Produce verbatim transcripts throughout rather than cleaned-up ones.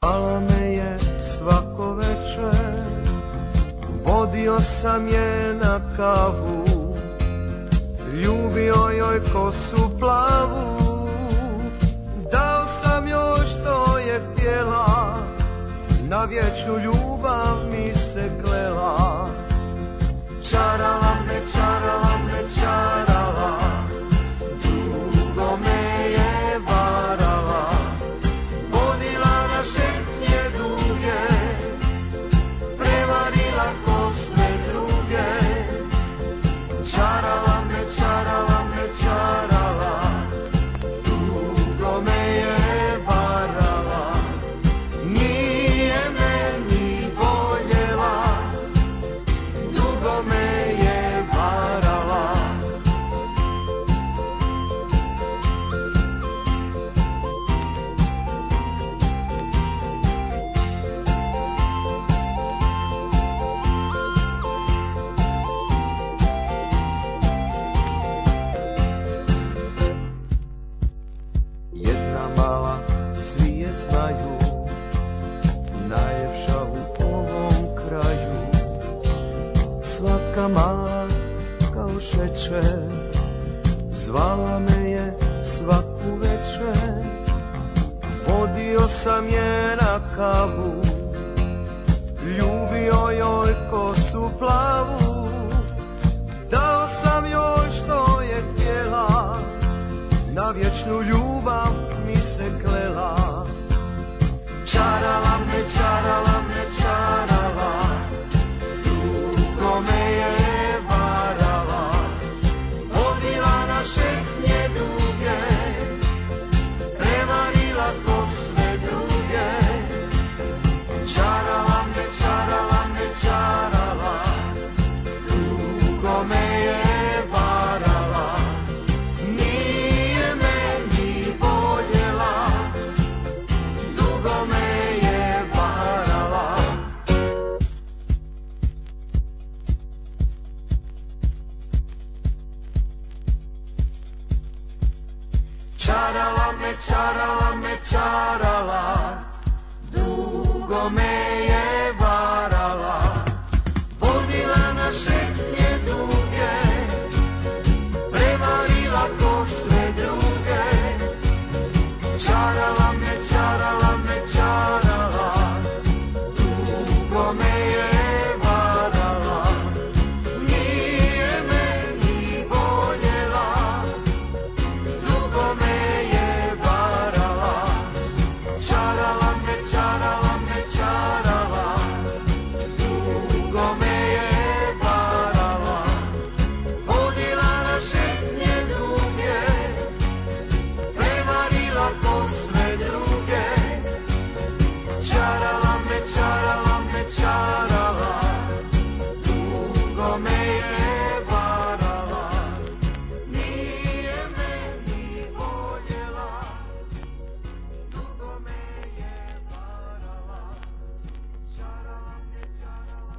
Zvala me je svako večer, vodio sam je na kavu, ljubio joj kosu plavu, dao sam joj što je htjela, na vječnu ljubav mi se klela. Čarala me, čarala me, čarala, dugo me je varala, vodila na šetnje duge, prevarila ko sve druge. Čarala me, čarala me, čarala, dugo me je varala, nije me ni voljela, dugo me je varala. Jedna mala, svi je znaju, najljepša u ovom kraju, slatka mala kao šećer, zvala me je svaku večer, vodio sam je na kavu, ljubio joj kosu plavu, dao sam joj što je htjela, na vječnu ljubav mi se klela. Čarala me, čarala me, čarala, dugo me je varala, vodila na šetnje duge, prevarila ko sve druge. Čarala me, čarala me, čarala, dugo me je varala, nije me ni voljela, dugo me je varala. Čarala me, čarala me, čarala, dugo me je varala, vodila na šetnje duge, prevarila ko sve druge. Čarala me, čarala me, čarala, dugo me je varala, nije me ni voljela, dugo me je varala. Čarala me, čarala me, čarala, dugo me je varala, vodila na šetnje duge, prevarila ko sve druge. Čarala me, čarala me, čarala, dugo me je varala, nije me ni voljela, dugo me je varala. Čarala me, čarala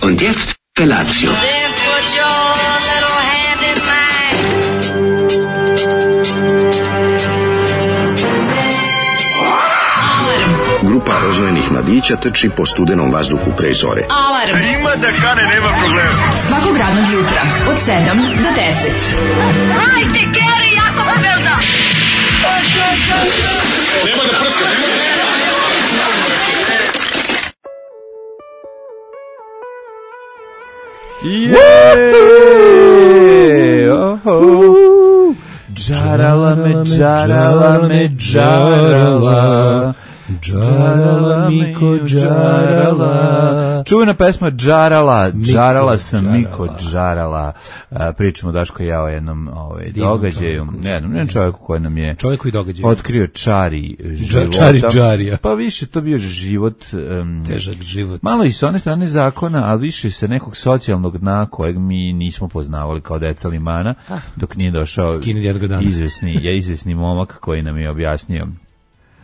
me. Und jetzt Felatio. Then put your little hand in mine. Grupa rozvojenih mladića trči po studenom vazduhu pre zore. Alarm. Ima da kane, nema problema. Svakog radnog jutra od sedam do deset. Hajde, Geri, jako se velda. Nema da prska, nema da prska. Jeee! Oho! Džarala me, džarala me, džarala. Džarala Miko, džarala. Čuvena pesma Džarala, džarala sam Miko, džarala. Pričamo Daško i ja o jednom ovaj, događaju, jednom, jednom čovjeku koji nam je čovjeku i događaju otkrio čari života. Čari džarija. Pa više to bio život, um, težak život. Malo i s one strane zakona, ali više sa nekog socijalnog dna kojeg mi nismo poznavali kao deca limana, ah, dok nije došao izvesni, ja izvesni momak koji nam je objasnio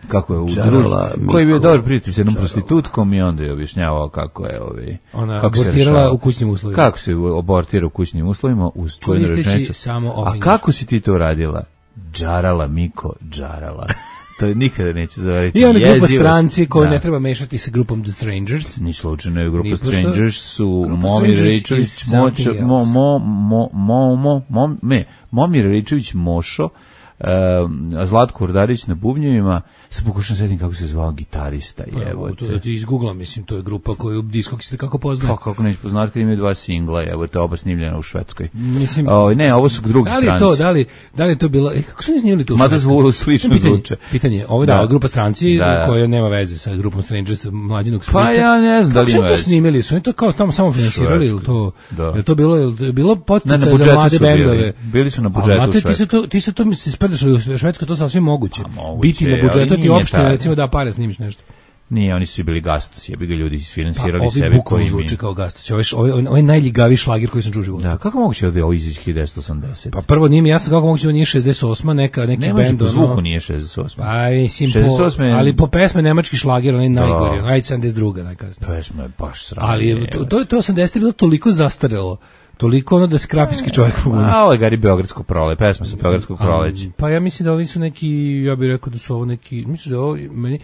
kako je u društvu, koji je bio dobar prijatelj s jednom prostitutkom i onda je objašnjavao kako je ovi, ona kako abortirala u kućnim uslovima. Kako se abortira u kućnim uslovima uz čuvenu rečenicu. Samo a kako si ti to radila? Džarala Miko, džarala. To nikada neće zavariti. I ona grupa Jezivost. stranci koju Da. ne treba mešati sa grupom The Strangers. Ni slučajno je grupa Ni pošto- Strangers su Grupa Momir Strangers Ričević, is something Močo, mo, else. mo, mo, mo, mo, mo, me, Momir Ričević, Mošo, uh, Zlatko Urdarić na bubnjevima, sad pokušam sedim kako se zvao gitarista, Evo, evo to da ti izgooglam, mislim, to je grupa koju Discogs se kako poznaje. Pa kako neće poznati kad imaju dva singla, evo te oba snimljena u Švedskoj. Mislim, O, ne, ovo su drugi da li je stranci. to, da li, da li je to bilo, e, kako su oni snimili to u Mada Švedskoj? zvulo slično pitanje, zvuče. Pitanje, ovo je da, Da. grupa stranci Da, da. koja nema veze sa grupom Strangers, mlađinog Pa Slica. ja ne znam da li Kako su ima to veze. snimili? Su oni to kao tamo samo finansirali ili to? Da. Je to bilo, je to bilo Ne, na podsticaj za budžetu mlade su bili. bendove? Bili su na A, budžetu u znate, ti se Švedskoj. to, ti se to mi se sprdašali u Švedskoj, to sasvim moguće. A, moguće Biti na je, ali budžetu ti nije opšte, taj. recimo da pare snimiš nešto. Nije, oni su i bili gastos, jebi ga ljudi Pa, isfinansirali ovi sebe bukvalno koji zvuči mi. kao Gastoć. Ovo je, ovo je, ovo je najljigaviji šlagir koji sam čuo u životu. Da, kako moguće da je ovo izići hiljadu osamdeset? Pa prvo nije mi jasno kako moguće da nije šezdeset osma neka, neki Ne može bend. po ono- zvuku nije šezdeset osam. Pa mislim, šezdeset osme po, ali po pesme nemački šlagir, onaj najgori, Da. onaj sedamdeset druga najkasnije. Pesma je baš sranje. Ali je- to, to, to osamdeset je bilo toliko zastarelo, toliko ono da se krapinski čovjek pogubi. A, ovo je Gari Beogradskog prole, pesma sa Beogradskog proleća. Pa ja mislim da ovi su neki, ja bih rekao da su ovo neki, mislim da ovo, meni,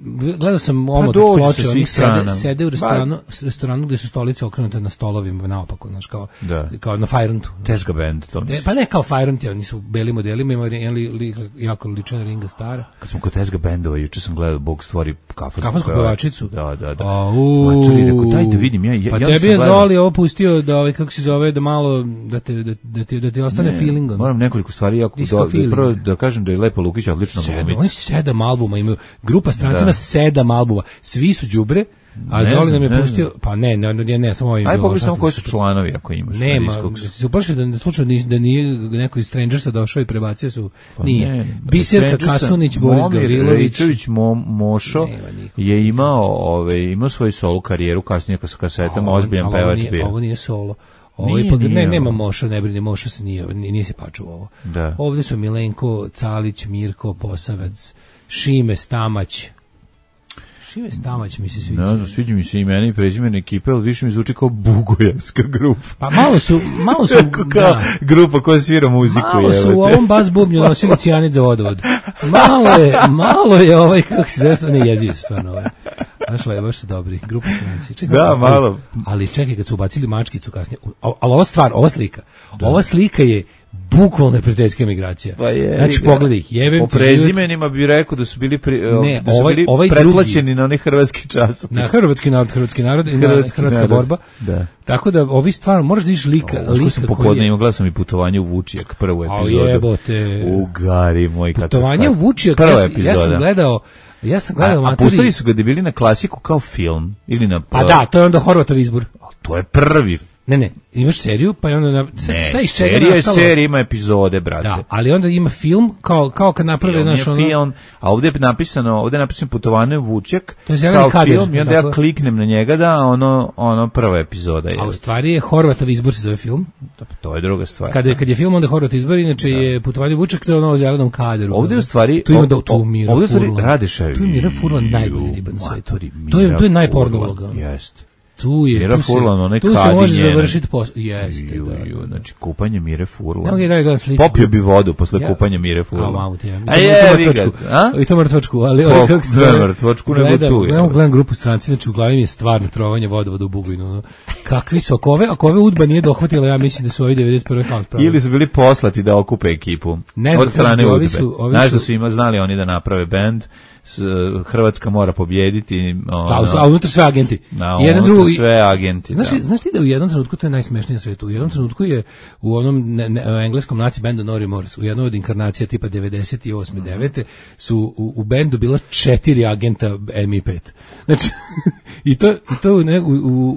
gledao sam omot dođu sa ploče, svih oni strana. sede, sede u Ba- restoranu, s- restoranu gde su stolice okrenute na stolovima naopako, znaš, kao, Da. kao na Fajrontu. Tesga band, to E, pa ne kao Fajront, oni su u belim modelima, ima jedan li, li, jako ličan Ringa Stara. Kad smo kod Tesga bandova, juče sam gledao Bog stvori kafansku, Kafansku pevačicu? Da, da, da. Au. Matori, rekao, daj da vidim, ja, ja, Pa ja tebi sam je gledao- Zoli ovo pustio da ovaj kako se zove da malo da te da, da ti da ti ostane Ne, feeling. ono. Moram nekoliko stvari jako Disco do, feeling. prvo da kažem da je Lepa Lukić odlična Sedam, glumica. oni sedam albuma imaju. Grupa stranci Da. ima sedam albuma. Svi su đubre, a Ne Zoli znam, nam je ne pustio, znam. pa ne, ne, ne, ne samo ovim. Aj bilo, pogledaj šta samo sam- koji su članovi ako imaš. na Nema, Discogsu. se uplašio da ne slučajno nis- da nije neko iz Strangersa došao i prebacio su. Pa Nije. ne, ne, Biserka Strangersa, Kasunić, Boris Momir Gavrilović. Ričević, Mo, Mošo Nema nikog. je imao, ove, imao svoju solo karijeru kasnije sa kasetama, Ovo- ozbiljan ali ovo pevač nije- bio. Ovo nije solo. Ovo Nije, ipak, nije ne, ovo. nema Moša, ne brini, Moša se nije, nije, nije se paču ovo. Da. Ovdje su Milenko, Calić, Mirko, Posavac, Šime Stamać. Šime Stamać mi se sviđa. Ne znam, sviđa mi se imena i prezimena ekipe, ali više mi zvuči kao bugojevska grupa. Pa malo su, malo su, Kao da, grupa koja svira muziku. malo su u jebote. ovom bas bubnju nosili cijanid za vodovod. Malo je, malo je ovaj, kako se zove, ne jezio se stvarno ovaj. Znaš, le, baš su dobri, grupa stranci. Čekaj, Da, ali- malo. Ali čekaj, kad su ubacili mačkicu kasnije, u- ali ova stvar, ova slika, ova slika je bukvalno neprijateljska migracija. Pa je, Znači, ga. pogledaj ih, jebem Po ti život. prezimenima bi rekao da su bili, pri, Ne, da su ovaj- bili ovaj pretplaćeni drugi. na onaj hrvatski časopis. Na hrvatski narod, hrvatski narod i na Hrvatski hrvatska narod, borba. da. Tako da ovi stvarno moraš da vidiš lika, Ovo što sam lika koji popodne je. imao, gledao sam i putovanje u Vučijak, prvu A epizodu. jebote. U gari moj. kad- Putovanje u kad- Vučijak, Prva ja, sam- ja epizoda. sam gledao, ja sam gledao A, a maturi. pustili su ga da bili na klasiku kao film ili na... Pa da, to je onda Horvatov izbor. To je prvi. Ne, ne, imaš seriju, pa je onda na, Ne, šta iz čega serija je nastalo? serija, ima epizode, brate. Da, ali onda ima film kao kao kad naprave Film je naš ono. film, a ovdje je napisano, ovdje je napisano putovanje u Vučjak To je zeleni kao kadar, film i onda ja tako? kliknem na njega da ono, ono prva epizoda je. A u stvari je Horvatov izbor se zove film. To je druga stvar. Kad je kad je film onda Horvat izbor, inače je putovanje u Vučjak, to je ono o zelenom kadru. Ovdje u stvari tu ima o- da tu o- Mira ovdje u stvari Furlan. Radešev. Tu je Mira Furlan najbolji riba na svetu. Matori, To je Mira to je najporno Furlan, uloga. Jeste. Tu je, Mira tu se, Furlan, onaj tu se kadi može njenog. završiti posao. Jeste, Ju, da. ju, znači kupanje Mire Furlan. Ne mogu ja gledam sliku. Popio bi vodu posle Ja- kupanja Mire A, Furlan. mamu ti ja. A je, vi ga, a? I to mrtvačku, ali Koliko? ovaj kako se Ne, zove, mrtvačku, nego gledam, tu je. Gledam, gledam grupu stranci, znači u glavi mi je stvarno trovanje vodovoda u Bugojnu. ono. Kakvi su, ako ove, ako ove udba nije dohvatila, ja mislim da su ovi devedeset prve kao spravili. Ili su bili poslati da okupe ekipu. Ne znam, od strane kažete, ovi udbe. su- ovi Znaš su- da su ima znali oni da naprave bend, s- Hrvatska mora pobjediti. Ono, A, a unutra sve agenti. na, Jedan unutra drugi. sve agenti. Znaš, da. znaš ti da u jednom trenutku, to je najsmešnije na svetu, u jednom trenutku je u onom ne, ne, engleskom naci bendu Nori Morris, u jednoj od inkarnacija tipa devedeset osam devete su u, u bendu bila četiri agenta M I pet. Znači, i to, i to u, ne, u,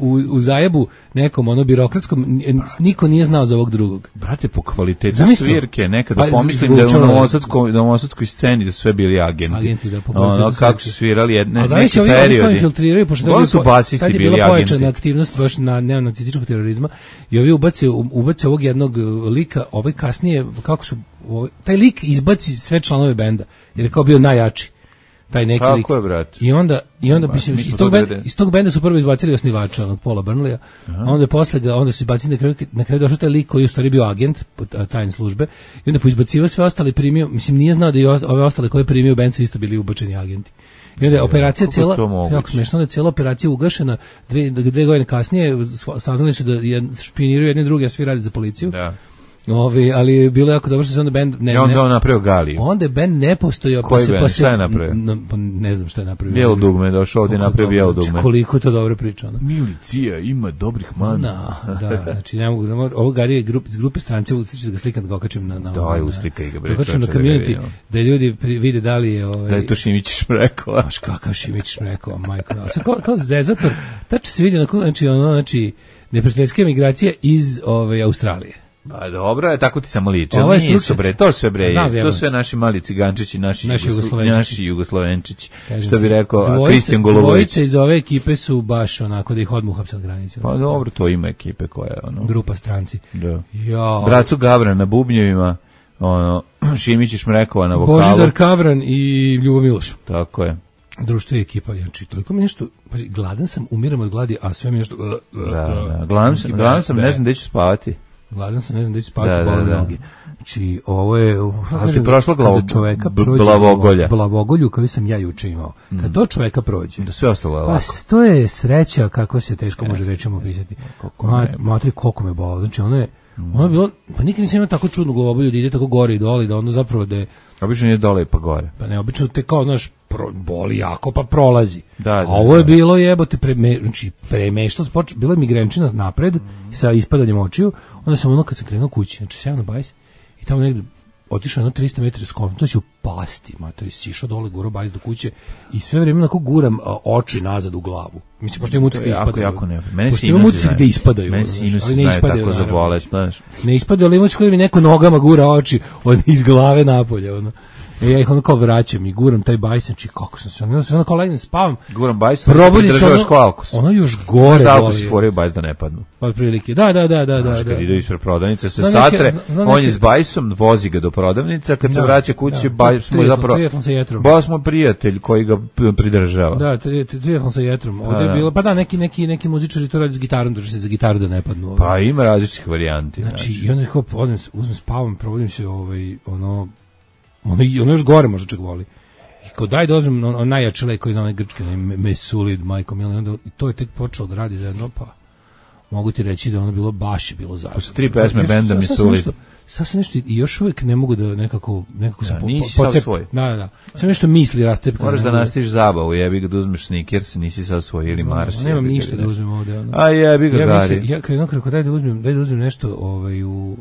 u, u zajebu nekom ono birokratskom, n- niko nije znao za ovog drugog. Brate, po kvalitetu Zamisli. svirke, nekada Pa, pomislim da je u zvučalo je- novosadskoj, novosadskoj sceni da su sve bili agenti. Agenti, da, po ono, kvalitetu kako svirke. su svirali jedne, A neki zamisli ovi, ovi koji periodi. infiltriraju, pošto Uglavnom su po- basisti tad je bili bila pojačana agenti. aktivnost baš na neonacističkog terorizma i ovi ubace, ubace ovog jednog uh, lika, ovaj kasnije, kako su, ovaj, taj lik izbaci sve članove benda, jer je kao bio najjači. taj neki Kako lik. je, brate? I onda i onda Ba, mislim mi smo iz tog to benda, devedeset. iz tog benda su prvo izbacili osnivača onog Paula Burnleya, a onda je posle ga onda su izbacili na kraju na kraju došao taj lik koji je u stvari bio agent tajne službe i onda poizbacivao sve ostale primio, mislim nije znao da i ove ostale koje primio u bend su isto bili ubačeni agenti. I onda je operacija kako cijela, to moguće? jako smešno, da je cijela operacija ugašena, dve, dve godine kasnije saznali su da je, špiniraju jedni drugi, a svi radi za policiju. Da. Ovi, ali je bilo jako dobro što se onda bend ne, I onda ne, on napravio Galiju. onda je bend ne postojao, Koji pa se bend? pa se Šta je napravio? n- pa ne znam šta je napravio. Bijelo dugme je došao ovdje i Koliko napravio dobro, bijelo znači, dugme. koliko je to dobro priča, ono. Milicija ima dobrih mana. Na, da, znači ne mogu, ne mogu ovo Gari je grup, iz grupe stranci, usliči da ga slikam da ga okačim na na. Da, ovaj, je na- uslikaj ga, bre, da okačim na čoveče, da ga community, vidimo. da ljudi pri- vide da li je ovaj Da je to Šimić Šmrekova. baš kakav Šimić Šmrekova, majko mila. Sad kao, kao zezator, tačno se vidi onako, znači, ono, znači, neprijateljske migracije iz ove, Australije. Pa dobro, je, tako ti samo liče. Ovo je Nisu, stručnjak. bre, to sve bre, Znam, to zjebam. sve naši mali cigančići, naši, Naši Jugoslo- Jugoslovenčići. naši Jugoslovenčići. Kažem Što bi ti, rekao a, dvojice- Kristijan Golubović. Dvojice iz ove ekipe su baš onako da ih odmah uhapse na granici. Pa dobro, to ima ekipe koja je ono. Grupa stranci. Da. Ja, Bracu Gabra na bubnjevima, ono, Šimić i Šmrekova na vokalu. Božidar Kavran i Ljubo Miloš. Tako je. Društvo i ekipa, znači toliko mi nešto, pazi, gladan sam, umiram od gladi, a sve mi nešto... Uh, uh, Da, uh, da. Gladan sam, be, gladan sam, be. ne znam gde ću spavati. Gladan sam, ne znam da ću spavati, Da, da, bole da. noge. Znači, ovo je... uh, Ali kažem, ti prošlo glavo- kada čoveka b- prođe glavogolja. Glavogolju koju sam ja juče imao. Kad to čoveka prođe, Da sve ostalo je pa lako. s- to je sreća kako se teško može rečima opisati. Koliko Ma, me- matri, koliko me bolo. Znači, ono je, ono je bilo, pa nikad nisam imao tako čudnu glavobolju da ide tako gore i dole, da ono zapravo da je, Obično nije dole pa gore. pa ne, obično te kao, znaš, pro, boli jako, pa prolazi. Da, da, A ovo je da. bilo jebote, preme, znači, premešta, spoč, bilo je migrenčina napred, sa ispadanjem očiju, onda sam ono kad sam krenuo kući, znači, sjavno na bajs, i tamo negde, otišao jedno tristo metara skom, to će upasti, matori, sišao dole, guro bajs do kuće i sve vrijeme onako guram a, oči nazad u glavu. Mislim, pošto imam utisak To da je jako, ispadaju. jako ne. Mene Pošto imam sinusi utisak znaju. da ispadaju. Mene znaš, sinusi ali ne znaju ispadaju, tako za naravno. bolet, znaš. Ne ispadaju, ali imaš koji mi neko nogama gura oči od, iz glave napolje, ono. I ja ih ono kao vraćam i guram taj bajs, znači kako sam se, ono se ono kao legnem, spavam, Guram bajs, probudi se državaš ono, ko alkos. ono još gore Da, alkos boli. foraju bajs da ne padnu. Od prilike, da, da, da, da, Znaš, da. kad da. ide ispred prodavnice, se Znam neke- satre, znam- znam on je neke- s bajsom, vozi ga do prodavnice, a kad se Da, vraća kući, da. bajs mu je Triatlon- zapravo... triatlon sa jetrom. Bajs mu je prijatelj koji ga p- pridržava. Da, tri- tri- triatlon sa jetrom. Ovdje Pa, je da. bilo, pa da, neki, neki, neki muzičari to radi s gitarom, drži se za gitaru da ne padnu. Ovaj. Pa ima različitih varijanti. Znači, i onda kao, odem, uzmem, spavam, provodim se, ovaj, ono, ono, i- ono još gore možda čak voli. I kao daj da uzmem on, on najjači lek koji zna onaj grčki, onaj Me- Mesulid, majko Milan, i onda i to je tek počelo da radi zajedno, pa mogu ti reći da je ono bilo baš je bilo zajedno. Posle tri pesme Još- benda sad- sad sam Mesulid. nešto- Sad sam nešto, i još uvijek ne mogu da nekako, nekako sam Da, po- nisi po- sav podcep- svoj. Da, da, da. Sam nešto misli rascepkano. Moraš da ne mogu nastiš zabavu, jebi ga da uzmeš Snickers, nisi sad svoj ili Mars. Nemam jebi ga, ništa da ne. uzmem ovde. Ono. A jebi ga, ja Gari. mislim, ja krenuo kako daj da uzmem, daj da uzmem nešto ovaj u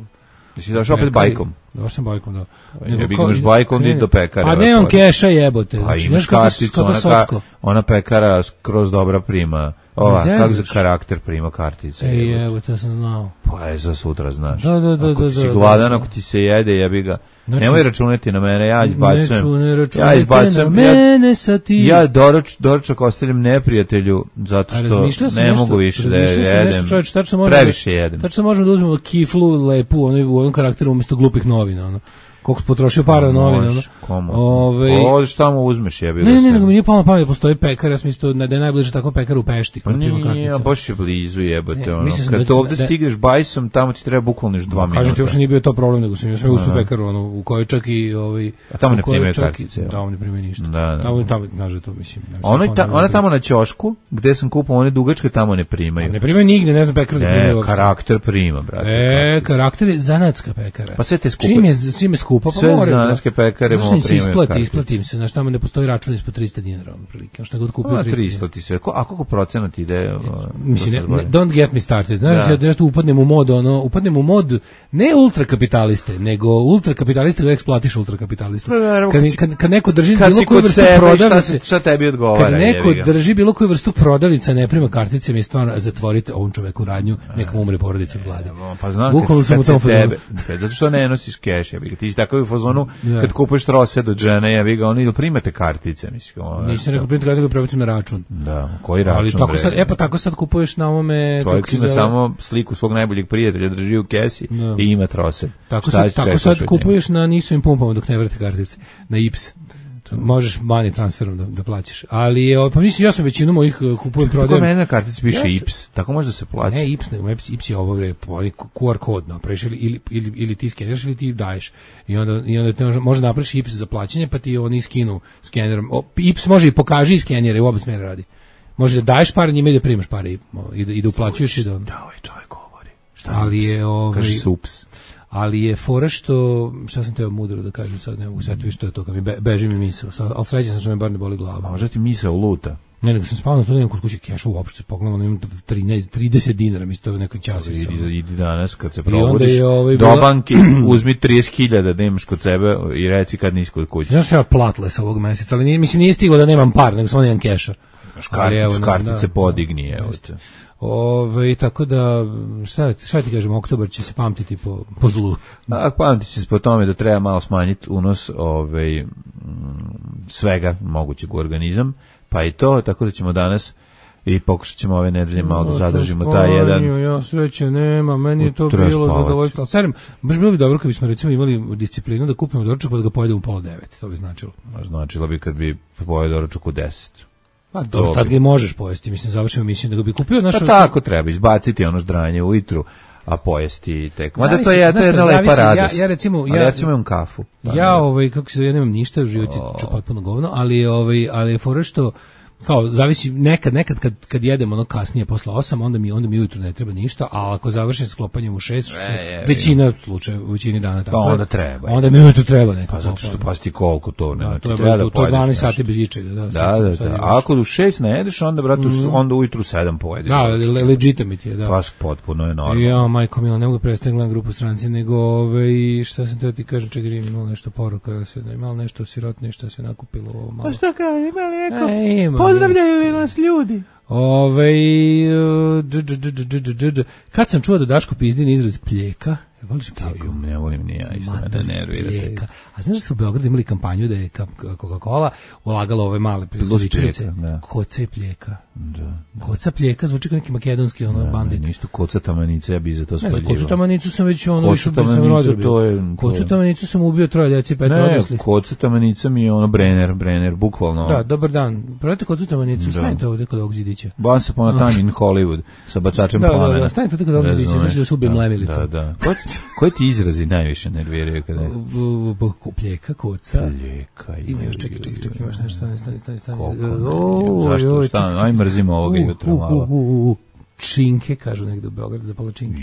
Jesi došao opet pekari. bajkom? Došao sam bajkom, da. jebi ga, kao- imaš bajkom, krene- idi do pekare, A ovaj nemam put. keša jebote. Pa Znači, imaš znaš kako- karticu, kako ona, ka, socko. ona pekara skroz dobra prima. Ova, Ne kako za zezaš. karakter prima kartice. Ej, jebote. evo, to sam znao. Pa je za sutra, znaš. Da, da, da, Ako da, ti si da, gladan, da. ako ti se jede, jebi ga. Znači- Nemoj računati na mene, ja izbacujem. Neću, ne ja računajte izbacujem, na ja, mene sa ti. ja doruč, doručak ostavljam neprijatelju, zato A što razmišljao sam ne nešto- mogu više da razmišljao sam jedem. nešto, čoveče, tačno možemo Previše da, jedem. Tačno možemo da uzmemo kiflu lepu ono, u onom karakteru umjesto glupih novina. Ono. Koliko si potrošio para na novine. Ono. Možeš, komu? Ove, O, šta mu uzmeš, jebi ga. ne, ne, ne, sve. nego mi nije palo na pamet, postoji pekar, ja sam mislio da je najbliže tako pekar u Pešti. Pa kod prima nije, kartica. a baš je blizu jebote, Ne, ono. mislio sam Kad da- to ovde da- stigneš bajsom, tamo ti treba bukvalno još dva minuta. Kažem ti, uopšte nije bio to problem, nego sam ja sve ustu Da, da. pekaru, ono, u kojoj čak i... Ovaj, A tamo u ne kojoj primaju čak i- kartice, jel? Tamo ne primaju ništa. Da, da. Tamo, tamo, znaš da to, mislim... ne znam Ona, kako ta, ne ona primaju. tamo na ćošku, gde sam kupao one dugačke, tamo ne primaju. Ne primaju nigde, ne znam pekar da primaju Ne, uopšte. karakter prima, brate. E, karakter je zanatska pekara. Pa sve te skupe. Čim je, čim je skupa, pa Sve mora. zanatske pekare Zašto mogu im se primaju isplati, kartice. isplati im se, znaš, tamo ne postoji račun ispod tristo dinara, ono, prilike, šta god kupio Pa tristo tristo dinara. ti sve. Ko, a koliko procenat ide? uh, Mislim, ne, dosta ne, zbolje? don't get me started. Znaš, Da. ja nešto upadnem u mod, ono, upadnem u mod ne ultrakapitaliste, nego ultrakapitaliste koji eksploatiš ultrakapitalistu. Pa, naravno, Kad, kad si- kad, kad neko drži Kad bilo si koju kod vrstu sebe, šta, prodavnice, se- šta tebi odgovara? kad neko jebi ga. drži bilo koju vrstu prodavnica, ne prima kartice, mi stvarno zatvorite ovom čoveku radnju, nekom umre porodica od gladi. Pa znam, Bukvalno kad, sam kad u tom se fazonu. tebe, kad, zato što ne nosiš keš, jebi ga. Ti si takav u fazonu, Da. kad kupuješ trosed od žene, jebi ga, oni ili primate kartice, mislim. Ono, Nisam rekao primiti karticu, prebacim na račun. Da, koji račun, Ali tako bre? sad, e pa tako sad kupuješ na ovome... Čovjek kako se ima zove? samo sliku svog najboljeg prijatelja, drži u kesi Da. i ima trosed. Tako Šta sad, ćeš tako čekaš sad od njega? kupuješ na nisovim pumpama dok ne vrte kartice. Na I P S. Možeš money transferom da, da plaćaš. Ali je, pa mislim, ja sam većinu mojih kupujem, prodajem. Tako mene na kartici piše Ja sam- I P S, tako može da se plaća. Ne, I P S, nego I P S je ovo bre, ovaj Q R kod napraviš ili, ili, ili, ili ti skeniraš ili ti daješ. I onda, i onda te može, može napraviš I P S za plaćanje, pa ti oni skinu skenerom. O, I P S može i pokaži i skenjere, u oba smjera radi. Može da daješ pare njima i da primaš pare i, i, da, i da uplaćuješ i da... Da, ovaj čovjek govori. Šta Ali je, ovaj- Kaže sups. Ali je fora što, šta sam teo mudro da kažem sad, ne mogu setiti što je to, kad mi be, beži mi misao, sad, ali srećan sam što me bar ne boli glava. Možda ti misao luta. Ne, nego sam spavao na to, nemam kod kuće keša uopšte, pogledam, imam trinaest, trideset dinara, mi stoje u nekoj časi. Idi, idi danas kad se onda probudiš je, ovaj, do bila- banke, uzmi trideset hiljada da imaš kod sebe i reci kad nisi kod kuće. Znaš što ja platile sa ovog meseca, ali nije, mislim nije stiglo da nemam par, nego samo nemam keša. Imaš Ali evo, karticu, da, kartice da, podigni, evo jeste. te. Ove, tako da, šta, šta ti kažem, oktobar će se pamtiti po, po zlu. A pamti se po tome da treba malo smanjiti unos ovaj, mm, svega mogućeg u organizam, pa i to, tako da ćemo danas i pokušat ćemo ove nedelje malo da zadržimo taj jedan... Ja sreće nema, meni je to Treba bilo spavati. zadovoljstvo. Ali serem, baš bilo bi dobro kad bismo recimo imali disciplinu da kupimo doručak pa da ga pojedemo u pola devet, to bi značilo. Značilo bi kad bi pojeo doručak u deset. Pa dobro, tad ga i možeš pojesti, mislim, završimo emisiju, nego bi kupio naš... Pa tako treba, izbaciti ono ždranje ujutru, a pojesti tek. Mada to Zavisi, je, to znaš je jedna šta, lepa zavisi, ja- radost. ja recimo- Ali ja- ja ću imam kafu. Pa Ja ne. ovaj kako se ja nemam ništa, život je ću potpuno govno, ali ovaj ali je fora što kao zavisi nekad nekad kad kad jedemo ono kasnije posle osam, onda mi onda mi ujutro ne treba ništa, a ako završim sklopanjem u šest, što E, je, većina slučajeva, u većini dana tako. Pa je, onda treba. Onda mi ujutro treba neko. Pa zato što pa ti koliko to ne. da, ti to je treba baš da to je pojedeš dvanaest nešto. sati bez ičega, da. Da, sad- da, sad da. je A baš- ako u šest ne jedeš, onda, brate, Mhm. onda ujutru sedam pojedeš. Da, le- legitimate je, da. Pa potpuno je normalno. Ja, majko Mila, ne mogu predstaviti gledam grupu stranci, nego ovaj, šta sam teo ti kažem, čekaj, ima imalo nešto poruka, sve da imalo nešto sirotne, što se nakupilo ovo malo. Pa šta kao, ima li neko? E, ima, Pozdravljaju li nas ljudi? Ove, dž, dž, dž, dž, dž, dž. Kad sam čuo da Daško pizdin izraz pljeka, je voliš pljeku? Ju, ne volim ni ja, isto me da nervira. Pljeka. A znaš da su u Beogradu imali kampanju da je ka- Coca-Cola ulagala ove male proizvođačice? pljeka, da. Koca i pljeka. Da. Koca pljeka zvuči kao neki makedonski ono bandit. Ništa koca tamanice, ja bi za to Ne znam, spaljivao. kocu tamanicu sam već ono Kocu više sam tamanicu, rodio. to je- to Kocu je- tamanicu sam ubio troje djeci, pet Ne, odraslih. koca tamanica mi je ono Brenner, Brenner, bukvalno. Da, dobar dan. Prodajte kocu tamanicu, Da. stanite ovdje kod ovog zidića. Once upon a time in Hollywood sa bacačem Da, da, plamena. da, stanite tu kod ovog zidića, Razumeš? znači da se ubijem Da, lemilicom. Da, da. Ko, koji ti izrazi najviše nerviraju kada je? V- v- v- Pljeka, koca. Pljeka. Ima još, čekaj, čekaj, čekaj, imaš nešto, stani, stani, stani, stani. Koliko E, ne, o, zašto, joj, šta, čekaj, aj mrzimo ovoga u, jutra u, malo. u, u, u. Činke, kažu negde u Beogradu, za pola činke.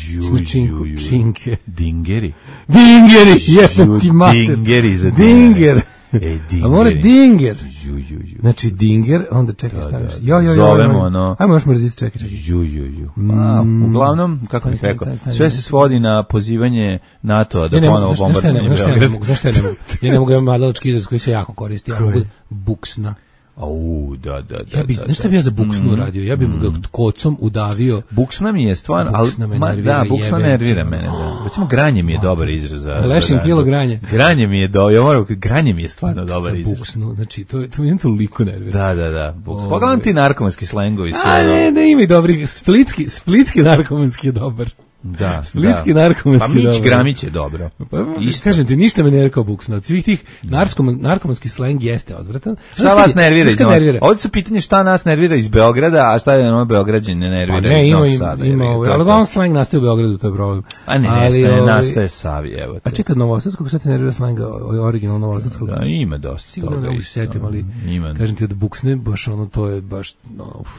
Ju, Na činku, ju, ju. činke. Dingeri. Dingeri, jebem ti Ju, mater. Dingeri za Dinger. Ej, A mora dingeri. dinger. Ju, ju, ju. Znači dinger, onda čekaj, staviš. da. Jo, jo, jo. Zovemo, jo. ono. Ajmo još mrziti, čekaj, čekaj. Ju, ju, ju. A, uglavnom, kako bih Stani, rekao, stani, stani. sve se svodi na pozivanje NATO-a da Ja ne mogu, ponovo znaš znaš šta ja ne mogu, bombarduje znaš šta ja ne mogu, znaš šta ja ne mogu. Ja ne mogu, ja imam mladalački izraz koji se jako koristi, ja mogu buksna. Au, da, da, da. Ja bi, da, znaš šta da. bi ja za buksnu radio? Ja bi mu ga kocom udavio. Buksna mi je stvarno, ali Buksna me ma, nervira, da, buksna jebe. nervira mene, da. Recimo granje mi je dobar izraz za. Lešim za- kilo granje. Granje mi je do, ja moram, granje mi je stvarno dobar Za izraz. buksnu, znači to, to mi toliko nervira. Da, da, da. Buks. Pogledam ti narkomanski slengovi su. A ono- ne, ne ima i dobrih, splitski, splitski narkomanski je dobar. Da, Splitski da. narkomanski Pa Mić dobar. Gramić je dobro. Pa, Isto. kažem ti, ništa me ne rekao buksno. Od svih tih narkom, narkomanski sleng jeste odvratan. Šta Znaš kad vas je- nervira? znaš iz kad Novog- nervira? Ovdje su pitanje šta nas nervira iz Beograda, a šta je ono Beograđan ne nervira Pa ne, iz ima, Novog ima, Sada. ima, jebi ga, ovaj, to je ali to. uglavnom sleng nastaje u Beogradu, to je problem. A ne, Ali, nestaje, ovaj, nastaje Savi, evo A te. čekaj, Novosadskog, šta te nervira slenga, o- original Novosadskog? Da, ima dosta Sigurno toga ne mogu se isto. setim, ali Ima. kažem ti od buksne, baš ono, to je baš, no, uf.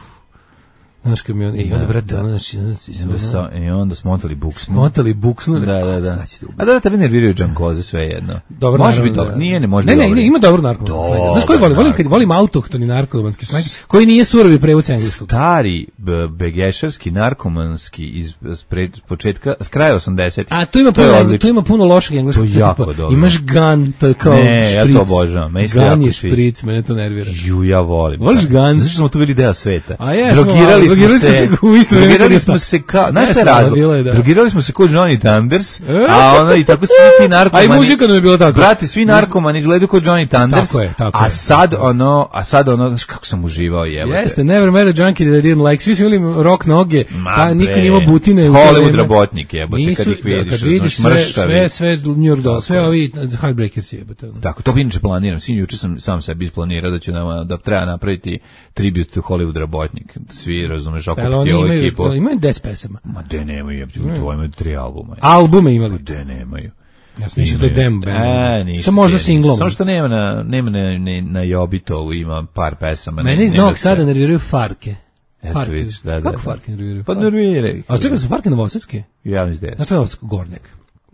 Znaš kad mi on, i onda, brate, ono, znači, ono, si se, Onda ono, sa, I onda smotali buksnu. smotali buksnu. Da, da, da. Sad ćete ubiti. A dobro, tebi nerviraju džankoze sve jedno. Dobro, može naravno, biti dobro. da. Nije, ne može ne, biti ne, dobro. ne, ima dobro narkomanski Dobar slang. Znaš koji volim? Volim, kad, narkomanski. volim autohtoni narkomanski slang, koji nije surovi prevod s engleskog. Stari b- begešarski narkomanski iz s pred, početka, s kraja osamdesetih. A tu ima To je puno, odlično. tu ima puno lošeg engleskog. To je tipa, jako dobro. Imaš gun, to je kao Ne, ja to špric. obožavam, meni se Gun jako je sviđa. špric, mene to nervira. Ju, ja volim. Voliš Da. gun? Zato što smo tu bili deo sveta. A jesmo, Drogirali ali smo drogirali smo se u isto vreme. Drogirali smo se kao, znaš šta je razlog? Drogirali smo se kao Johnny Thunders, a onda i tako svi ti narkomani. A i muzika nam je bila tako. Brate, svi narkomani izgledaju kao Johnny Thunders. Tako je, tako a je. sad ono, a sad ono, znaš kako sam uživao, jebote. Jeste, never met a junkie that I didn't like. Svi su imali rock noge, pa niko nije imao butine. Hollywood rabotnik, jebote, nisu, kad ih vidiš, kad vidiš znaš, sve, sve, sve New York Dolls, sve ovi Heartbreakers, jebote. Tako, to bi inače planiram. Svi juče sam sam sebi isplanirao da ću nama, da treba napraviti tribut to Hollywood rabotnik. Svi razumeš, okupiti ovu ekipu. Ali imaju deset pesama. Ma de nemaju, jebote, to imaju tri albuma. Albume imali? De nemaju. Ja sam mislio da je demo band. E, ništa. Samo možda singlom. Samo što nema na, nema na, na, na Jobitovu, ima par pesama. Mene iz Novog Sada nerviraju Farke. Eto vidiš, da, da. Kako Farke nerviraju? Pa nerviraju. A čekaj, su Farke novosadske? Ja mislim da je. Znači je Novosadsko, Gornjak.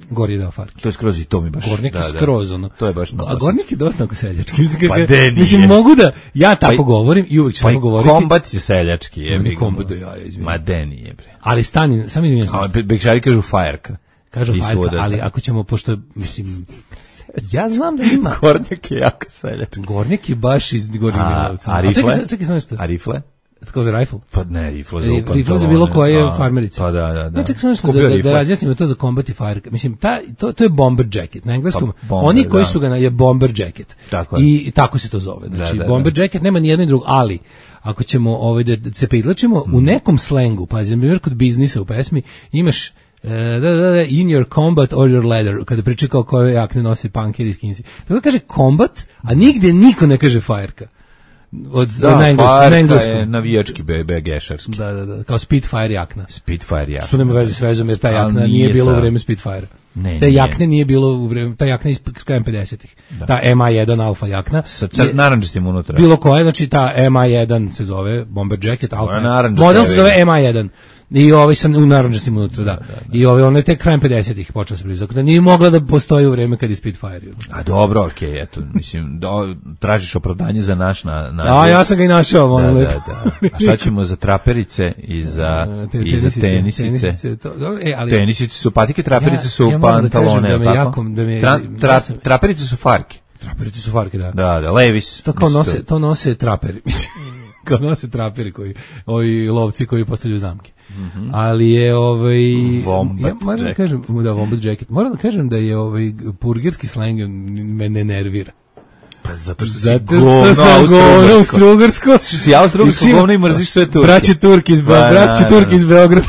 Gor je dao Farke. To je skroz i to mi baš. Gornjak da, je skroz, ono. To je baš A Gornjak je dosta oko seljački. Mislim, pa de nije. Mislim, mogu da, ja tako pa, govorim i uvijek ću pa tako govoriti. Kombat je seljački. Je mi kombat do jaja, izvijem. Ma de nije, bre. Ali stani, sam izvijem. A Bekšari kažu fajerka. Kažu fajerka, ali ako ćemo, pošto, mislim, ja znam da ima. Gornjak je jako seljački. Gornjak je baš iz Gornjeg Milanovca. A rifle? Čekaj, čekaj, samo nešto. A rifle? Tako za rifle? Pa ne, rifle za upantalone. Rifle za bilo koje farmerice. Pa da, da, da. Znači, samo nešto da, da, da razjasnimo to za combat i fire. Mislim, ta, to, to je bomber jacket. Na engleskom, pa, bomber, oni koji da. su ga na, je bomber jacket. Tako I, I tako se to zove. Znači, da, da, bomber da. jacket nema ni jedno ni drugo, ali ako ćemo ovaj, da, da se pridlačimo, mm. u nekom slengu, pa na primjer kod biznisa u pesmi, imaš Uh, da, da, da, in your combat or your leather, kada priča kao koje jakne nosi punkeri i skinsi. Tako kaže combat, a nigde niko ne kaže fajerka. Od, da, na engleskom, fajerka na engleskom. je navijački be gešarski. Da, da, da, kao Spitfire jakna. Spitfire jakna. Što nema veze s vezom, jer ta jakna nije, nije bilo ta... u vreme Spitfire. Ne, te jakne nije bilo u vreme, ta jakna iz krajem pedesetih. Da. Ta M A jedan Alfa jakna. Sa naranđastim unutra. Bilo koja, znači ta M A jedan se zove, bomber jacket, Alfa. Naranđast, model se zove M A jedan. I ovaj sam u naranđastim unutra, da. da, da, da. I ovaj on je tek krajem pedesetih počeo se blizak. Da nije mogla da postoji u vreme kad je Spitfire. A dobro, okej, okay, eto, mislim, do, tražiš opravdanje za naš na, na A ja sam ga i našao, da, ono da, da. A šta ćemo za traperice i za Te, i za tenisice? tenisice to, dobro, e, ali tenisice su patike, traperice ja, su ja pantalone, da me tako? jako, da me, Tra, tra, ja sam, traperice su farke. Traperice su farke, da. Da, da, Levis. To kao nose, to nose traperi, mislim. Kao nose traperi koji, ovi lovci koji postavljaju zamke. Mm -hmm. Ali je ovaj Wombat ja moram da kažem da Wombat jacket. Moram da kažem da je ovaj purgerski sleng me ne nervira. Pa zato što si zato govno austrougarsko. Što si austrougarsko govno i mrziš sve Turke. Braće Turki iz Beograda, braće Turki iz Beograda.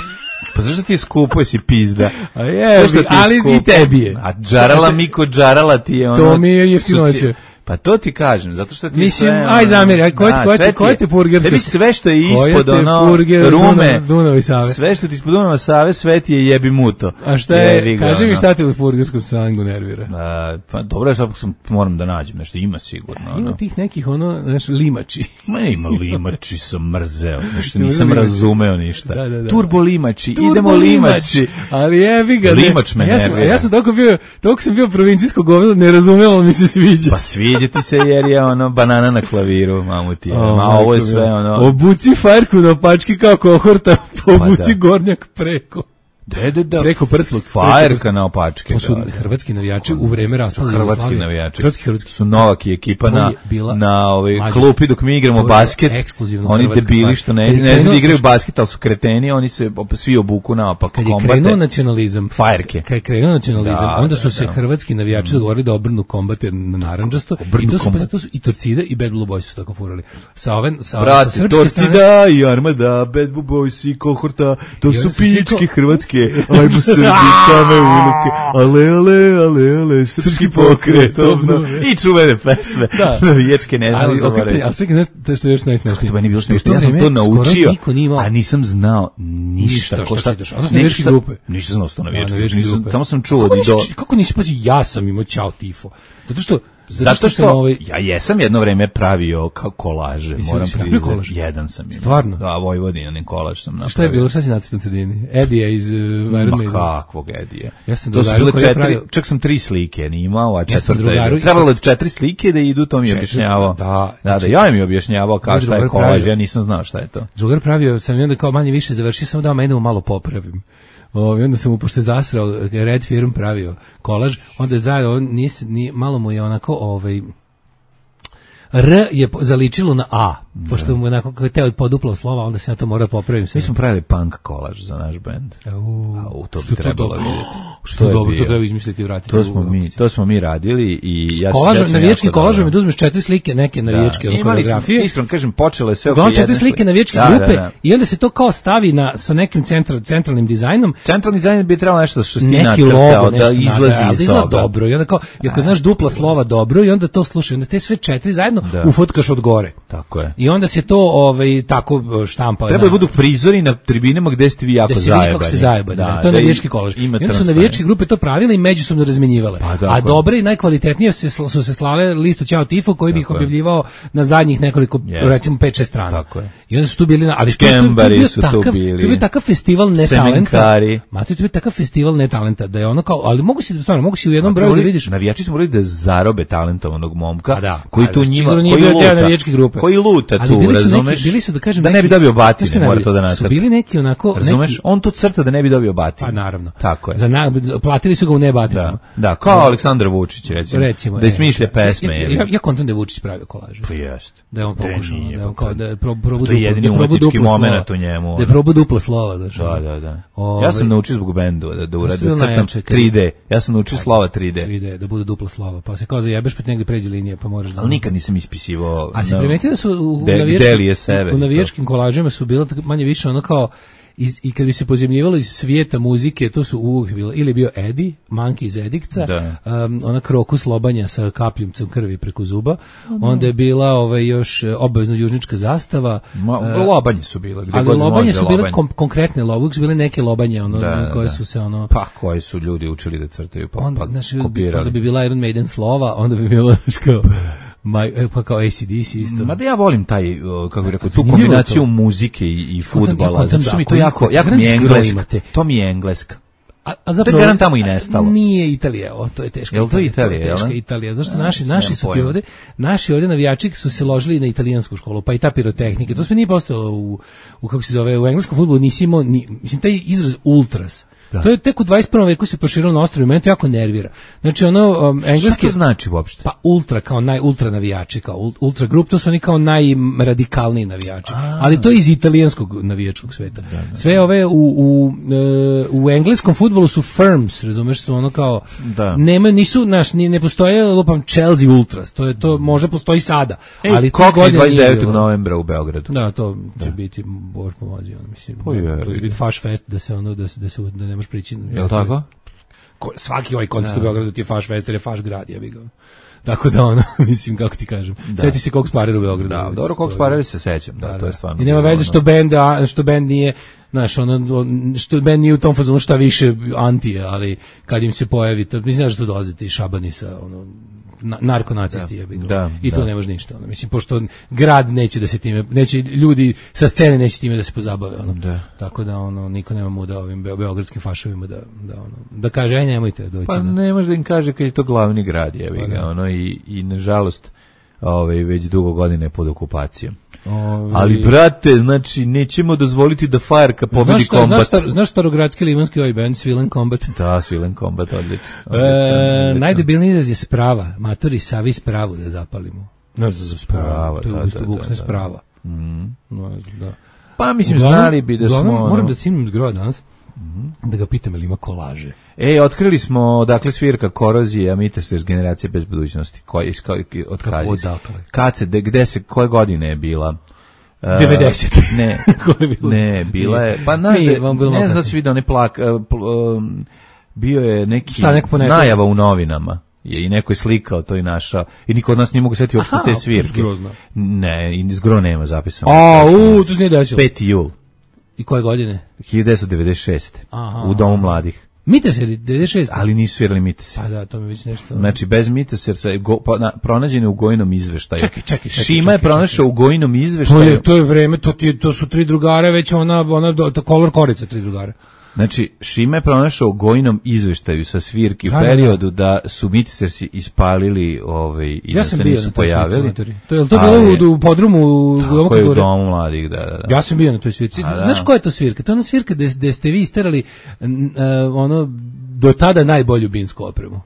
Pa zašto ti je skupo, si pizda? A je, ali skupo, i tebi je. A džarala Miko džarala ti je ono. To mi je jeftinoće. Pa to ti kažem, zato što ti mislim, sve... aj zamjeri, aj koji ti, koji ti purgerski? Tebi sve što je ispod ono purger, rume, Dunav Save. Sve što ti ispod Dunava Save, sve ti je jebi muto. A šta je, kaži mi šta te u purgerskom slangu nervira? A, pa dobro je, sad sam, moram da nađem, nešto ima sigurno. Ima ono. Tih nekih, ono, znaš, limači. Ma ima limači, sam mrzeo, nešto nisam razumeo ništa. Da, da, da. Turbo limači, Turbo idemo limači. limači. Ali jebi ga. Limač me ja sam, nervira. Ja sam toliko bio, toliko sam bio provincijsko govno, ne razumeo, mi se sviđa. Pa sviđa ti se jer je ono banana na klaviru, mamu ti je. Oh, ma ovo je sve ono... Obuci farku na pački kao kohorta, obuci pa gornjak preko. Da, da, da. Preko prsluk. Fajerka na opačke. To su da, hrvatski navijači u vreme raspada Jugoslavije. Hrvatski navijači. Hrvatski, hrvatski. Su Novak i ekipa na, na ovaj klupi dok mi igramo basket. Oni debili što ne, ne znam da igraju basket, ali su kreteni, oni se svi obuku naopak. Kad je krenuo nacionalizam, fajerke. Kad je krenuo nacionalizam, da, onda su da, se da. hrvatski navijači dogovorili da obrnu kombate na narandžasto. I to su, pa, to su i Torcida i Bad Blue Boys su tako furali. Sa ove, sa, Brate, sa Torcida i Armada, Bad Blue Boys i Kohorta, to su pičke hrvatske, ajmo Srbi, kame unuke, ale, ale, ale, ale, srpski pokret, obno, i čuvene pesme, navijačke ne znam, zaboravim. Ali čekaj, znaš što je još najsmešnije? To meni bilo smiješno, ja sam to naučio, a nisam znao ništa. Ništa, šta ideš? A to su navijačke grupe. Nisam znao što navijačke grupe, samo sam čuo da do... Kako nisi, pazi, ja sam imao Ćao tifo, zato što Zato što, što ovaj... ja jesam jedno vreme pravio kao kolaže, Jesi moram priznati. Kolaž? Jedan sam imao. Stvarno? Da, Vojvodinanin kolaž sam napravio. Šta je bilo, šta si nacrtao na sredini? Edija iz uh, Iron Maiden. Ma kakvog Edija? Ja sam to su bile četiri, pravio... čak sam tri slike ni imao, a četvrta ja je. Trebalo je četiri slike da idu, to mi je objašnjavao. Da, da, da, ja mi je objašnjavao kao šta je kolaž, ja nisam znao šta je to. Drugar pravio sam i onda kao manje više završio, samo da mene malo popravim. O, i onda sam mu, pošto je zasrao, Red Firm pravio kolaž, onda je zajedno, nis, ni, malo mu je onako, ovaj, R je po- zaličilo na A, pošto mu je onako kako je teo poduplao slova, onda se ja to mora popravim se. Mi smo pravili punk kolaž za naš bend. U, Au, to bi što je to trebalo dobro. vidjeti. Što je dobro, to treba izmisliti i vratiti. To u smo mi, Golubici. to smo mi radili i ja se Kolaž, sjećam navijački jako kolažom dobro. je da uzmeš četiri slike, neke navijačke Da, ono, imali smo, koreografije. iskreno kažem, počelo je sve oko Uglavnom jedne četiri slike navijačke Da, grupe da, da. i onda se to kao stavi na, sa nekim central, centralnim dizajnom. Centralni dizajn bi trebalo nešto što si ti Neki nacrtao, logo, da nešto izlazi nada, ali iz da izgleda toga. dobro. I onda kao, i ako znaš dupla slova dobro, i onda to slušaj, onda te sve četiri zajedno Da. ufotkaš od gore. Tako je. I onda se to ovaj, tako štampa. Treba da budu prizori na tribinama gde ste vi jako da se zajebani. vidi kako ste zajebani. Da, to je da navijački kolaž. I ima onda su transparent. navijačke grupe to pravile i međusobno razmenjivale. Pa, tako a je. dobre i najkvalitetnije se, sl- su se slale listu Ćao Tifo koji bi ih Tako je. objavljivao na zadnjih nekoliko, Jeste. recimo pet šest strana. Tako je. I onda su tu bili, na, ali to, to, to, je Škembari bio su tu takav, bili. To je bio takav festival netalenta. Semenkari. Mate, to je bio takav festival netalenta da je ono kao, ali mogu si, stvarno, mogu si u jednom broju da Morali- vidiš. Navijači smo morali da zarobe talentovanog momka Pa da, koji pa tu da, njima, sigurno nije koji bio deo luta, navijačke grupe. koji luta Ali tu, bili su neki- razumeš? bili su, da kažem, ne neki- bi dobio Znaš batine, šta mora najbolje? to da Su nacrta. bili neki onako, Razumeš? neki- On tu crta da ne bi dobio batine. Pa naravno. Tako je. Za na, platili su ga u nebatinama. Da, da, kao Aleksandar Vučić, recimo, Recimo, da e, ismišlja pesme. Ja, jebi. ja, ja kontam da je Vučić pravio kolaže. Pa jest. Da je on Da pokušao, nije, da je on pa kao kad- da je prob, probu To je duplo, jedini da je probu umetnički duplo slova. moment u njemu. Da je probu duplo slova, znaš. Da, da, da. Ovaj- Ja sam naučio zbog bendu da, da uradim, Što je da crtam najjače, kad- tri D. Ja sam naučio slova tri D. tri D, da budu duplo slova. Pa se kao zajebeš, pa ti negdje pređe linija, pa možeš da... Ali nikad nisam ispisivao. A se na- primetio da su u, u, De- navijačkim- gde li je sever u i to? navijačkim kolažima su bilo tako manje više ono kao iz, i kad bi se pozemljivalo iz svijeta muzike, to su uvijek bilo, ili je bio Edi, Manki iz Edikca, Da. um, ona Krokus lobanja sa kapljumcem krvi preko zuba, onda je bila ovaj, još e, obavezno južnička zastava, Ma, e, lobanje su bile. gde ali god lobanje može, su bile lobanje. kom, konkretne lobanje, uvijek su bile neke lobanje ono, Da, da, koje da. su se ono... Pa koji su ljudi učili da crtaju, pa, onda, pa znaš, bi, kopirali. onda bi bila Iron Maiden slova, onda bi bilo znaš, kao, my, e, pa kao A C D C isto. Ma da ja volim taj, o, kako bih rekao, tu zanimljivo je kombinaciju to. muzike i, i Ja fudbala, kontam zato što da, mi to ako jako, imate- jako mi je granic engleska. imate. To mi je engleska. A, a zapravo, garant tamo i nestalo. Nije Italija, o, to je teška Jel to Italija. Italija, to je jel teška ne? Italija. Zašto Ja, naši, nemam naši su ti pojma. ovde, naši ovde navijači su se ložili na italijansku školu, pa i ta pirotehnike. To sve nije postojalo u, u kako se zove, u engleskom fudbalu nisi imao, ni, mislim, taj izraz ultras. To je tek u dvadeset prvom veku se proširilo na ostrvu i mene to jako nervira. Znači, ono, um, Šta engleski... to znači uopšte? Pa ultra, kao naj, ultra navijači, kao ul- ultra grup, to su oni kao najradikalniji navijači. Ali to je iz italijanskog navijačkog sveta. Sve ove u, u, e, u engleskom fudbalu su firms, razumeš, su ono kao, Da. nema, nisu, naš, ni, ne postoje, lupam, Chelsea Ultras, to je to, možda postoji sada, Ej, ali to Kokni godine dvadeset nije devetog bilo. novembra u Beogradu. Da, to će biti, Bož pomozi, ono, mislim, Pa je, to će biti faš fest, da se ono, da se, da se, da nemaš prići. Jel tako? Ko, svaki ovaj koncert u Beogradu ti je faš fest, jer je faš grad, jebi ga. Tako da ono, mislim, kako ti kažem. Sjeti se kog sparira u Beogradu. Da, Mislim, dobro, to kog je- sparali se sećam, da, Da, to je da. stvarno. I nema bilo veze ono- što bend, a, što bend nije, znaš, ono, on- što bend nije u tom fazonu šta više antije, ali kad im se pojavi, to, mislim, znaš da tu dolaze ti šabani sa, ono, na, narkonacisti, jebi ga. da, I to da. ne može ništa, ono, mislim, pošto grad neće da se time, neće, ljudi sa scene neće time da se pozabave, ono. Da. Tako da, ono, niko nema muda ovim beo- beogradskim fašovima da, da, ono, da kaže, aj, nemojte doći Pa na... ne može da im kaže kad je to glavni grad, jebi Pa ga, da. ono, i, i nažalost, ovaj, već dugo godine pod okupacijom. Ovaj- Ali, brate, znači, nećemo dozvoliti da Fajerka pobedi Znaš, šta, kombat. znaš, star, znaš starogradski limanski ovaj band Svilen Combat? Da, Svilen kombat, odlično. E, najdebilniji izraz je sprava. Matori, savi spravu da zapalimo. Ne znam za spravu. Sprava, To je da, umjesto da, buksne da, da. sprava. No, da. Pa, mislim, Uglavnom- znali bi da smo... uglavnom, moram ono- da cimim zgrova danas, da ga pitam ili ima kolaže. E, otkrili smo, dakle, svirka Korozije, a mite se iz generacije bez budućnosti. Koji, iz, koji, od kad? Kako, odakle? Kad se, de, gde se, koje godine je bila? E, devedesete. Ne, Ko je bilo? ne, bila je, pa znaš, Nije, da- vam bilo ne znam da kasnije. si vidio, ne plak, e, pl- um, bio je neki Šta, neko ponekad? najava u novinama. Je i neko je slikao to i našao. I niko od nas nije mogu setiti uopšte Aha, te svirke. zgrozno. Ne, i zgro nema zapisano. A, u, to se nije desilo. peti jul I koje godine? hiljadu devetsto devedeset šeste. Aha. U Domu mladih. Miteseri, devedeset šest. Ali nisu svirali Mitese. Pa da, to mi već nešto... Znači, bez Mitesersa, go, pa, na, pronađen je u gojinom izveštaju. Čekaj, čekaj, čekaj, Šima je čekaj, pronašao u gojinom To izveštaju. je, to je vreme, to, ti, to su tri drugara, već ona, ona, do- to kolor korica tri drugara. Znači, Šima je pronašao u gojinom izveštaju sa svirki u Da, da, da. periodu da su Mitesersi ispalili ovaj, i Ja da sam se bio nisu na toj svirci, pojavili. matori. To je li to Ali- bilo u, u podrumu u Tako je u Novokogore? Domu mladih, da, da, da. Ja sam bio na toj svirci. A, da. Znaš koja je to svirka? To je ona svirka gde, gde ste vi isterali n- uh, ono, do tada najbolju binsku opremu.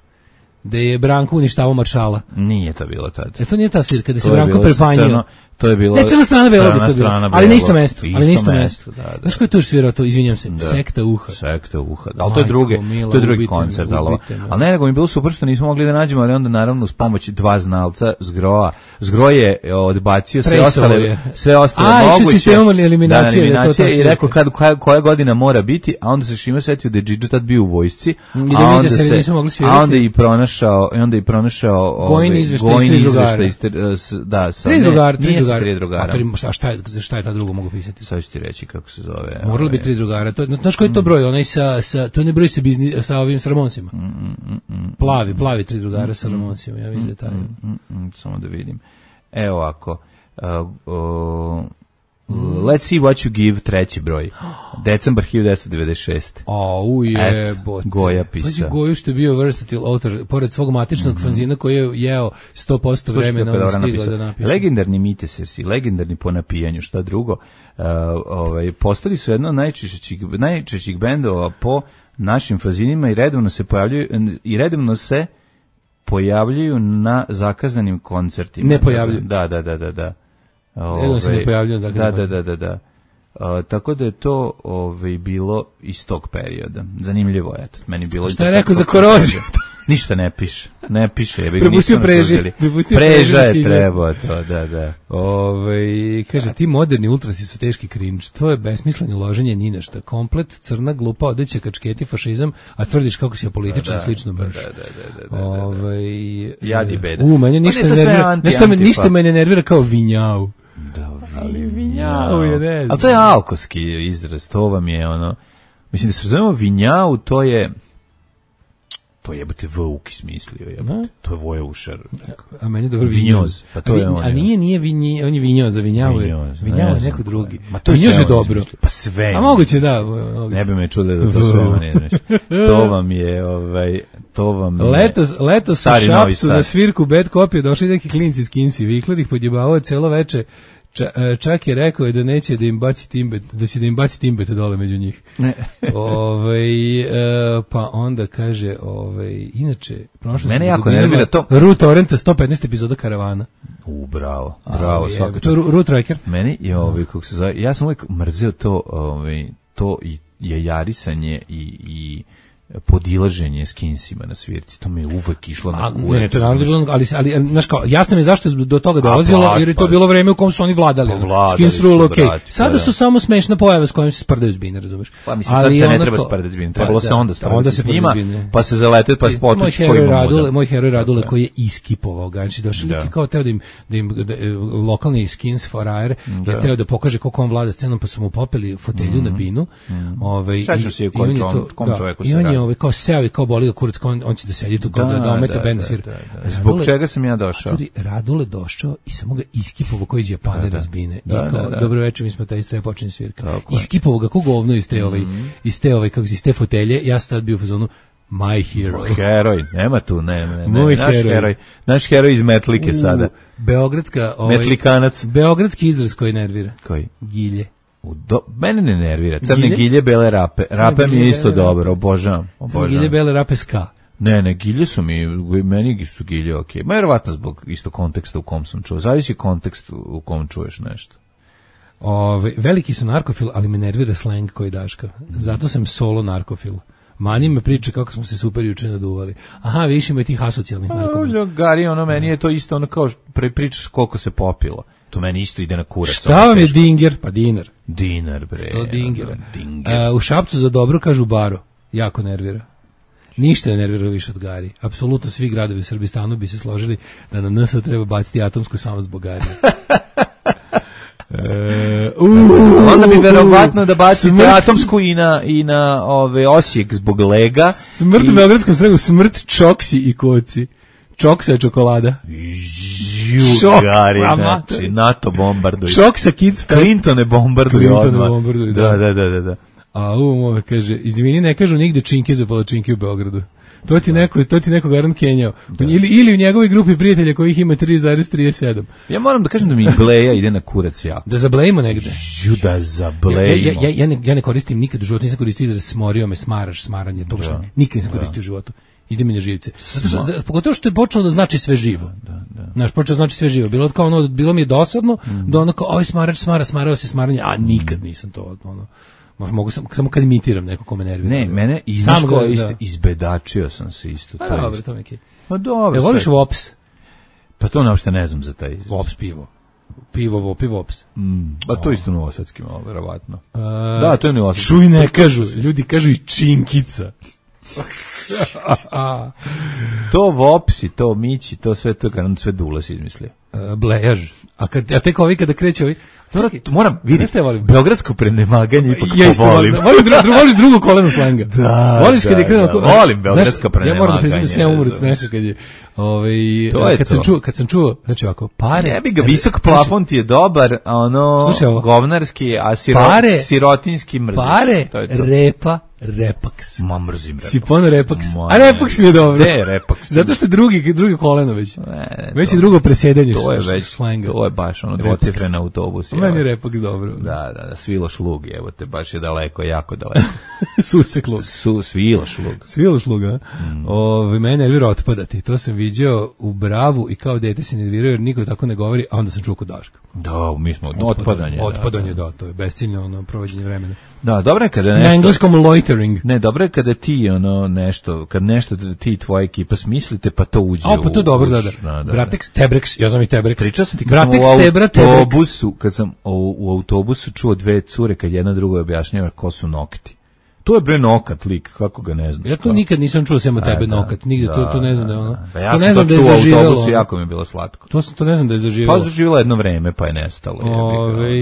da je Branko uništavao maršala. Nije to bilo tad. E to nije ta svirka, da se To je Branko bilo sa prepanjio. crno- To je bilo Ne, crna strana belog je crna to bilo, strana ali na belog. isto mesto, ali na Isto isto mesto, mesto. da, da. Znaš ko je tu svirao to, izvinjam se, Da. Sekta uha. Sekta uha. Ali to je Majko drugi, mila, to je drugi ubite me, koncert, ali, ubite me. ali ne, nego mi je bilo super što nismo mogli da nađemo, ali onda naravno uz pomoć dva znalca Zgroa. Zgro je e, odbacio sve Presuo ostale, je. sve ostale A, išao moguće. sistemom eliminacije, Da, da je to eliminacije ta i svirka. rekao kad, koja, koja godina mora biti, a onda se Šima setio da je Džidža tad bio u vojsci, I da a vidi onda da se se, nisu mogli svirati. a onda i pronašao, i onda i pronašao Gojin ovaj, izveštaj iz Gojin tri izveštaj drugara. iz tri- s- da, sa, Tri ne, drugara, tri nije sa drugara. tri drugara. A tri, šta, šta, je, šta je ta drugo mogu pisati? Sad ću ti reći kako se zove. Moralo ovaj, bi tri drugara. To, znaš koji je to broj? Onaj sa, sa, to ne broj sa, bizni, sa ovim s Ramonsima. Plavi, plavi tri drugara sa Ramonsima. Ja vidim da je taj. Mm, mm, samo da vidim. Evo ovako. Uh, uh, Let's see what you give, treći broj. Decembar hiljadu devetsto devedeset šeste. A, uje, Eto, bote. Goja pisao. Pazi, Goju što je bio versatile autor, pored svog matičnog fanzina koji je jeo sto posto Slušaj vremena, kako je on dobro stigao napisao. da napiše. Legendarni Mitesersi, legendarni po napijanju, šta drugo. Uh, ovaj, postali su jedno od najčešćih, najčešćih bendova po našim fanzinima i redovno se pojavljuju i redovno se pojavljuju na zakazanim koncertima. Ne pojavljuju. Da, da, da, da, da. Redovno se ne Ovaj, pojavljuju na zakazanim Da, da, da, da, da. Uh, tako da je to ovaj, bilo iz tog perioda. Zanimljivo je. Eto, meni bilo Šta je interesantno rekao za tog koroziju? perioda. Ništa ne piše. Ne piše. Ja bih Prepustio nisu preži, natužili. prepustio Preža preži da se je izjasni. trebao to, da, da. Ove, kaže, ti moderni ultrasi su teški cringe. To je besmisleno loženje ni na šta. Komplet, crna, glupa, odeća, kačketi, fašizam, a tvrdiš kako si apolitičan, Da, da, slično mrš. da, da, da, da, da, da. Ove, Jad i beda. U, mene Pa ništa ne, ne to sve nervira. anti- Nešto me, antifa. ništa me ne nervira kao vinjau. Da, Ali vinjau je, ne znam. Ali to je alkoski izraz, to vam je ono, mislim da se razumemo vinjau, to je, to je jebote Vuk smislio, jebote, to je Vojeušar. A meni je dobro Vinjoz, vinjoz. pa to a, je vi- on, a je. nije, nije vinji, on je vinjoz, za vinjau je. Vinjoz, Vinjau ne je znam neko drugi. Ma to je Vinjoz sve je on dobro. izmislio. Pa sve. A moguće da. moguće. Ne bi me čudo da to sve on je, znaš. To vam je, ovaj, to vam je... Letos, letos u Stari Novi Šapcu Sad. na svirku Bad Copy došli neki klinci iz Kinsi. Vikler ih podjebavao celo veče. Ča, e, čak je rekao je da neće da im baci timbet, da će da im baci timbet dole među njih. Ne. Ovaj e, pa onda kaže, ovaj inače prošlo Mene sam jako dubinama nervira to- Root Torrenta sto petnaest epizoda Karavana. U, bravo, bravo, A, svaka je, čast. to je Ru- Root Tracker. Meni je ovaj kako se zove, ja sam uvijek mrzeo to, ovaj to i jajarisanje i i podilaženje s Kinsima na svirci. To mi je uvek išlo na A, kurac. ne, ne, to naravno znaš. bilo, ali, ali, ali, znaš kao, jasno mi je zašto je do toga dolazilo, baš, jer je to baš. bilo vreme u kom su oni vladali. Pa vladali Skins su, rule, ok. brate, Sada pa su da. samo smešna pojava s kojom se sprdaju zbine, razumeš? Pa mislim, sad se ne treba sprdati s njima, trebalo se onda sprdati s njima, pa se zaleteti, pa se Moj potući heroj koji Radule, mamuda. moj heroj Radule koji je iskipovao ga, znači došao Da. neki kao teo da im, da im da, e, lokalni skins forajer Da. je teo da pokaže kako on vlada scenom, pa su mu popeli fotelju na binu. Ovaj Sećam se i kom on je čovjeku- to- kom da, čovjeku i se on je radi. ovaj kao seo i kao boli ga kurac, kao on, on će da sedi tu kao da, da ometa bend svira. da, da. Zbog Radule- čega sam ja došao? Tudi Radule došao i samo ga iskipovao koji iz Japana Da, da. razbine. Da, I kao, da, da. dobro večer, mi smo taj strep počinje svirka. Tako je. Iskipovao ga ko govno iz te, ovaj, iz te, ovaj, kako se iz te fotelje. Ja sam tad bio u fazonu my hero. Heroj, nema tu, ne, ne, ne. Moj naš heroj. heroj. Naš heroj iz Metlike sada. U, Beogradska, ovaj, Metlikanac. beogradski izraz koji nervira. Koji? Gilje. U do, mene ne nervira. Crne Gilje? gilje, bele rape. Rape mi gilje, je isto bele dobro, rape. obožavam. obožavam. Gilje bele rape ska. Ne, ne, gilje su mi, meni su gilje okej. Ma verovatno zbog isto konteksta u kom sam čuo. Zavisi kontekst u kom čuješ nešto. Ove, veliki su narkofil, ali me nervira slang koji daška. Zato sam solo narkofil. Mani me priče kako smo se super juče naduvali. Aha, više ima i tih asocijalnih narkomana. Gari, ono, meni je to isto ono kao pre pričaš koliko se popilo. To meni isto ide na kurac. Šta ono vam je teško. dinger? Pa dinar. Dinar, bre. sto dingera. ono, Dinger. A, u Šapcu za dobro kažu baro. Jako nervira. Ništa ne nervira više od Gari. Apsolutno svi gradovi u Srbistanu bi se složili da na N S treba baciti atomsku samo zbog Gari. E, uh, Onda bi verovatno da bacite Smrt- atomsku i na, i na ove, Osijek zbog lega. Smrt I- u Beogradskom sregu, smrt čoksi i koci. Čoksa je čokolada. Ju, Šok, Gari, sama. znači, NATO bombarduju. Čoksa Kids Fest. Clintone bombarduju Clintone odmah. bombarduju, da. da. Da, da, da, da. A u ove kaže, izvini, ne kažu nigde činke za palačinke u Beogradu. To ti neko, to ti neko garant kenjao. Ili, ili u njegovoj grupi prijatelja kojih ima tri zarez trideset sedam. Ja moram da kažem da mi bleja ide na kurac jako. Da zablejimo negde. Ju da Ja, zablejimo. ja, ja, ja, ne, ja ne koristim nikad u životu, nisam koristio izraz smorio me, smaraš, smaranje, to baš nikad nisam koristio u životu. ide mi na živce. Zato što, za- pogotovo što je počelo da znači sve živo. Da, da. Znaš, počeo da znači sve živo. Bilo, kao ono, bilo mi je dosadno, mm. da ono kao, ovaj smarač smara, smarao se smaranje, a nikad nisam to, ono, možda mogu sam, samo kad imitiram neko ko me nervira. Ne, mene i Sam znaš ko, ga- isto, da. izbedačio sam se isto. Pa to je dobro, isto. to neki. Pa dobro. E, voliš sve. Vops? Pa to uopšte ne znam za taj izraz. Vops pivo. Pivo, Vopi, Vops. Mm, a to isto novosadski malo, verovatno. A, Da, to je novosadski. Čuj, ne kažu, ljudi kažu i činkica. To Vopsi, to Mići, to sve to kad sve Dulas izmislio. Uh, blejaž. A, kad, a tek ovi kada kreće ovi... Dobro, Čekaj, moram, vidi, znaš šta ja volim? beogradsko prenemaganje ipak Ja isto volim. volim. Volim dru, dru, voliš drugu kolenu slenga. Da, Voliš kad da, je krenuo... da, ko- volim beogradsko Znaš, Ja moram da priznam da sam ja prenemaganje, umro od da. smeha kad je... Ovaj, To je kad, to. Sam čuo, kad sam čuo, znači ovako, pare... Ne bi ga, visok plafon ti je dobar, a ono Slušaj ovo. govnarski, a siro, Pare- sirotinski mrziš. Pare, To je to. repa, repaks. Ma mrzim Repax. Si pono repaks. Ma A ne. repaks mi je dobro. Gde je Repax? Zato što je drugi, drugi koleno već. Ne, ne, Već to- je drugo presedanje To je š- već, slenga. to je baš ono Repax. dvocifren autobus. A meni je evo. repaks dobro. Da, da, da, svilo šlug, evo te, baš je daleko, jako daleko. Suseklo. Su, svilo šlug. Svilo šluga. Mm. Ove, mene nervira otpadati. To sam viđao u Bravu i kao dete se nervirao jer niko tako ne govori, a onda sam čuo kod Daška. Da, mi smo, otpadanje. Otpadanje, da. da, to je besciljno ono, provođenje vremena. Da, dobro je kada Na nešto... engleskom loitering. Ne, dobro je kada ti ono nešto, kad nešto ti i tvoja ekipa smislite, pa to uđe A, pa to u- je dobro, u- da, da. Bratex, Tebrex, ja znam i Tebrex. Pričao sam ti kad Bratex, sam u Tebra, Tebrex. autobusu, kad sam u, u autobusu čuo dve cure kad jedna druga objašnjava ko su nokti. To je bre nokat lik, kako ga ne znaš. Ja to kao? nikad nisam čuo sem od E, tebe da, nokat, nigde, to, to ne znam da je ono. da. Pa ja to sam ne znam to da je čuo u zaživelo. autobusu, ono. jako mi je bilo slatko. To, sam- to ne znam da je zaživelo. Pa zaživjela jedno vreme, pa je nestalo. jebi ga, ono. Ove,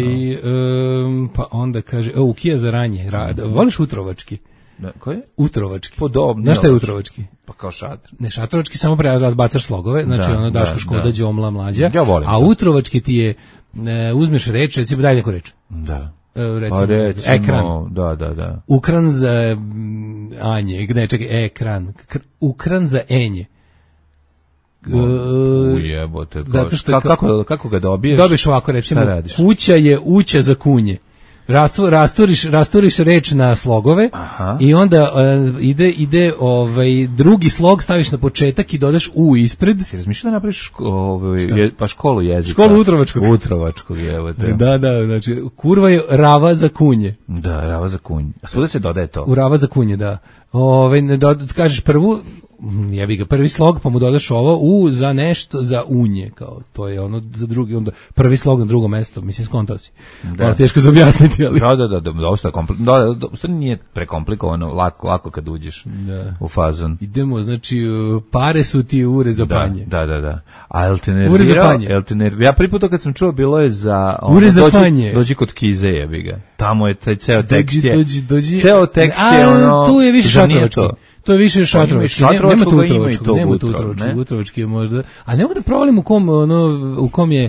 um, pa onda kaže, o, Ukija za ranje. Ra, voliš utrovački? Da, ko je? Utrovački. Podobno. Znaš šta je utrovački? Pa kao šater. Ne, šatrovački samo pre razbacaš slogove, znači Da, ono Daško da, Škoda, da. Đomla, Mlađa. Ja volim a to. utrovački ti je, e, uzmeš reč, recimo, daj neku reč. Da. E, recimo, Pa recimo, ekran. da, da, da. Ukran za mm, Anje, ne, čekaj, ekran. Kr- Ukran za Enje. E, Ujebote. zato što ka, ka- kako, kako ga dobiješ? Dobiješ ovako, recimo, Šta radiš? kuća je uća za kunje. Rastu, rasturiš, rasturiš reč na slogove. Aha. I onda e, ide ide ovaj drugi slog staviš na početak i dodaš u ispred. Ti razmišljao da napraviš ško, ovaj, je, pa školu jezika? Školu utrovačkog. Utrovačkog, evo te. Da, da, znači kurva je rava za kunje. Da, rava za kunj. A svuda se dodaje to. U rava za kunje, da. Ovaj ne dod, kažeš prvu, mm, jebi ga prvi slog, pa mu dodaš ovo u za nešto za unje, kao to je ono za drugi, onda prvi slog na drugo mesto, mislim skontao si. Da. Malo teško za objasniti, ali Da, da, da, da, dosta komplikovano. Da, da, da, u stvari nije prekomplikovano, lako, lako kad uđeš Da. u fazon. idemo, znači uh, pare su ti ure za Da, panje. da, da, da. A jel te Ure za nervirao? panje. Jel te nervirao? Ja prvi put to kad sam čuo bilo je za... ono, Ure za dođi, panje. Dođi kod Kize, jebi ga. Tamo je taj ceo tekst Dođi, je... dođi, dođi. Ceo tekst je A, ono... tu je više zar nije šatrovački. to? To je više šatrovački. ima i Ne- Nema tu šatrovačkoga, ima i utrovačkog, tog nema tu utrov, utrovačkog, ne? utrovački je možda. A ne mogu da provalim u kom, ono, u kom je,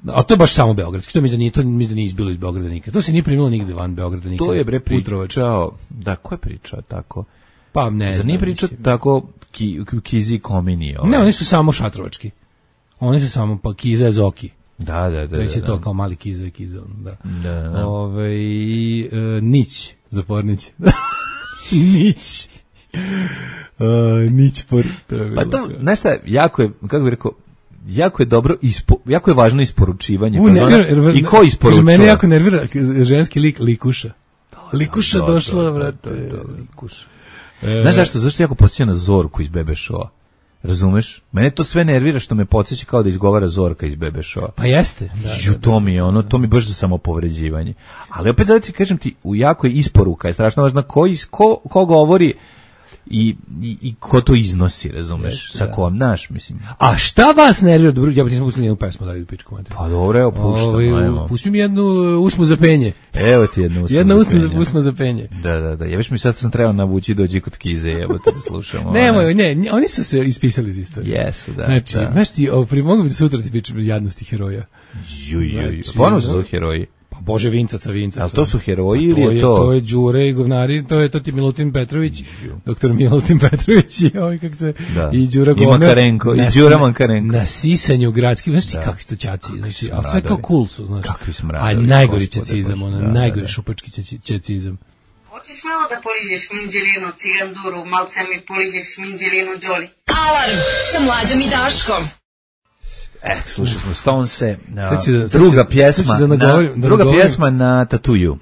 a to je baš samo beogradski, to mi da nije, to mi da nije izbilo iz Beograda nikad. To se nije primilo nigde van Beograda nikad. To je bre Utrovački. pričao... Da, ko je pričao tako? Pa ne Zar znam. nije pričao mislim. tako ki, Kizi Komini? Ovaj? Ne, oni su samo šatrovački. Oni su samo, pa Kiza Zoki. Da, da, da. Već je da, to da. kao mali Kiza i Kiza, ono, da. Da, da. Ove, e, Nić, zapornić. Nić. Uh, nić por... To je Pa bilo to, kao- znaš šta, jako je, kako bih rekao, jako je dobro, ispo, jako je važno isporučivanje. U, pa nervira, zna- nervira- I ko isporučuje? Mene jako nervira ženski lik Likuša. Likuša Da, da, došla, da, brate. da, da, Likuša. E, Znaš zašto? Zašto jako podsjeća na Zorku iz Bebe Showa? Razumeš? Mene to sve nervira što me podsjeća kao da izgovara Zorka iz Bebe Showa. Pa jeste. Da, Ju, da, da. to mi je ono, to mi je baš za samopovređivanje. Ali opet zato ti kažem ti, u jako je isporuka, je strašno važna ko, is, ko, ko govori i, i, i ko to iznosi, razumeš? Jeste, Sa da. kom, znaš, mislim. A šta vas nervira? Dobro, ja bih nisam pustili jednu pesmu, daju pičku mater. Pa dobro, evo, puštam, Ovaj, ajmo. pusti mi jednu uh, usmu za penje. Evo ti jednu usmu Jedna za usna za, penje. usma za penje. Da, da, da. Ja viš mi sad sam trebao navući dođi kod Kize, evo te da slušamo. Nemoj, ne, ne, oni su se ispisali iz istorije. Jesu, da. Znači, da. znaš ti, o, pri, mogu bi da sutra ti pričam jadnosti heroja. Ju, ju, ju. Znači, Ponovno su da. to heroji. Pa Bože Vincaca, Vincaca. Ali to su heroji To ili je je, to? to je Đure i govnari, to je to ti Milutin Petrović, doktor Milutin Petrović i ovaj kako se Da. i Đura I Govnar. Makarenko, i na- Đura Makarenko. Na sisanju gradskim, znaš ti kakvi su to ćaci, znači, a sve smradovi. kao cool su, znaš. Kakvi A smradovi, najgori gospode ćacizam, Bože. ono, Da, da, najgori da. šupački ćaci- ćacizam. Hoćeš malo da poližeš minđelinu, ciganduru, malce mi poližeš minđelinu, Đoli. Alarm sa Mlađom i Daškom. Eh, slušali smo Stonese, Sad će da- sad druga će- pjesma, sad će da na, nagovorim- da druga nagovorim. pjesma na Tatuju.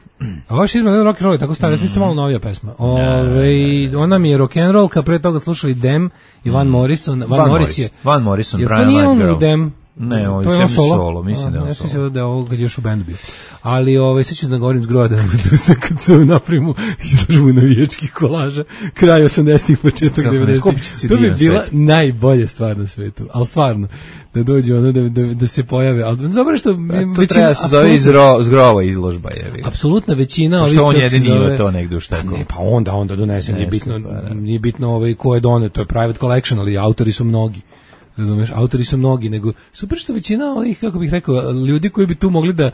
A vaš izme rock and roll je tako stara, mm. malo novija pesma. Ove, ona mi je rock and roll, kad pre toga slušali Dem i Van Morrison. Van, Van Morris Morris. je. Van Morrison, Jer to Brian nije White on Girl. u Dem. Ne, ovo je to je on sve solo. solo, mislim da je on ja solo. mislim da je ovo kad je još u bendu bio. Ali ovaj sad ću da govorim zgroda da se kad se naprimu izložbu navijačkih kolaža kraj osamdesetih početak Kako ne, devedesetih. skupit će se To bi divan bila svet. najbolja stvar na svetu. Al stvarno da dođe ono da da, da se pojave. Al dobro što To treba da se zove izro, zgrova izložba. Je, apsolutna većina ovih što on kako se jedini ima zove- to negde u šteku. Ne, pa onda onda donese, nije Donese, bitno, pa da. nije bitno ovaj ko je doneo, to je private collection, ali autori su mnogi. Razumeš, autori su mnogi, nego super što većina ovih, kako bih rekao, ljudi koji bi tu mogli da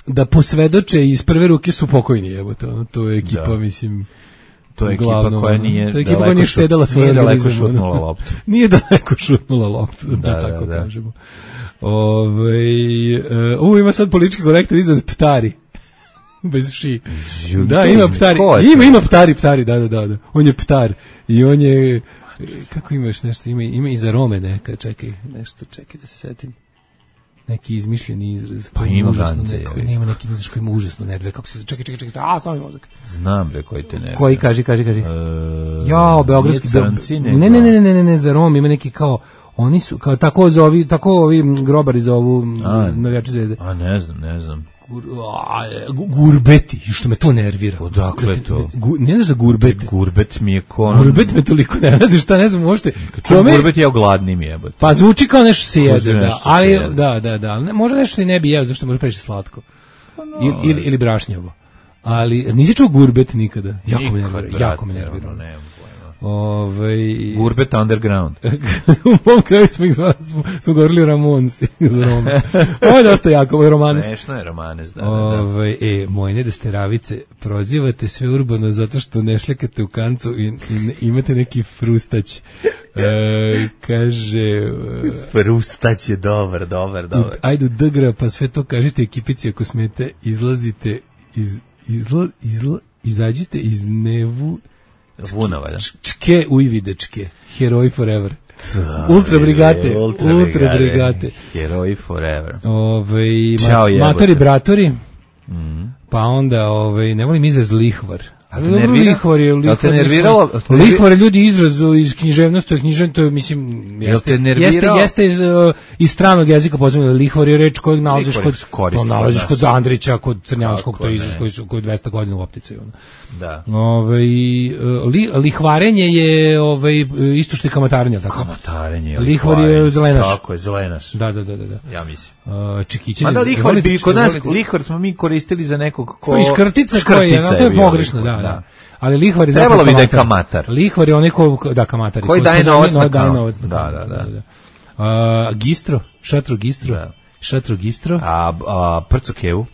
da posvedoče iz prve ruke su pokojni, evo to, to je ekipa, Da. mislim, To je ekipa uglavnom, koja ono, nije to je ekipa koja daleko nije šut- štedela svoj nije daleko organizam, ono. šutnula loptu. Nije daleko šutnula loptu, da, Da, da, tako da. kažemo. Ovaj uh, u, ima sad politički korektor izraz ptari. Bez ši. Ju, Da, to ima je- ptari. ko je to? Ima, ima ptari, ptari, da, da, da, da. On je ptar. I on je, kako imaš nešto, ima, ima i za Rome neka, čekaj, nešto, čekaj da se setim. Neki izmišljeni izraz. Pa koji ima užasno gance, neko, je. nema neki izraz koji ima užasno nervira. Kako se, čekaj, čekaj, čekaj, a, samo mi mozak. Znam bre koji te ne. Koji, kaži, kaži, kaži. E, Jao, beogradski nije crnci, ne, nego- ne, ne, ne, ne, ne, ne, za Rom ima neki kao, oni su, kao tako zovi, tako ovi grobari zovu A, navijači zvezde. A ne znam, ne znam. Gur, a, gu- gurbeti, što me to nervira. Odakle to? Gu, ne znaš za gurbete? Gurbet mi je kon. Gurbet me toliko ne razi, šta ne znam uopšte. Čujem Kome- gurbet je ogladnim jebote. Pa zvuči kao nešto se Kao jede, nešto da, se ali jede. da, da, da, ali ne, možda nešto i ne bi jeo, zašto može preći slatko. Ili, ili, ili brašnjavo. Ali nisi čuo gurbet nikada. Jako me Nikad, nervira, brate, jako me nervira. ono, nemam pojma. Ovaj Gurbet underground. u mom kraju smo ih zvali, smo, smo govorili Ramonsi za Roma. Ovo je dosta jako, ovo je Romanes. Smešno je Romanes, da, da, da. Ovaj, e, moje nedesteravice, prozivate sve urbano zato što ne šljekate u kancu i, i ne- imate neki frustać. E, kaže... e, Frustać je dobar, dobar, dobar. Ajde u Dgra, pa sve to kažite ekipici ako smete, izlazite iz... Izla, izla, izađite iz nevu... Vunava, da. Čke ujvidečke. Heroj forever. Ultra brigate. Ultra Ultra brigade. brigate. Heroji forever. Ovaj Ćao, ma, jebote. matori bratori. Pa onda ovaj ne volim izraz lihvar. A te Dobro, nervira? lihvar je Jel lihvar. te mislim, nerviralo? Jel te nervi- Lihvar je ljudi izraz iz književnosti, to je književno, to je mislim Jel jeste, te nervirao? jeste, jeste iz, uh, iz stranog jezika pozivno. Lihvar je reč kojeg nalaziš Lihvar kod se koristi to nalaziš kod kod nas. Andrića, kod Crnjanskog, Kako to je izraz ne. koji su koji dvesta godina u optici ono. Da. Ovaj uh, li, lihvarenje je ovaj isto što i kamatarenje, tako. Kamatarenje. Lihvar je lihvarenje. zelenaš. Tako je, zelenaš. Da, da, da, da, da. Ja mislim. Uh, čekićenje. Mada lihvar volite- bi kod nas, volite- lihvar smo mi koristili za nekog ko... Ko iz škrtica koji je, no, to je bio pogrešno, da, lihvar, da. Ali lihvar je Trebalo zapravo bi da je kamatar. kamatar. Lihvar je onaj ko, da, kamatar. Koji daje novac na daje kanal. novac na Da, kanal, da, da. A, gistro, šatro gistro, Da. šatro gistro. A, a prco kevu?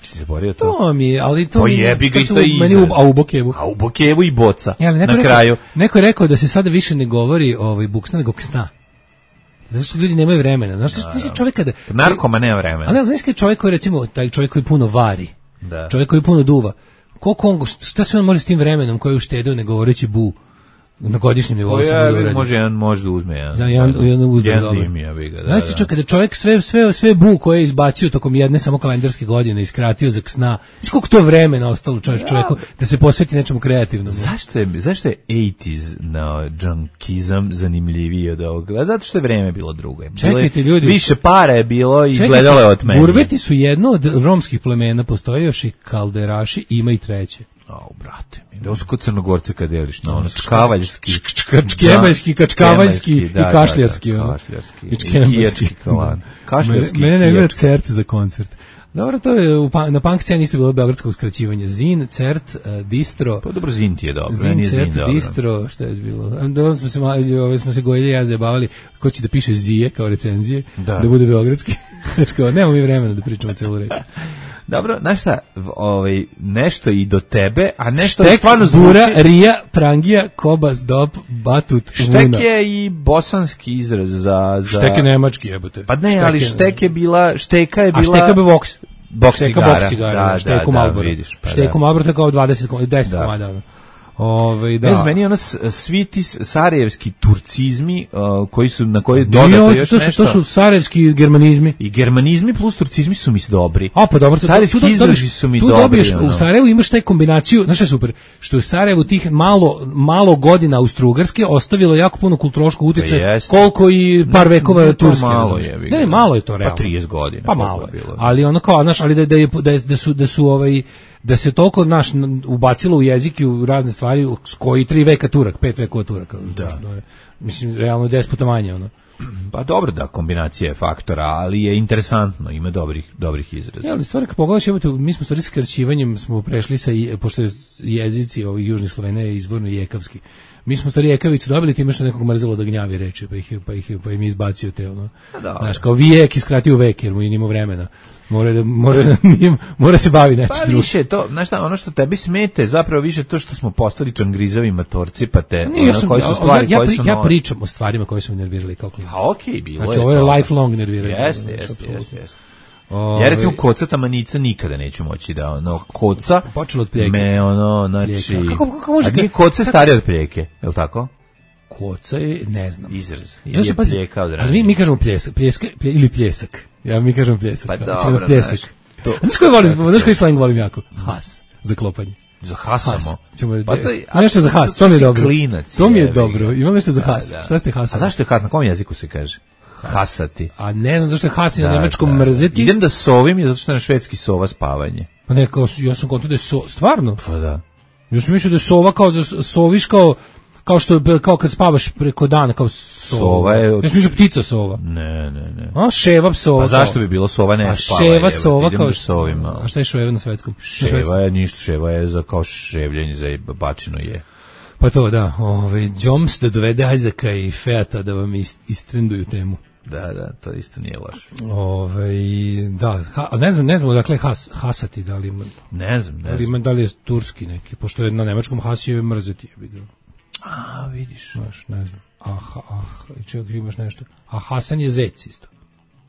Si se borio to? To mi je, ali to Pa mi je- jebi ga, to isto su je meni izraz. u- A u Bokevu. A u Bokevu i boca. Ja, ali neko Na rekao- kraju. Neko je rekao da se sada više ne govori ovaj buksna nego ksna. Zato što ljudi nemaju vremena. Znaš, ti si čovjek kada... Narkoma nema vremena. A ne, znaš kada je čovjek koji, recimo, taj čovjek koji puno vari, Da. čovjek koji puno duva, koliko on, šta sve on može s tim vremenom koji je uštedeo ne govoreći bu na godišnjem nivou O, samo ja, da uradi? može jedan možda uzme jedan. Za jedan, jedan uzme jedan dobro. dim, ja bi ga, da, Znaš ti da. čovjek, kada čovjek sve, sve, sve bu koje je izbacio tokom jedne samo kalendarske godine, iskratio za sna, znaš koliko to vremena ostalo čovjek, čovjeku da se posveti nečemu kreativnom. Zašto je, zašto je osamdesetih na junkizam zanimljiviji od ovoga? Zato što je vreme bilo drugo. Bilo je- Čekajte, ljudi. Više para je bilo i Čekajte, izgledalo je od mene. Gurbeti su jedno od romskih plemena, postoje još i kalderaši, ima i treće. Au, brate mi, da su kod Crnogorce kad deliš, no, ono, čkavaljski. Čkemaljski, kačkavaljski i da, da, kašljarski. da, ono. kašljarski. I I čkemaljski. kijački kalan. Kašljarski Mene i ne gleda kijački. cert za koncert. Dobro, to je u, pa- na punk sceni isto bilo beogradskog skraćivanja. Zin, cert, uh, distro. Pa dobro, Zin ti je dobro, Zin, nije Zin cert, dobro. distro, šta je bilo? Onda smo se, malo- ove, smo se gojili, ja zajebavali ko će da piše zije kao recenzije, Da. da, bude beogradski. Znači kao, nemamo mi vremena da pričamo celu reč. Dobro, znaš šta, v- ovaj, nešto i do tebe, a nešto Štek, stvarno bura, zvuči... rija, prangija, kobas, dop, batut, Štek vuna. je i bosanski izraz za... za... Štek je nemački, jebote. Pa ne, Štek ali je- štek je bila, šteka je A bila... šteka be voks. boks šteka cigara. boks cigara, Da, šteku da, da, Marlboro. vidiš, pa šteku da. Marlboro kao dvadeset, deset Da. komada. ono. Ove, da. Ne znam, meni ono s- svi ti sarajevski turcizmi uh, koji su, na koji Nije, dodato ovo- još to su, nešto. to su sarajevski germanizmi. I germanizmi plus turcizmi su mi dobri. A pa dobro, tu- Sarajevski tu- tu izrazi dobiješ- su mi tu dobri. dobiješ, ono. u Sarajevu imaš taj kombinaciju, znaš što je super, što je u Sarajevu tih malo, malo godina Austro-Ugarske ostavilo jako puno kulturološkog utjecaja, Pa jeste. koliko i par Ne, vekova ne, to Turske. malo razumiješ. je, Ne, ne, malo je to Pa realno. trideset godina, Pa koliko malo je je. bilo. Ali ono kao, znaš, ali da, da, je, da, je- da su, da su ovaj, da se toliko naš ubacilo u jezik i u razne stvari s koji tri veka Turak, pet vekova Turaka. Da. Je, mislim, realno deset puta manje, ono. Pa dobro da, kombinacija je faktora, ali je interesantno, ima dobrih, dobrih izraza. Ja, ali stvari kad pogledaš, evo te, mi smo stvari skraćivanjem smo prešli sa, i- pošto je jezici ovih južnih Slovena je izvorno jekavski. Mi smo stvari jekavicu dobili time što nekog mrzelo da gnjavi reči, pa ih, je- pa ih, je- pa im je izbacio te, ono. dobro. Znaš, kao vijek i skratio vek, jer mu i nima vremena. Mora, da, mora, da, nije- mora se bavi nečim Pa drugim. više to, znaš šta, ono što tebi smete, zapravo više to što smo postali čangrizavi matorci, pa te, Nije, ja, ono, sam, koji su ja, stvari, ja, koje pri- su ja nove. pričam o stvarima koje su me nervirali kao klinac. Pa okej, bilo Znači, je ovo je to. lifelong nerviranje. Jeste, Znači, jeste, apsolutno. jeste, jeste. Ovaj, Ja recimo kocata manica nikada neću moći da ono koca Počelo od pljeke. me ono znači Pljeka. Kako- kako može a nije ka- koca starije od pljeke, je l' tako? Koca je, ne znam. Izraz. Ja Ili se je pazi, pljeka od ali ranije. mi, mi kažemo pljesak, pljeska, plje, ili pljesak. Ja mi kažemo pljesak. Pa Znači, dobro, ono pljesak. znaš, to- A znaš koji volim, znaš koji slang volim jako? Has, za klopanje. Za hasamo. Has. Ćemo, Pa pa to, ima nešto za has, to mi je si dobro. klinac, To mi je jebi ga. dobro, imam nešto za has. Da, da. Šta ste hasali? A zašto je has? Na kom jeziku se kaže? Hasati. A ne znam zašto je has i na Da, nemačkom da. mrzeti. Idem da sovim, je zato što je na švedski sova spavanje. Pa ne, kao, ja sam konto da je so, stvarno. Pa da. Ja sam mislio da je sova kao, da soviš kao, kao što je, kao kad spavaš preko dana, kao sova. Sova je od- Ja sam mislio ptica sova. Ne, ne, ne. A, ševa sova. Pa zašto kao. bi bilo sova ne A spava? ševa jebote, sova idem kao da sovim malo. A šta je ševa na svetskom? Na svetskom. Ševa je ništa, ševa je za kao ševljenje za bačino je. Pa to da, ovaj Joms da dovede Isaaca i Feata da vam ist, istrenduju temu. Da, da, to isto nije loše. Ovaj da, ha, a ne znam, ne znam dakle has, hasati da li ima, Ne znam, ne da li, znam. ima, da li je turski neki, pošto je na nemačkom has je mrzeti, jebi ga. A, vidiš. Znaš, ne znam. Ah, ah, čekaj, imaš nešto. A Hasan je zec isto.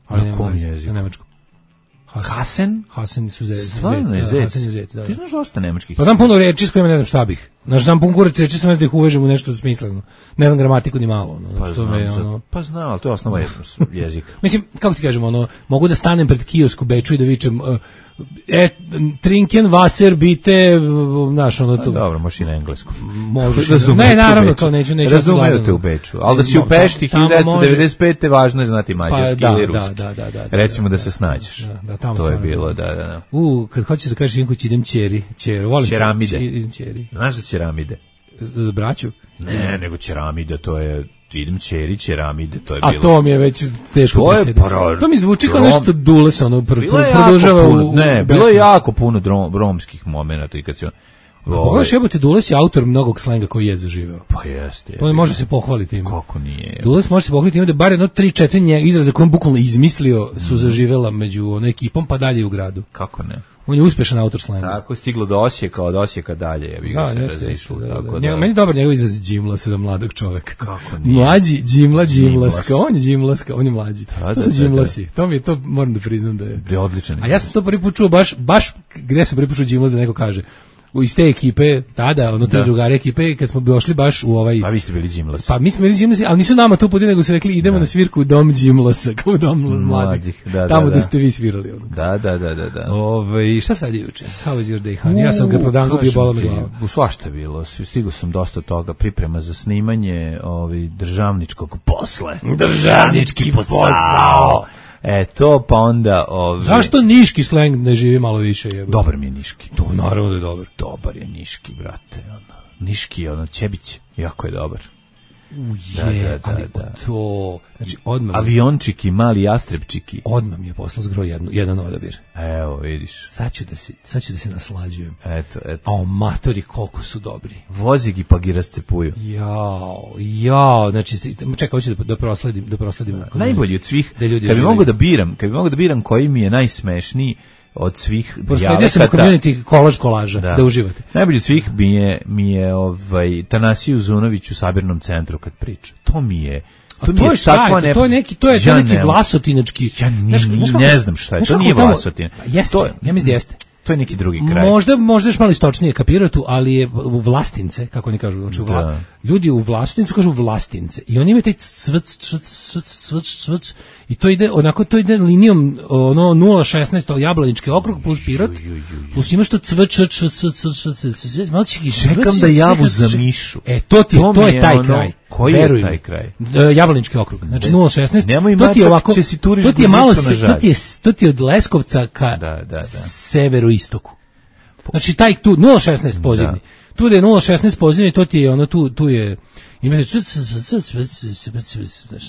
Ali Na nema kom veze, jeziku? Na nemačkom. Hasan. Hasen? Hasan su zec. Stvarno je da, zec. Hasan je zec, da. Ti znaš dosta nemačkih. Pa znam puno reči s kojima ne znam šta bih. Znaš, znam pun kurac reči, sam da ih uvežem u nešto smisleno. Ne znam gramatiku ni malo. Ono, Pa znači, to znam, me, za- ono, pa znam, ali to je osnova jezika. mislim, kako ti kažemo, ono, mogu da stanem pred kiosk u Beču i da vičem uh, e, trinken Wasser bite, uh, znaš, ono, Pa to, dobro, možeš i na engleskom. možeš. Razumete Ne, naravno, u Beču. to neću, neću. Razumete gledano. u Beču. Ali da si u Mo- Pešti tamo može- hiljadu devetsto devedeset pete važno je znati mađarski Pa, da, ili da, ruski. da, da, da, da, Recimo da, da da, se snađeš. da, da, tamo To je stvarno. bilo, da, da, da. U, kad hoćeš da kažeš jednom kući idem ćeri, ćeri, volim Ćeramide. ćeri, idem ćeri. Znaš za ćeramide? Za za braću? Ne, nego ćeramide, to je, idem ćeri, ćeramide, to je A bilo. to mi je već teško To je presjediti. pro- To mi zvuči kao rom- nešto dules, ono, pr, Bilo je pr, jako produžava puno, u... ne, u bilo je beskraj. jako puno drom, romskih momenata i kad se on... Pogledaš, jebote, Dules je autor mnogog slenga koji je zaživeo. Pa jeste. To ne može se pohvaliti ima. Kako nije? Dules može se pohvaliti ima da bar jedno tri četiri nje izraza koje on bukvalno izmislio su zaživela među onom ekipom pa dalje u gradu. Kako ne? On je uspešan autor slenga. Tako je stiglo do Osijeka, od Osijeka dalje, ja bih ga Da, se jeste, razišlo. jeste, da, Tako da. da, Njega- Meni je dobar njegov izraz džimlas za mladog čoveka. Kako nije? Mlađi, džimla, džimlaska. Džimlas. On je džimlaska, on je mlađi. Da, To da, su da, džimlasi. To mi je, to moram da priznam da je. Da je odličan. A ja sam to prvi put čuo baš, baš gde sam prvi put čuo džimlas da neko kaže. U iz te ekipe, tada, ono tri Da. drugare ekipe, kad smo došli baš u ovaj... A vi ste bili džimlas. Pa mi smo bili džimlasi, ali nisu nama tu podi, nego su rekli idemo na svirku u dom džimlasa, kao u dom mladih. Mladih, da, Tamo da, gde da. ste vi svirali. Ono. Da, da, da, da, da. Ove, šta sad je juče? How was your day, honey? Ja sam ga prodango bio bola me glava. U svašta je bilo, stigao sam dosta toga, priprema za snimanje ovi državničkog posle. Državnički posao. E, to pa onda... Ovi, Zašto niški sleng ne živi malo više? Jebo? Dobar mi je niški. To naravno da je dobar. Dobar je niški, brate. Ono. Niški je ono, Ćebić, jako je dobar. Je, Da, da, da, ali da. to... Znači, odmah, mi- Aviončiki, mali jastrepčiki. odmah mi je poslao zgro jednu, jedan odabir. Evo, vidiš. Sad ću da se, sad ću da se naslađujem. Eto, eto. A o matori koliko su dobri. Vozig i pa gi rascepuju. Jao, jao, znači, sti- čekaj, hoću da, da prosledim, da prosledim. kod Najbolji mene. od svih. Da ljudi Kad bi uživaju. mogu da biram, kad bi mogu da biram koji mi je najsmešniji od svih Prosledio sam u dijalekata. community kolaž kolaža, da. da uživate. Najbolji od svih mi je, mi je ovaj, Tanasiju Zunović u sabirnom centru kad priča. To mi je A To mi to je je šta takva je to? ne- To je neki, to je, to Ja je neki ne- vlasotinački. Ja ni- Znaš- znaš kako- ne znam šta je, znaš to kako nije tamo- Vlasotin. Jeste, To je- ja mislim da jeste. To je neki drugi kraj. Možda, možda još malo istočnije kapiraju tu, ali je u Vlastince, kako oni kažu, znači u Vla, Da. ljudi u Vlastincu kažu Vlastince i oni imaju taj cvrc, cvrc, cvrc, cvrc, cvrc, i to ide, onako to ide linijom ono nula šesnaest Jablanički okrug plus Pirot, plus imaš to cvrc, cvrc, cvrc, cvrc, cvrc, cvrc, cvrc, malo čeki, Čekam cvrc, da javu cvrc, za cvrc. mišu. E, to ti je, To to mi je je taj ono- kraj. koji je Veruj taj mi. kraj? E, Jablanički okrug, znači nula šesnaest. Nemoj to ti je mačak, ovako, će si turiš to ti je malo, guzicu na se- žalj. to ti je, to ti je od Leskovca ka Da, da, da. severoistoku. Znači taj tu nula šesnaest pozivni. Tu je nula šesnaest pozivni, to ti je ono tu tu je imate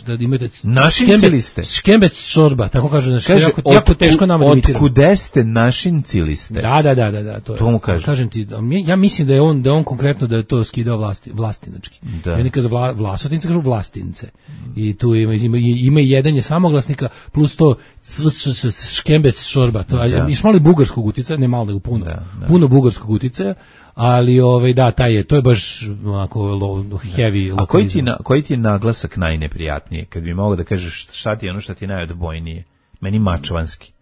da imate Našinci li ste? Škembec šorba, tako kaže, znači Kaže, jako, jako teško nama da imitira. Otkude ste našinci li ste? Da, da, da, da, da, to je. To mu kaže. Kažem ti, da, mi- ja mislim da je on da je on konkretno da je to skidao vlasti vlastinački. Da. Ja nikad za vla, Vlasotince kažu Vlastince. I tu ima ima ima i jedan je samoglasnika plus to c- c- c- škembec šorba. To Da. je iš malo i bugarskog uticaja, ne malo nego puno. Da, da. Puno bugarskog uticaja, ali ovaj da taj je to je baš onako low, heavy. A koji ti, lokalizam. na, koji ti je naglasak najneprijatnije? Kad bi mogao da kažeš šta ti je ono što ti je najodbojnije? Meni mačvanski.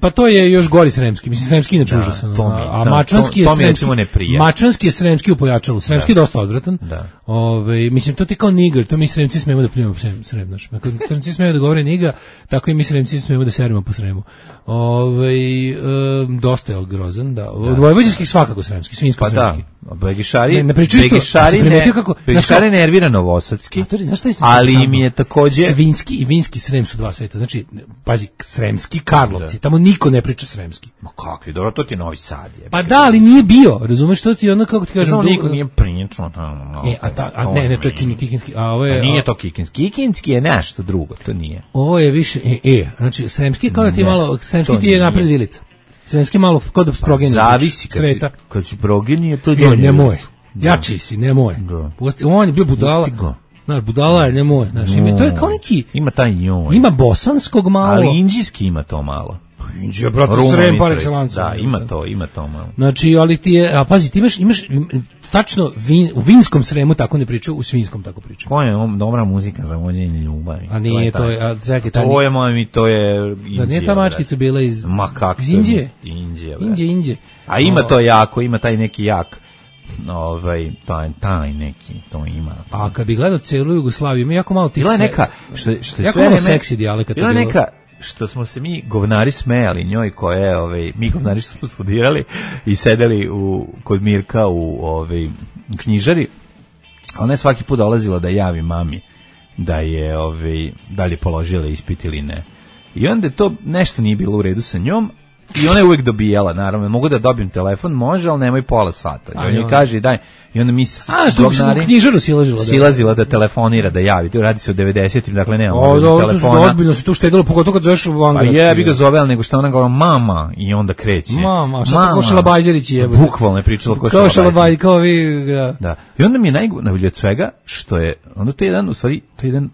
Pa to je još gori sremski. Mislim sremski inače Da, užasan. to mi- a da, mačvanski to- to je mi je recimo sremski. ne prija. Mačvanski je sremski u pojačalu. Sremski je dosta odvratan. Da. Ove, mislim to ti kao nigar, to mi sremci smemo da pljujemo po srem, srem, znaš. Ako sremci smemo da govore niga, tako i mi sremci smemo da serimo po sremu. Ove, um, dosta je grozan, da. Od vojvođanskih svakako sremski, svinjsko Pa da, sremski. Begišari, Ne, ne pričaju isto, Begišari, a si ne, primetio kako- Begišari znaš nervira novosadski, A to je, znaš šta je isto ali samo? im je takođe... Svinjski i vinski Srem su dva sveta. Znači, pazi, sremski Karlovci, tamo niko ne priča sremski. Ma kakvi, dobro, to ti je Novi Sad. Je. Pa da, ali nije bio, razumeš što ti ono, kako ti kažem... Znam, du- niko nije pričao tamo. E, a, ta, a ne, ne, to je kin- kikinski, a ovo A je... nije a- to kikinski. Kikinski je nešto drugo, to nije. Ovo je više, e, e, znači, sremski kao da ti je Ne, malo, sremski to ti je nije. napred vilica. Sremski malo, kao da sprogenio. Zavisi, kad si, sveta. kad si progenije, to je E, donje. nemoj, jači si, nemoj. Da. Pusti- On je bio budala, Pusti ga. znaš, budala je, nemoj, znaš, ima, to je kao neki, Ima taj njoj. ima bosanskog malo. Ali indijski ima to malo. Indija, brate, Ruma Srem par Mitrovica, excellence. Da, ima to, ima to malo. Znači, ali ti je, a pazi, ti imaš, imaš im, tačno vin, u vinskom Sremu tako ne pričaju, u svinskom tako pričaju. Ko je on, dobra muzika za vođenje ljubavi? A nije, to je, taj. a čekaj, ta To je, moj mi, to je Indija. Zar nije ta mačkica brate. bila iz, Ma kak iz to je? Indije? Indije, brate. Indije, Indije. A ima O, to jako, ima taj neki jak, ovaj, taj, taj neki, to ima. A kad bi gledao celu Jugoslaviju, ima jako malo tih... Bila je se- neka, što, što je jako sve malo vreme- seksi dijalekata Bila je bilo. neka, što smo se mi govnari smejali njoj koja je, ovaj, mi govnari što smo studirali i sedeli u, kod Mirka u ovaj, knjižari, ona je svaki put dolazila da javi mami da je, ovaj, da li je položila ispit ili ne. I onda je to nešto nije bilo u redu sa njom, i ona je uvek dobijala, naravno, mogu da dobijem telefon, može, ali nemoj pola sata. I A, on joj joj. kaže, daj, i onda mi s- A, što govnari- u knjižaru silažila. da. silazila da telefonira, da javi. To radi se o devedesetim, dakle nema O, mobilnog dobro, to su telefona. ozbiljno se tu štedilo, pogotovo kad zoveš u Pa Angradski. je, bi ga zove, ali nego što ona govora mama i onda kreće. Mama, šta tako Šalabajzerić jebote? Bukvalno je pričala ko Kao Šalabajzerić. Šalabaj, kao vi, da. Da. I onda mi je najbolje od svega što je, onda to je jedan, u stvari, to je jedan,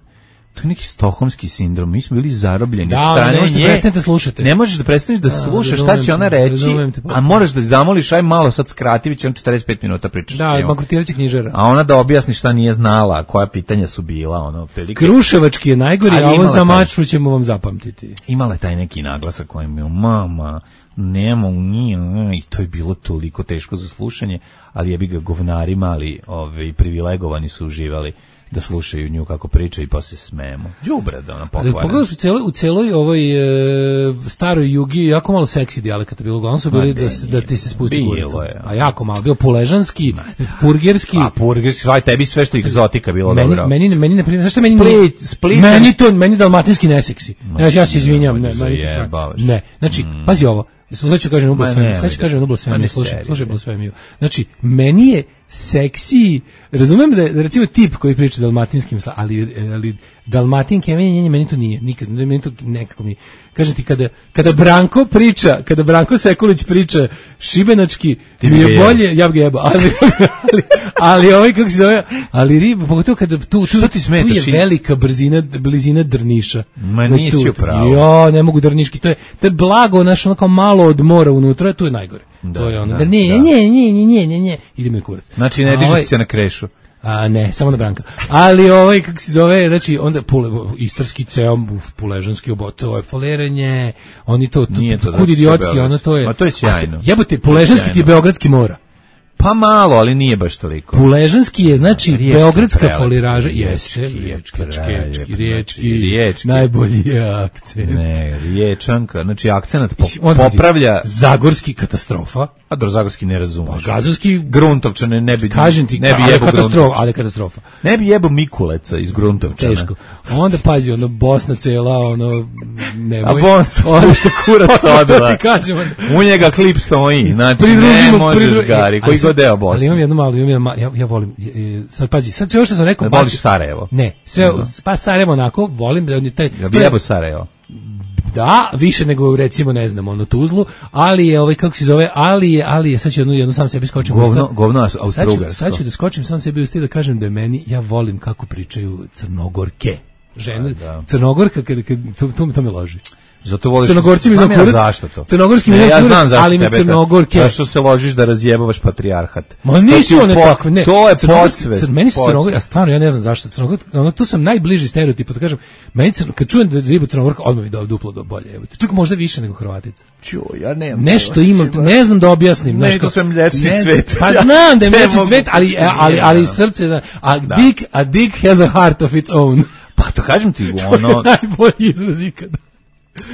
to je neki stokholmski sindrom. Mi smo bili zarobljeni Da, od ali strane ne možete nje. prestanete slušati. Ne možeš da prestaneš da slušaš šta razumem će ona te, reći, razumem te, pa. a moraš da zamoliš, aj malo sad skrati, već on četrdeset pet minuta pričaš. s Da, njom. bankrotirat će knjižara. A ona da objasni šta nije znala, koja pitanja su bila, ono, prilike. Kruševački je najgori, Ali a ovo imala za taj- mačvu ćemo vam zapamtiti. Imala je taj neki naglasak kojem je mama, nemo, nije, i to je bilo toliko teško za slušanje, ali je bi ga govnari mali, ove, privilegovani su uživali da slušaju nju kako priča i posle smemo. Đubre da ona pokvara. Pogledaš u celoj, u celoj ovoj e, staroj jugi jako malo seksi dijalekata bilo, uglavnom su Ma bili ne, da, se- da nije. ti se spusti Bilo kurica. je. A jako malo, bio puležanski, purgerski. A purgers, svaj tebi sve što egzotika bilo Meni, dobro. meni, meni, na primjer, zašto meni Split, nije- Split- meni to, meni dalmatinski neseksi. Ja, ja se izvinjam. Ne, nemoj meni da to sve- zajebavaš. ne, znači, pazi ovo, sad ću kažem u Ma blasfemiju, nemoj sad ću da- kažem u ma blasfemiju, ne slušaj, seri, slušaj bre. blasfemiju. Znači, meni je seksi, razumem da je, da recimo tip koji priča dalmatinskim, sla- ali, ali dalmatinke, meni, meni, meni to nije, nikad, meni to nekako mi, kažem ti, kada, kada Branko priča, kada Branko Sekulić priča šibenački, Ti mi bi ga je jebao. bolje, ja bi ga jebao, ali, ali, ali ovaj, kako se zove, ali riba, pogotovo kada tu, tu, Što ti smeta, tu je Šin? velika brzina, blizina Drniša. Ma Znači, nisi tu- u pravu. Jo, ne mogu Drniški, to je, to je blago, znaš, ono kao malo od mora unutra, tu je najgore. Da, to je ono, da, da, ne, da. ne, ne, ne, ne, ne, ne, ide mi kurac. Znači, ne A dižete ovaj- se na krešu. A ne, samo na Branka. Ali ovaj kako se zove, znači onda pule, istarski ceo puležanski obot, to je folerenje, oni to, to, to kud idiotski, ono to je. Ma to je sjajno. Jebote, puležanski ti je beogradski mora. Pa malo, ali nije baš toliko. Puležanski je, znači, riječki beogradska prelep. foliraža. Riječki, Jeste, riječki, riječki, riječki, riječki. najbolji je akcent. Ne, riječanka, znači akcenat po, Mislim, on popravlja... Zagorski katastrofa. A do Zagorski ne razumeš. Pa Gazovski... Gruntovčane ne bi... Kažem ti, ne bi ali jebo katastrofa, Gruntovčane. ali katastrofa. Ne bi jebo Mikuleca iz Gruntovčana. Teško. Onda pazi, ono, Bosna cela, ono, nemoj. A Bosna, ono što kurac odla. Ti kažem, onda. U njega klip stoji, znači ne možeš gari, koji god deo Bosne. Ali imam jednu malu, imam jednu malu, ja, ja volim, sad pazi, sad sve ovo što sam rekao... Ne voliš Sarajevo? Ne, sve, pa Sarajevo onako, volim da on je taj... Ja bi jebo Sarajevo. Da, više nego recimo ne znam ono Tuzlu, ali je ovaj kako se zove, ali je, ali je sad ću jednu, jednu sam sebi skočim. Govno, govno Austrougarsko. Sad ću da skočim sam sebi u stil da kažem da je meni, ja volim kako pričaju Crnogorke. Žene, da, da. Crnogorka kad, kad to, to, to me loži. Zato voliš... Crnogorci mi na kurac. Zašto to? Crnogorski mi ne, na ja kurac, znam zašto ali mi tebe Crnogorke. Zašto se ložiš da razjebavaš patrijarhat? Ma nisu one po, takve, ne. To je Crnogorski- podsvest. Cr- Meni su Crnogorci, a stvarno ja ne znam zašto Crnogor, ono tu sam najbliži stereotipu, da kažem, meni Crno- kad čujem da je riba Crnogorka, odmah mi da duplo do bolje, evo. Čak možda više nego Hrvatica. Čuj, ja nemam. Nešto imam, ne znam da objasnim, Ne, znaš to kao- sam mlječni ne- cvet. Pa znam da je Ne mlječni mogu cvet, ali pričati, ali ali nije, srce da, a Da. dick, a dick has a heart of its own. Pa to kažem ti, To je ono, najbolji izraz ikada.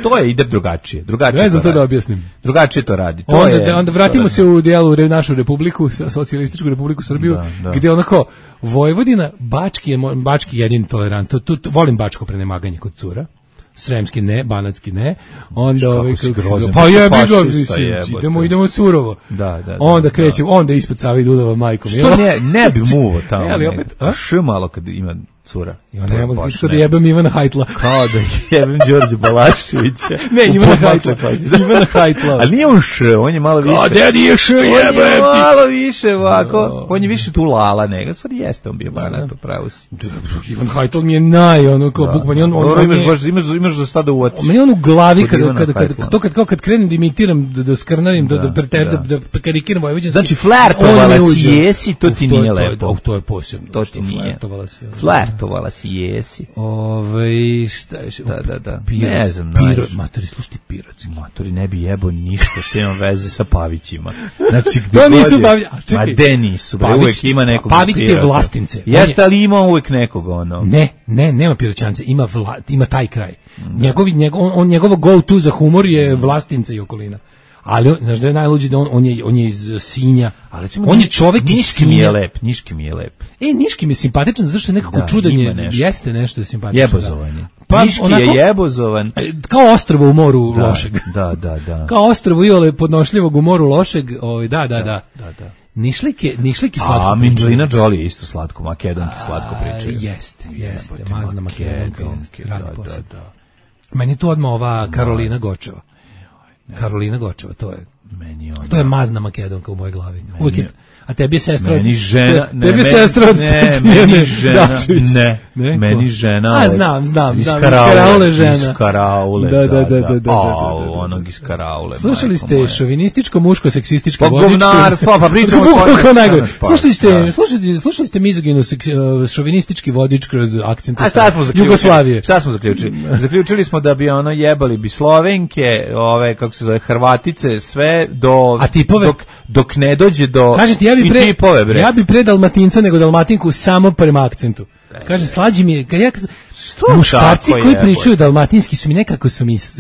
to je ide drugačije. Drugačije Ne znam to radi. da objasnim. Drugačije to radi. To Onda, je, da, onda to vratimo radi. se u dijelu re- našu republiku, sa- socijalističku republiku Srbiju, Da, da. gdje onako Vojvodina, Bački je mo- Bački je jedini tolerant. Tu, tu, tu- volim bačko prenemaganje kod cura. Sremski ne, banatski ne. Onda Kako ovaj si kako se grozan, zove- pa pa si jebi ga, fašista, mislim, jebote. idemo idemo surovo. Da, da, da, Onda da. krećemo, onda ispod Save i Dunava majkom. Što ne, ne bi muvo tamo. Ne, ali nego. opet, a? Š malo kad ima cura. Ja To je ne mogu baš kako da ne. jebem Ivana Hajtla. Kao da jebem Đorđe Balaševića. Ne, U Ivana podmakle Hajtla. pazi. Ivana Hajtla. Ali nije on š, on je malo više. A da nije š, On je jebem ti. malo više ovako. On je više tu lala nego. Stvari jeste on bio banat, pravo si. Ivan Hajtl mi je naj, ono, kao bukvalno, on, on, Dobro, on imaš, je- baš, imaš, imaš za šta da uotiš. Meni on u glavi Kod kada Ivana kada kada Hajtla. to kad kao kad krenem da imitiram da da skrnavim da da preter da da. da karikiram vojvođanski. Znači, flertovala on mi si uđe. jesi, to ti Uf, nije je- to je- lepo. uf, To je posebno. To što ti nije. Flertovala si. ono. Flertovala si, jesi. Ovaj šta je? Da, da, da. Pirot, Ne znam, Pirot, znaš. matori, slušaj ti pirotski. Matori ne bi jebo ništa što ima veze sa Pavićima. Znači, To gde nisu god je- Pavić- a čekaj. Ma de nisu, bre, Pavić- uvek ima nekog. Pavić ti je Pirota. Vlastince. On Jeste, je- ali ima uvek nekog, ono. Ne, ne, nema piroćance, ima vla, ima taj kraj. Njegovi njegov on, on njegovo go to za humor je Vlastince i okolina. Ali on, znaš da je najluđi da on, on je on je iz Sinja. Ali recimo, on je Niš- čovjek iz Niški mi je Sinja. lep, Niški mi je lep. E, Niški mi je simpatičan zato što je nekako Da, čudan ima je, nešto. jeste nešto simpatično. Jebozovan je. Pa, Niški onako- je jebozovan. E, Kao ostrvo u moru Da, lošeg. Da, da, da. Kao ostrvo iole podnošljivog u moru lošeg, ovaj da, da, da. Da, da. Nišlike, nišlike slatko. A pričaju. Angelina Jolie je isto slatko, makedonki slatko A, pričaju. Jeste, jeste, Jebote, mazna makedonka, makedonke, radi da, posao. da, da. Meni je tu odmah ova Karolina Gočeva. Karolina Gočeva, to je. Meni je ona. To je mazna makedonka u mojoj glavi. Uvijek je, a tebi je sestra od... Meni žena, ne, tebi je meni- sestra od ne, Tatjane meni žena, Dačević. ne, Ne, meni ko? žena A, od- znam, znam, iz znam, iz Karaule, Karaule žena. iz Karaule, Da, da, da, da, da, da, Au, da, da. onog iz Karaule. Slušali majko ste moja. šovinističko, muško, seksističko, Pa govnarstvo, pa pričamo o Kako tome, najgore. šta Slušali ste, da. slušali, slušali ste mizoginu, seks- uh, šovinistički vodič kroz akcent A šta smo zaključili? Jugoslavije. Šta smo zaključili? Zaključili smo da bi ono jebali bi Slovenke, ove kako se zove Hrvatice, sve do A tipove? dok dok ne dođe do Kažem ti, ja bi i pre, tipove, bre. ja bi pre Dalmatinca nego Dalmatinku samo prema akcentu. Kaže, slađi mi je, kad ja, muškarci tako koji je, pričaju dalmatinski su mi nekako su mi, s-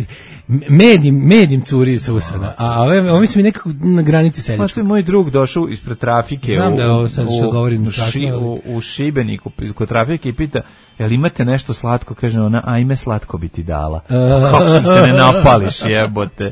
medim, medim curi sa usana, a ove, ovi su mi nekako na granici Pa seljačkog. što je moj drug došao ispred trafike Znam u, da je ovo sad što u- govorim u, strašno, ši, ali- u, u Šibeniku kod trafike i pita jel imate nešto slatko, kaže ona, ajme slatko bi ti dala. Kako si se ne napališ, jebote.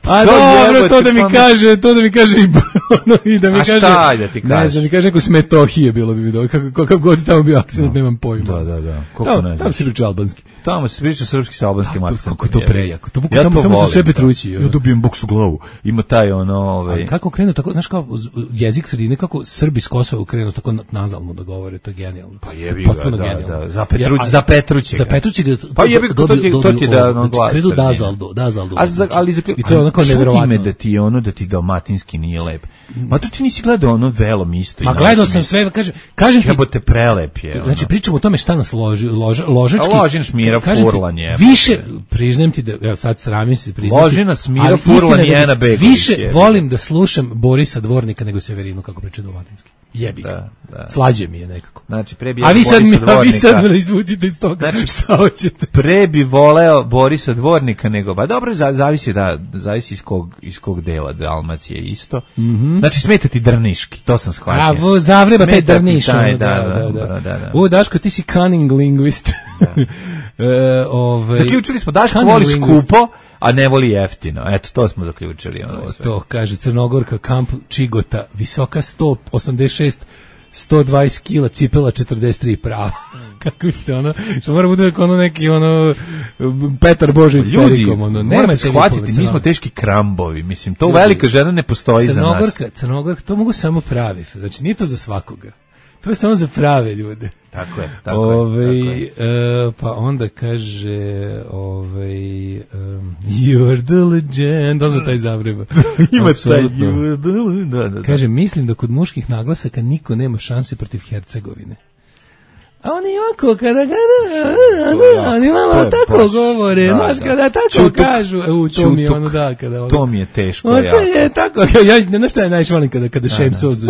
A To dobro, jebote, to da mi pa mi- kaže, to da mi kaže i ono, i da mi A kaže. šta da ti Ne kaže? znam, da mi kaže neko s Metohije bilo bi mi dobro. Kako kakav god tamo bio akcent, nemam pojma. Da, da, da. Kako Da, nađeš. Tamo se priča albanski. Tamo se priča srpski sa albanskim akcentom. Kako je to prejako. To ja tamo, to tamo volim, su sve Petrući. Ja dobijem boks u glavu. Ima taj ono, ovaj. Ali kako krenu tako, znaš kao jezik sredine, kako Srbi s Kosova krenu tako nazalno da govore, to je genijalno. Pa jebi ga, da, genijalno. da, za Petruć, ja, za Petruće. Za Petruće. Pa jebi ga, to ti to ti da ono glas. Kredu dazaldo, dazaldo. A za, ali za i to je onako neverovatno. Da ti ono da ti dalmatinski nije lep. Ma tu ti nisi gledao ono Velom isto. Ma gledao sam sve, kaže, kažem ti, jebote prelep je. Znači pričamo o tome šta nas loži, loža, ložački. A Ložin Šmira Furlan je. Više, priznajem ti da, ja sad sramim se priznati. Ložina Smira Furlan i Ena Begović. Više volim da slušam Borisa Dvornika nego Severinu kako priča dalmatinski. Jebi ga. Da, da. Slađe mi je nekako. Znači, pre bi a vi sad mi, Dvornika. A vi sad me izvucite iz toga. Znači, šta hoćete? Pre bi voleo Borisa Dvornika nego, ba dobro, zavisi da, zavisi iz kog, iz kog dela Dalmacije isto. Mm -hmm. Znači, smeta ti Drniški, to sam shvatio. A, vo, zavreba taj Drniš. Da, da, da, da, da, da. O, Daško, ti si cunning linguist. Da. e, ove, zaključili smo, Daško voli skupo, a ne voli jeftino. Eto, to smo zaključili. Ono to, to, kaže Crnogorka, kamp Čigota, visoka sto osamdeset šest, sto dvadeset kila, cipela četrdeset tri, prava. Kako ste ono, što mora bude ono neki ono Petar Božović s perikom, ono, nemojte shvatiti, mi smo teški krambovi, mislim, to ljudi, velika žena ne postoji za nas. Crnogorka, Crnogorka, to mogu samo pravi, znači nije to za svakoga. To je samo za prave ljude. Tako je, tako ove, je. Tako je. Uh, pa onda kaže ovaj um, you're the legend, onda taj zavreba. Ima taj you're the legend. Da, da, da. Kaže, mislim da kod muških naglasaka niko nema šanse protiv Hercegovine. A oni ovako, kada kada, oni malo tako govore, znaš, kada tako kažu, u to mi je ono da, kada ono. To mi je teško, ja. Ovo je tako, ja, znaš šta je najviše volim kada, kada šemso za,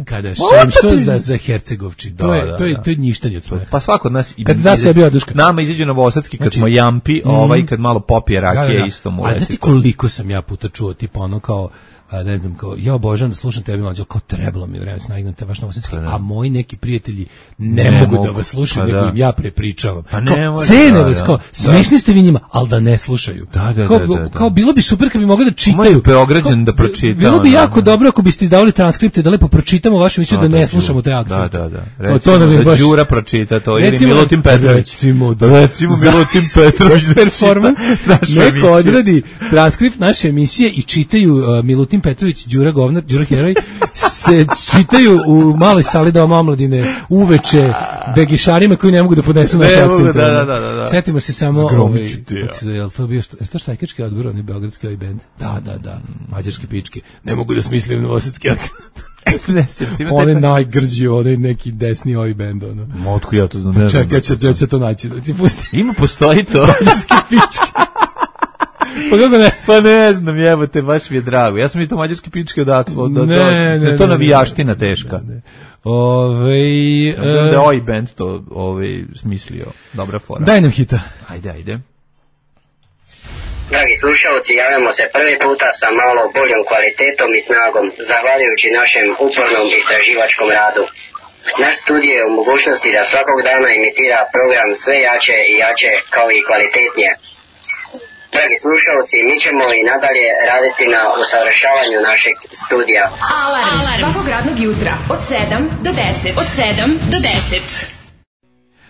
kada šemso za, za Hercegovči, to je, to je, to je njištanje od smeha. Pa svako od nas, kada da se bio duška. Nama izađe Novosadski kad smo jampi, ovaj, kad malo popije rakije, isto mu reći. A znaš ti koliko sam ja puta čuo, tipa ono kao, a ne znam, kao, ja obožavam da slušam tebi mlađo, kao trebalo mi vreme snagnete vaš Novosadski, a moji neki prijatelji ne, ne mogu, mogu da vas slušaju, nego im ja prepričavam. Pa ne, kao, cene vas, kao, smešni ste vi njima, ali da ne slušaju. Da, da, kao, da, da, da. Kao, bilo bi super kad bi mogli da čitaju. Beograđan da pročita. Bilo bi jako dobro ako biste izdavali transkripte, da lepo pročitamo vaše mišljenje, da ne slušamo te akcije. Da, da, da. Recimo da Đura pročita to, ili Milutin Petrović. Recimo, recimo Milutin Petrović performance, neko odradi transkript naše emisije i čitaju Milutin Petrović, Đura govnar, Đura heroj, se čitaju u maloj sali doma omladine uveče begišarima koji ne mogu da podnesu naše akcente. Da, da, da, da. Setimo se samo ovaj, je li to bio što, je to štajkački odbor, oni beogradski ovaj bend? Da, da, da, mađarski pički. Ne mogu da smislim novosadski akcent. On je najgrđi, on je neki desni ovaj bend, ono. Motku ja to znam. Ne Čekaj, ja ću, ja ću to naći. Ti pusti. Ima, postoji to. Mađarski pički. Pa kako ne? Pa ne znam, jebote, baš mi je drago. Ja sam i to mađarski pičke odatle. Od, od, ne, od, ne, to ne, navijaština teška. Ne, ne. Ove, ja, da je ovaj band to ovaj, smislio. Dobra fora. Daj nam hita. Ajde, ajde. Dragi slušalci, javljamo se prvi puta sa malo boljom kvalitetom i snagom, zahvaljujući našem upornom istraživačkom radu. Naš studij je u mogućnosti da svakog dana imitira program sve jače i jače kao i kvalitetnije. Dragi slušalci, mi ćemo i nadalje raditi na usavršavanju našeg studija. Alarm, Alarm. Svakog radnog jutra od sedam do deset. Od sedam do deset.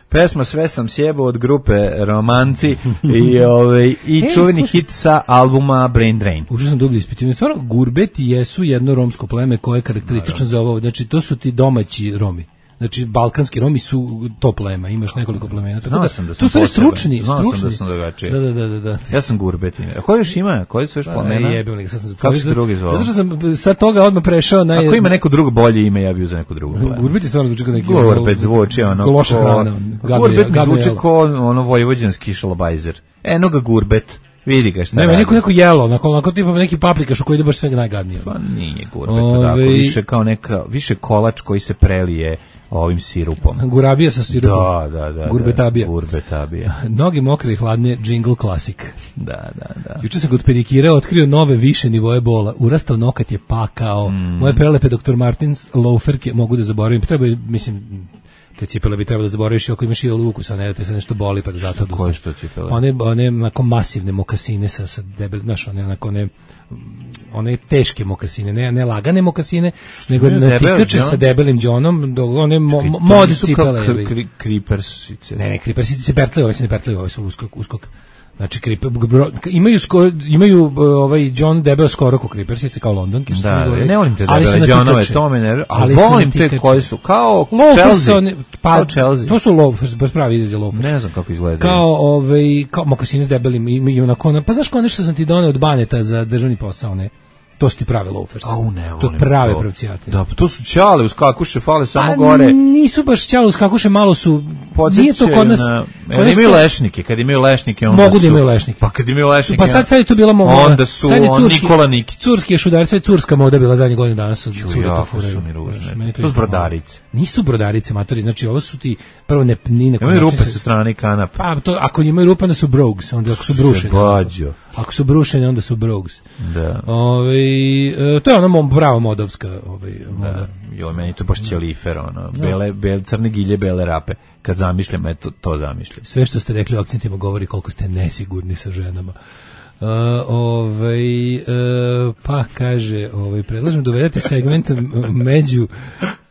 Pesma Sve sam sjebao od grupe Romanci i, ove, i e, čuveni slušaj. Hit sa albuma Brain Drain. Užasno dublje ispitivanje. Stvarno, Gurbeti jesu jedno romsko pleme koje je karakteristično za ovo. Znači, to su ti domaći Romi. Znači, balkanski Romi su to plema, imaš nekoliko plemena. Tako Znao da, sam da sam tu stručni, Znao stručni. sam da sam drugačiji. Da, da, da, da, da. Ja sam Gurbeti. A koji još ima? Koji su još plemena? Jebim li ga, sad sam Kako se drugi zvao? Zato što sam sa toga odmah prešao na... Ako ima neko drugo bolje ime, ja bih za neko drugo pleme. Gurbeti stvarno zvuči kao neki... Gurbet zvuči ono... Ko loša hrana. Gurbet zvuči kao ono vojvođanski šalabajzer. Eno ga Gurbet. Vidi ga šta ne, radi. Ne, neko neko jelo, onako, onako tipa neki paprikaš u koji ide baš sve najgadnije. Pa nije Gurbet, Ove... tako, više kao neka, više kolač koji se prelije ovim sirupom. Gurabija sa sirupom. Da, da, da. Gurbetabija. Da, gurbetabija. Noge mokre i hladne, jingle klasik. Da, da, da. Juče sam kod pedikira otkrio nove više nivoje bola. Urastao nokat je pakao. Mm. Moje prelepe doktor Martins loaferke mogu da zaboravim. Treba, mislim, te cipele bi trebalo da zaboraviš ako imaš i lukus, a ne da te se nešto boli pa da zato oduzme. Koje što cipele? One, one onako masivne mokasine sa, sa debel, znaš, one onako one one teške mokasine, ne, ne lagane mokasine, nego je natikače debel, sa debelim džonom, do one mo, mod cipele. Kri, kri, kripersice. Ne, ne, kripersice se pertlaju, ove se ne pertlaju, ove su uskok, uskok. Znači, kriper, bro, imaju, sko, imaju ovaj John debel skoro ko kripersice, kao londonke, što da, se govori. Ne volim te debele Johnove, to me ne, ali volim te koji su, kao Chelsea. One, pa, kao Chelsea. To su loafers, baš pravi izraz je loafers. Ne znam kako izgledaju. Kao, ovaj, kao mokasine s debelim, imaju onako, pa znaš kao nešto sam ti doneo od Baneta za državni posao, ne? To su ti prave loafers. Au, ne volim. To prave pravcijate. Da, pa to su ćale uz kakuše, fale samo A, gore. Nisu baš ćale uz kakuše, malo su... Podsjećaju nije to kod nas... Na, kod nas imaju to, lešnike, kad imaju lešnike onda mogu su... da imaju lešnike. Pa kad imaju lešnike... Pa sad, sad je to bila moda. Onda su sad je curski, Nikola Nikić. Curski je šudar, sad je curska moda bila zadnje godine danas. Od Jako su mi ružne. To su brodarice. Nisu brodarice, matori, znači ovo su ti... Prvo ne... Ni imaju rupe sa strane kanapa. Pa to, ako imaju rupe, onda su brogues, onda ako su brušene. Ako su brušene, onda su brogues. Da. Ove, e, to je ono prava modovska ovaj, moda. Da. Jo, meni to baš ćelifer, ono, bele, bele, crne gilje, bele rape. Kad zamišljam, eto, to zamišljam. Sve što ste rekli o akcentima govori koliko ste nesigurni sa ženama. Uh, ovaj, uh, pa kaže, ovaj, predlažem da uvedete segment među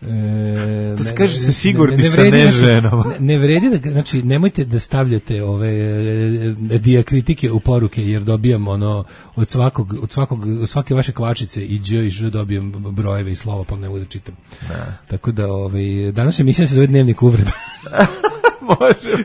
e, to se kaže se sigurni ne, ne sa vredi, ne znači, ženama. Ne, ne vredi da, znači, nemojte da stavljate ove e, dijakritike u poruke, jer dobijam ono, od svakog, od svakog, od svake vaše kvačice i dž i ž dobijam brojeve i slova, pa ne mogu da čitam. Da. Tako da, ovaj, danas emisija se zove Dnevnik uvreda. Može,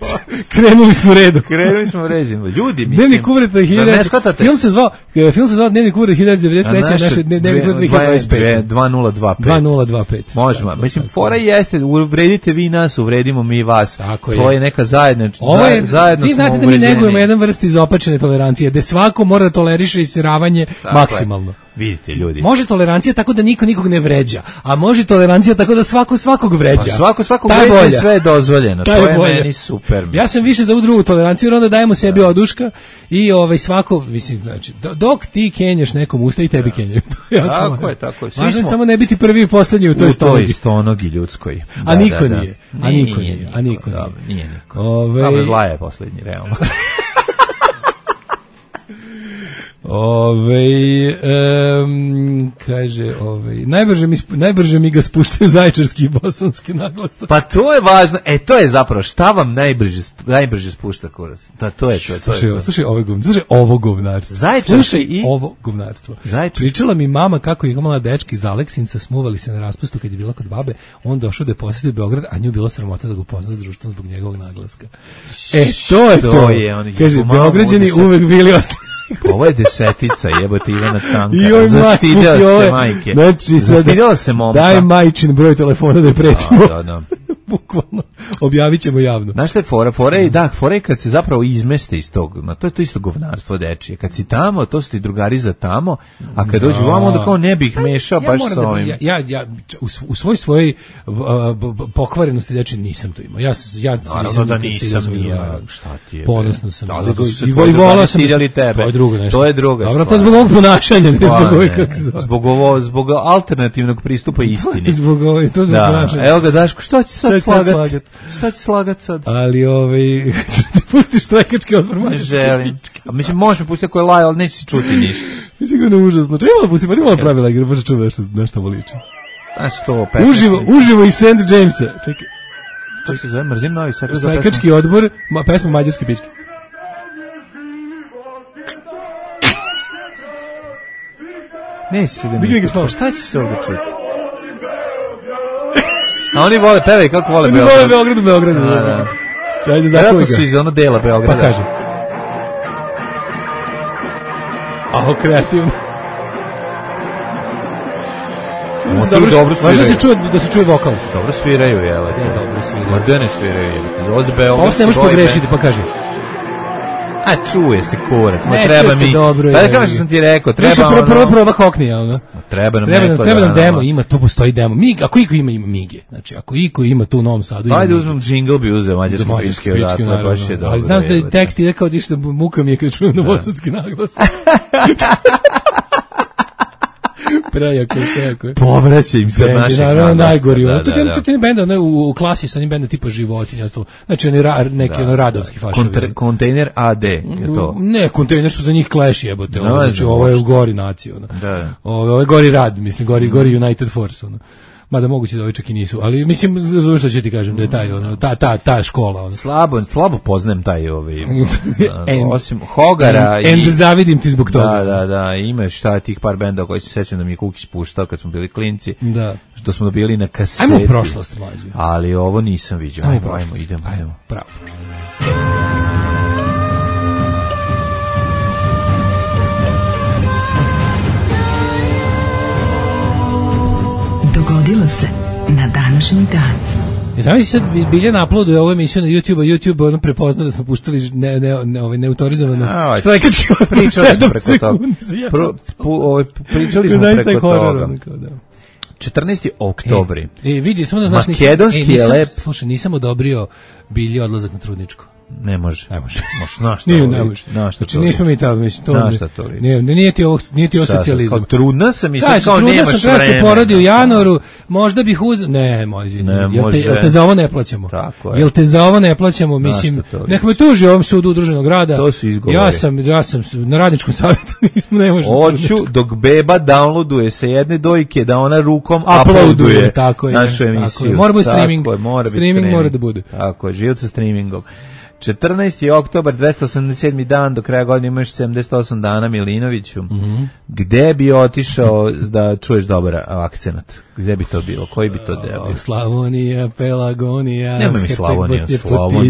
krenuli smo redu. Krenuli smo ređimo. Ljudi, mislim. Dnevnik uvreda hiljadu. Film se zvao, film se zvao Dnevnik uvreda hiljadu devetsto devedeset treće, naše Dnevnik uvreda hiljadu dvadeset pet. dve nula dva pet. dve nula dva pet. Možemo. Mislim, fora jeste, uvredite vi nas, uvredimo mi vas. Tako to je neka zajednička. Ovo je, zajedno vi znate da mi negujemo jedan vrst izopačene tolerancije, gde svako mora da toleriše isiravanje maksimalno. Vidite, ljudi. Može tolerancija tako da niko nikog ne vređa, a može tolerancija tako da svako svakog vređa. Pa svako svakog vređa i sve je dozvoljeno. Ta to je, je bolja. Meni super. Ja sam više za ovu drugu toleranciju, jer onda dajemo sebi da. oduška i ovaj svako, mislim, znači, dok ti kenjaš nekom usta i tebi da. kenjaju. Tako je, tako je. Važno je samo ne biti prvi i poslednji u toj stonogi. U toj stonogi ljudskoj. Da, a niko da, nije. Da. A niko nije. nije. A niko nije. Dobro, nije niko. Ove... Dobro, zla je poslednji, realno. Ove, um, kaže, ove, najbrže mi, najbrže mi ga spuštaju zaječarski i bosanski naglasak. Pa to je važno, e to je zapravo, šta vam najbrže, najbrže spušta kurac? Da, to je to. Slušaj, to je slušaj ovo govnarstvo, slušaj ovo govnarstvo. Zaječarski i... ovo govnarstvo. Zaječarski. Pričala mi mama kako je imala dečki iz Aleksinca, smuvali se na raspustu kad je bila kod babe, on došao da je posjetio Beograd, a nju bilo sramota da ga upozna s društvom zbog njegovog naglaska. E, to je to. to. Je, on kaže, Beograđani uvek bili ostali. Ovo je desetica, jebote Ivana Canka. I zastidela se majke. Znači, zastidela se momka. Daj majčin broj telefona da je pretimo. Da, da. Bukvalno. Objavit ćemo javno. Znaš šta je fora? Fora je, da, fora je kad se zapravo izmeste iz tog, na to je to isto govnarstvo dečije. Kad si tamo, to su ti drugari za tamo, a kad dođu vamo, onda kao ne bih mešao ja baš sa da, ovim. Ja, ja, ja u, u svoj svojoj uh, pokvarenosti dečije nisam to imao. Ja, ja Naravno da nisam, ja, šta ti je. Ponosno sam. Da, zato su se i tvoji drugari sam, stidjeli tebe. To je drugo nešto. To je druga Dobro, stvar. to zbog ovog ponašanja, ne zbog ovog kako se Zbog ovo, zbog alternativnog pristupa istini. Zbog ovo, to zbog ponašanja. Evo ga Daško, što će sad slagati? Šta će slagat sad? Ali ovaj ti pustiš trekački odmor, ne želim. A mislim možeš mi pustiti koji laj, ali neće se čuti ništa. Sigurno užasno. Čemu da pusti, pa ti malo pravila igre, baš čuva nešto nešto voliči. A sto petnaest. Uživo, uživo iz Saint Jamesa. Čekaj. Kako se zove? Mrzim Novi Sad. Trekački odbor, ma, pesma Mađarske pičke. Ne si da mi. Šta će se ovdje čuti? A oni vole, pevaj kako vole Beograd. Oni vole Beograd u Beogradu. Da, da. Čajde za koga. Su iz ono dela Beograda. Pa kaže. A ovo kreativno. Dobro, dobro sviraju. Važno se čuje, da se čuje vokal. Dobro sviraju, jel? Ne, dobro sviraju. Ma da ne sviraju, jel? Ovo se Beograd. Ovo se ne možeš pogrešiti, pa kaže. A čuje se kurac, ma ne, treba mi. Dobro, pa da kao što sam ti rekao, treba ono. Prvo prvo proba Hoknija, ono. Treba nam treba, neko. Treba nam demo, ima, to postoji demo. Mig, ako iko ima ima Mige. Znači, ako iko ima tu u Novom Sadu. Ajde uzmem džingl bi uzeo mađarski pički odatle, baš je dobro. Ali znam da tekst ide kao dište muka mi je kad čujem novosadski naglas. Prejako, prejako. Povraća im se naše. Naravno, najgori. To je to je bend ono u klasi sa onim bendom tipa Životinja, ostalo. Znači oni ra, neki da, ono radovski fašovi. Kontejner A D, je to? Ne, kontejner što za njih Clash jebote. No, znači ovo je u gori naciju, ono. Da. Ovo je gori rad, mislim, gori gori United Force, ono. Mada moguće da ovi čak i nisu, ali mislim, znaš što ću ti kažem, da je taj, ono, ta, ta, ta škola. Ono. Slabo, slabo poznajem taj, ovaj, osim Hogara. And, i, and zavidim ti zbog toga. Da, da, da, ima šta tih par benda koji se sećam da mi je Kukić puštao kad smo bili klinci, da. Što smo dobili na kaseti. Ajmo prošlost, mlađe. Ali ovo nisam vidio. Ajmo, ajmo, ajmo, idemo, ajmo. Pravo. Dogodilo se na današnji dan. Znam si sad bilje na uploadu ovu emisiju na YouTube, a YouTube ono prepoznao da smo puštali ne, ne, ne, ovaj, neautorizovano štrajkački odmah sedam sekundi. Pro, pu, ovaj, pričali smo preko toga. Da. četrnaesti oktobri. E, e, vidi, samo da znaš, makedonski nisam, e, nisam, je lep. Slušaj, nisam odobrio bilje odlazak na trudničku. Ne može. Ne može. Može, na šta? Nije, ne može. Znači, nismo mi tamo, mislim, to... Na šta to liči? Nije, nije ti ovo, nije ti ovo socijalizam. Kao trudna sam i sad Kaži, kao nemaš vremena. Trudna sam, treba se porodi u januaru, možda bih uz... Ne, moj izvini. Ne, jel, te, jel te za ovo ne plaćamo? Tako je. Jel te za ovo ne plaćamo? Mislim, nek me tuži ovom sudu udruženog rada. To su izgovori. Ja sam, ja sam na radničkom savjetu, nismo, ne možemo... Hoću, dok beba downloaduje sa jedne dojke, da ona rukom uploaduje tako je, našu emisiju. Mora biti streaming. Mora streaming mora da bude. Tako je, život sa streamingom. četrnaesti oktobar, dvesta osamdeset sedmi dan, do kraja godine imaš sedamdeset osam dana, Milinoviću. Mm-hmm. Gde bi otišao da čuješ dobar akcenat? Gde bi to bilo? Koji bi to deo bio? Slavonija, Pelagonija, nema mi Slavonija, Slavonija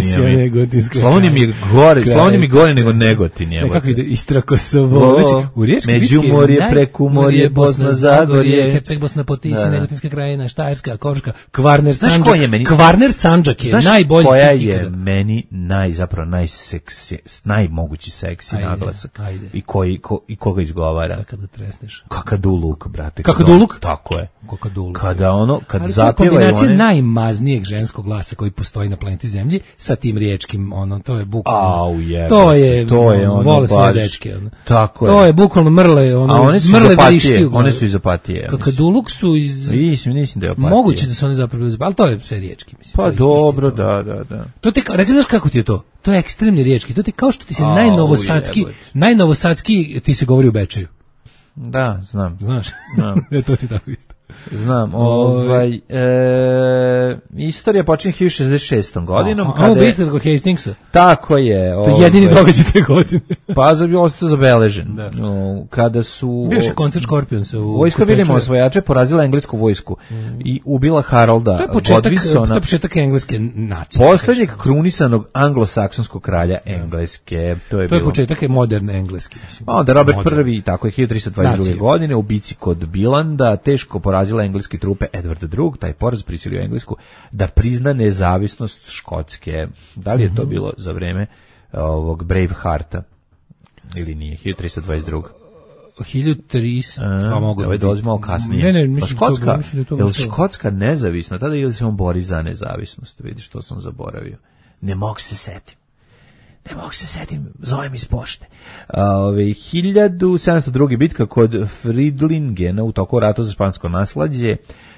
mi, Slavonija mi je gore, Slavonija mi gore nego Negotin. Je, kako ide, Istra, Kosovo, znači, u riječkoj bički je Međumorje, Prekumorje, Bosna, Zagorje, Herceg, Bosna, Potisje, Negotinska krajina, Štajerska, Koruška, Kvarner, znaš Sandžak. Je meni, Kvarner, Sandžak je znaš najbolji koja je meni naj, zapravo najseksi, najmogući seksi ajde, naglasak ajde. I, koji, ko, i koga izgovara. Sad kada tresneš. Kakaduluk, brate. Kakaduluk? Tako je. Kakaduluk. Kada ono, kad ali zapjevaju one... kombinacija najmaznijeg ženskog glasa koji postoji na planeti Zemlji sa tim riječkim, ono, to je bukvalno... Au, je. To je, to je ono, vole sve dečke. Ono. Tako je. To je bukvalno mrle, ono, a one su mrle iz Opatije, vrišti. One su iz Opatije. Kakaduluk su iz... Mislim, mislim da je Opatije. Moguće da su one zapravo iz... Ali to je sve riječki, mislim. Pa dobro, isti, da, da, da. To te, recimo, znaš kako ti je to? To je ekstremni riječki. To ti kao što ti se najnovosadski, najnovosadski ti se govori u Bečeju. Da, znam. Znaš? Znam. E, to ti tako isto. Znam, ovaj, e, istorija počinje hiljadu šezdeset šestom godinom. A ovo bitka kod Hastingsa? Tako je. To je jedini događaj te godine. Pa za bi ostao zabeležen. Da. No, kada su... Bio je koncert Scorpionsa u... Vojska Viljema osvajače porazila englesku vojsku mm. i ubila Harolda Godwinsona. To je početak engleske nacije. Poslednjeg krunisanog anglosaksonskog kralja Engleske. To je, to je bilo... početak moderne engleske. Mislim. A onda Robert prvi, tako je, hiljadu trista dvadeset druge. godine, u bici kod Bilanda, teško porazila engleske trupe Edvarda drugog. Taj poraz prisilio Englesku da prizna nezavisnost Škotske. Da li je to bilo za vreme ovog Bravehearta ili nije? hiljadu trista dvadeset druga. hiljadu trista, pa mogu da ovaj dolazi malo kasnije. Ne, ne, mislim, pa Škotska, to, mislim da to je li Škotska nezavisna? Tada ili se on bori za nezavisnost? Vidiš, to sam zaboravio. Ne mogu se setim. Ne mogu se setim, zovem iz pošte. Ove, hiljadu sedamsto druga. bitka kod Fridlingena u toku rata za špansko nasleđe.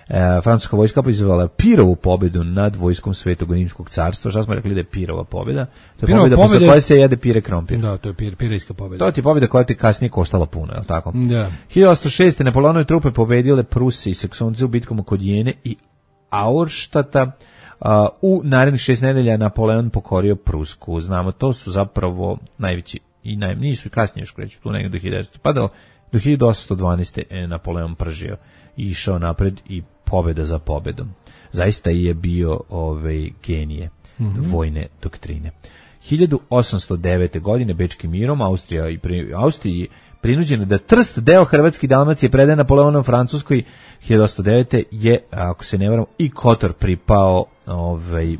E, francuska vojska proizvala Pirovu pobedu nad vojskom Svetog Rimskog carstva. Šta smo rekli da je Pirova pobeda? To je Pirova pobeda posle koje se jede pire krompir. Da, to je pir, pirejska pobeda. To ti je pobeda koja ti kasnije koštala puno, je li tako? Da. hiljadu osamsto šeste. Napoleonove trupe pobedile Pruse i Saksonce u bitkama kod Jene i Auerstata. Uh, u narednih šest nedelja Napoleon pokorio Prusku. Znamo, to su zapravo najveći i naj, nisu kasnije još kreću, tu negdje do hiljadu, pa do, do hiljadu osamsto dvanaeste. je Napoleon pržio i išao napred i pobeda za pobedom. Zaista je bio ovaj, genije mm-hmm. vojne doktrine. hiljadu osamsto devete. godine Bečkim mirom Austrija i pri, Austriji prinuđena da Trst, deo Hrvatske i Dalmacije, predaje Napoleonom Francuskoj. hiljadu osamsto devete. je, ako se ne varam, i Kotor pripao ovaj, uh,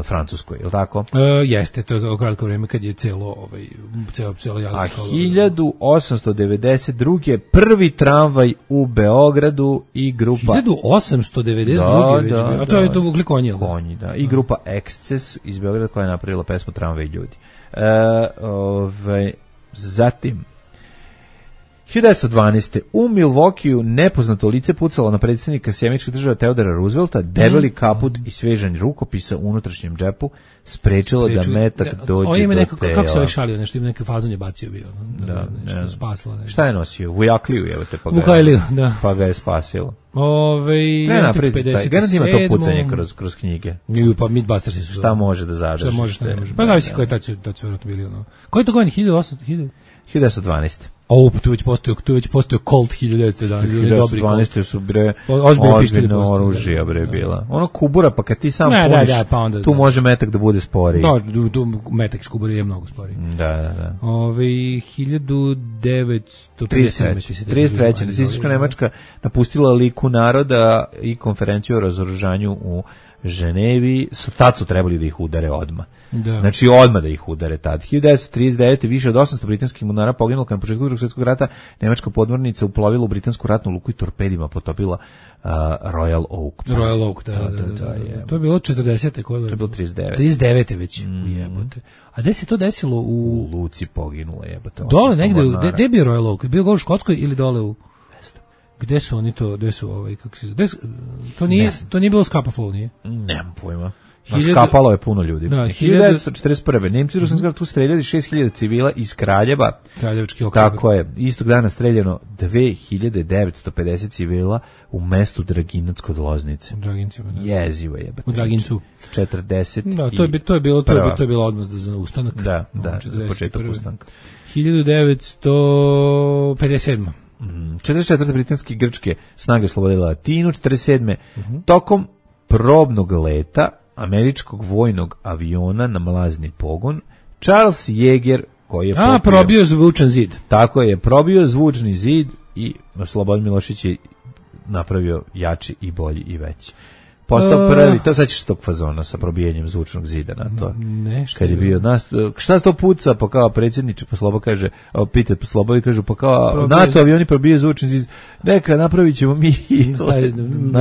Francuskoj, je li tako? Uh, jeste, to je kratko vrijeme kad je celo, ovaj, celo, celo A hiljadu osamsto devedeset druge. prvi tramvaj u Beogradu i grupa... hiljadu osamsto devedeset druge. Da, da, a to je da, to vukli konji, da? Konji, da. I grupa Eksces iz Beograda koja je napravila pesmu Tramvaj ljudi. Uh, ovaj, zatim... hiljadu devetsto dvanaeste. u Milwaukeeu nepoznato lice pucalo na predsjednika Sjemeničkih država Teodora Roosevelta, debeli kaput i svežanj rukopisa u unutrašnjem džepu sprečilo da metak ne, dođe o, ima do neko, tela. Kako se ovaj šalio, nešto ima neke fazon je bacio bio. Da, nešto ne. spaslo. Nešto. Šta je nosio? Vujakliju, evo te, pa ga, Vujakliju, da. Pa ga je spasilo. Ove, Ne napraviti taj, garant ima to pucanje kroz, kroz knjige. Ju, pa Mythbusters su. Šta može da zadrži? Šta može, šta ne može. Pa zavisi koji tad su, tad su vjerojatno bili ono. Koji je to godin? hiljadu osamsto hiljadu devetsto dvanaeste. O, pa tu već postoji, tu već postoji Colt hiljadu devetsto jedanaeste. hiljadu devetsto dvanaeste su bre ozbiljno oružje bre bila. Ono kubura, pa kad ti sam ne, puniš, da, da, pa onda, tu da. može metak da bude sporiji. Da, tu, tu metak iz kubura je mnogo sporiji. Da, da, da. Ove, hiljadu devetsto trideset treće. trideset treće. Nacistička Nemačka napustila liku naroda i konferenciju o razoružanju u Ženevi, tad su trebali da ih udare odmah. Da. Znači odmah da ih udare tad. hiljadu devetsto trideset devete. više od osamsto britanskih mornara poginulo kad na početku Drugog svjetskog rata nemačka podmornica uplovila u britansku ratnu luku i torpedima potopila uh, Royal Oak. Royal Oak, da, da, da, da, da, da. To je bilo četrdesete. To je bilo trideset devete. trideset devete već, mm. jebote. A gde se to desilo? U, u Luci poginulo, jebote. Dole negde, gde je bio Royal Oak? Bio ga u Škotskoj ili dole u... Gde su oni to, gde su ovaj, kako se zove, to nije, to nije bilo Scapa Flow, nije? Nemam pojma. Skapalo je puno ljudi. Da, hiljadu devetsto četrdeset prve. Nemci u Ruskom tu streljali šest hiljada civila iz Kraljeva. Kraljevački okrug. Tako je. Istog dana streljano dve hiljade devetsto pedeset civila u mestu Draginac kod Loznice. U Dragincima, da. Jezivo je. U Dragincu. četrdeset. Da, to je, to je bilo, to je, to je bilo odmah za ustanak. Da, da, za početak ustanka. hiljadu devetsto pedeset sedma. Mm, četrdeset četvrte. britanske i grčke snage oslobodile Latinu, četrdeset sedme. Uh-huh. Tokom probnog leta američkog vojnog aviona na mlazni pogon, Charles Jäger, koji je A, popio, probio zvučan zid. Tako je, probio zvučni zid i Slobodan Milošević je napravio jači i bolji i veći. Postao prvi, to sad ćeš tog fazona sa probijenjem zvučnog zida na to. Ne, kad je bio nas, šta to puca, pa kao predsjedniče, pa Slobo kaže, pita pa Slobovi kažu, pa kao probije. NATO avioni probije zvučni zid, neka napravit ćemo mi.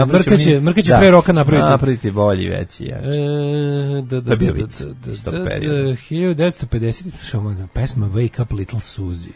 Mrkaće, mrkaće pre roka napraviti. Napraviti bolji, veći, jači. E, da, da, da, da, hiljadu devetsto pedeset. Pesma Wake Up Little Susie.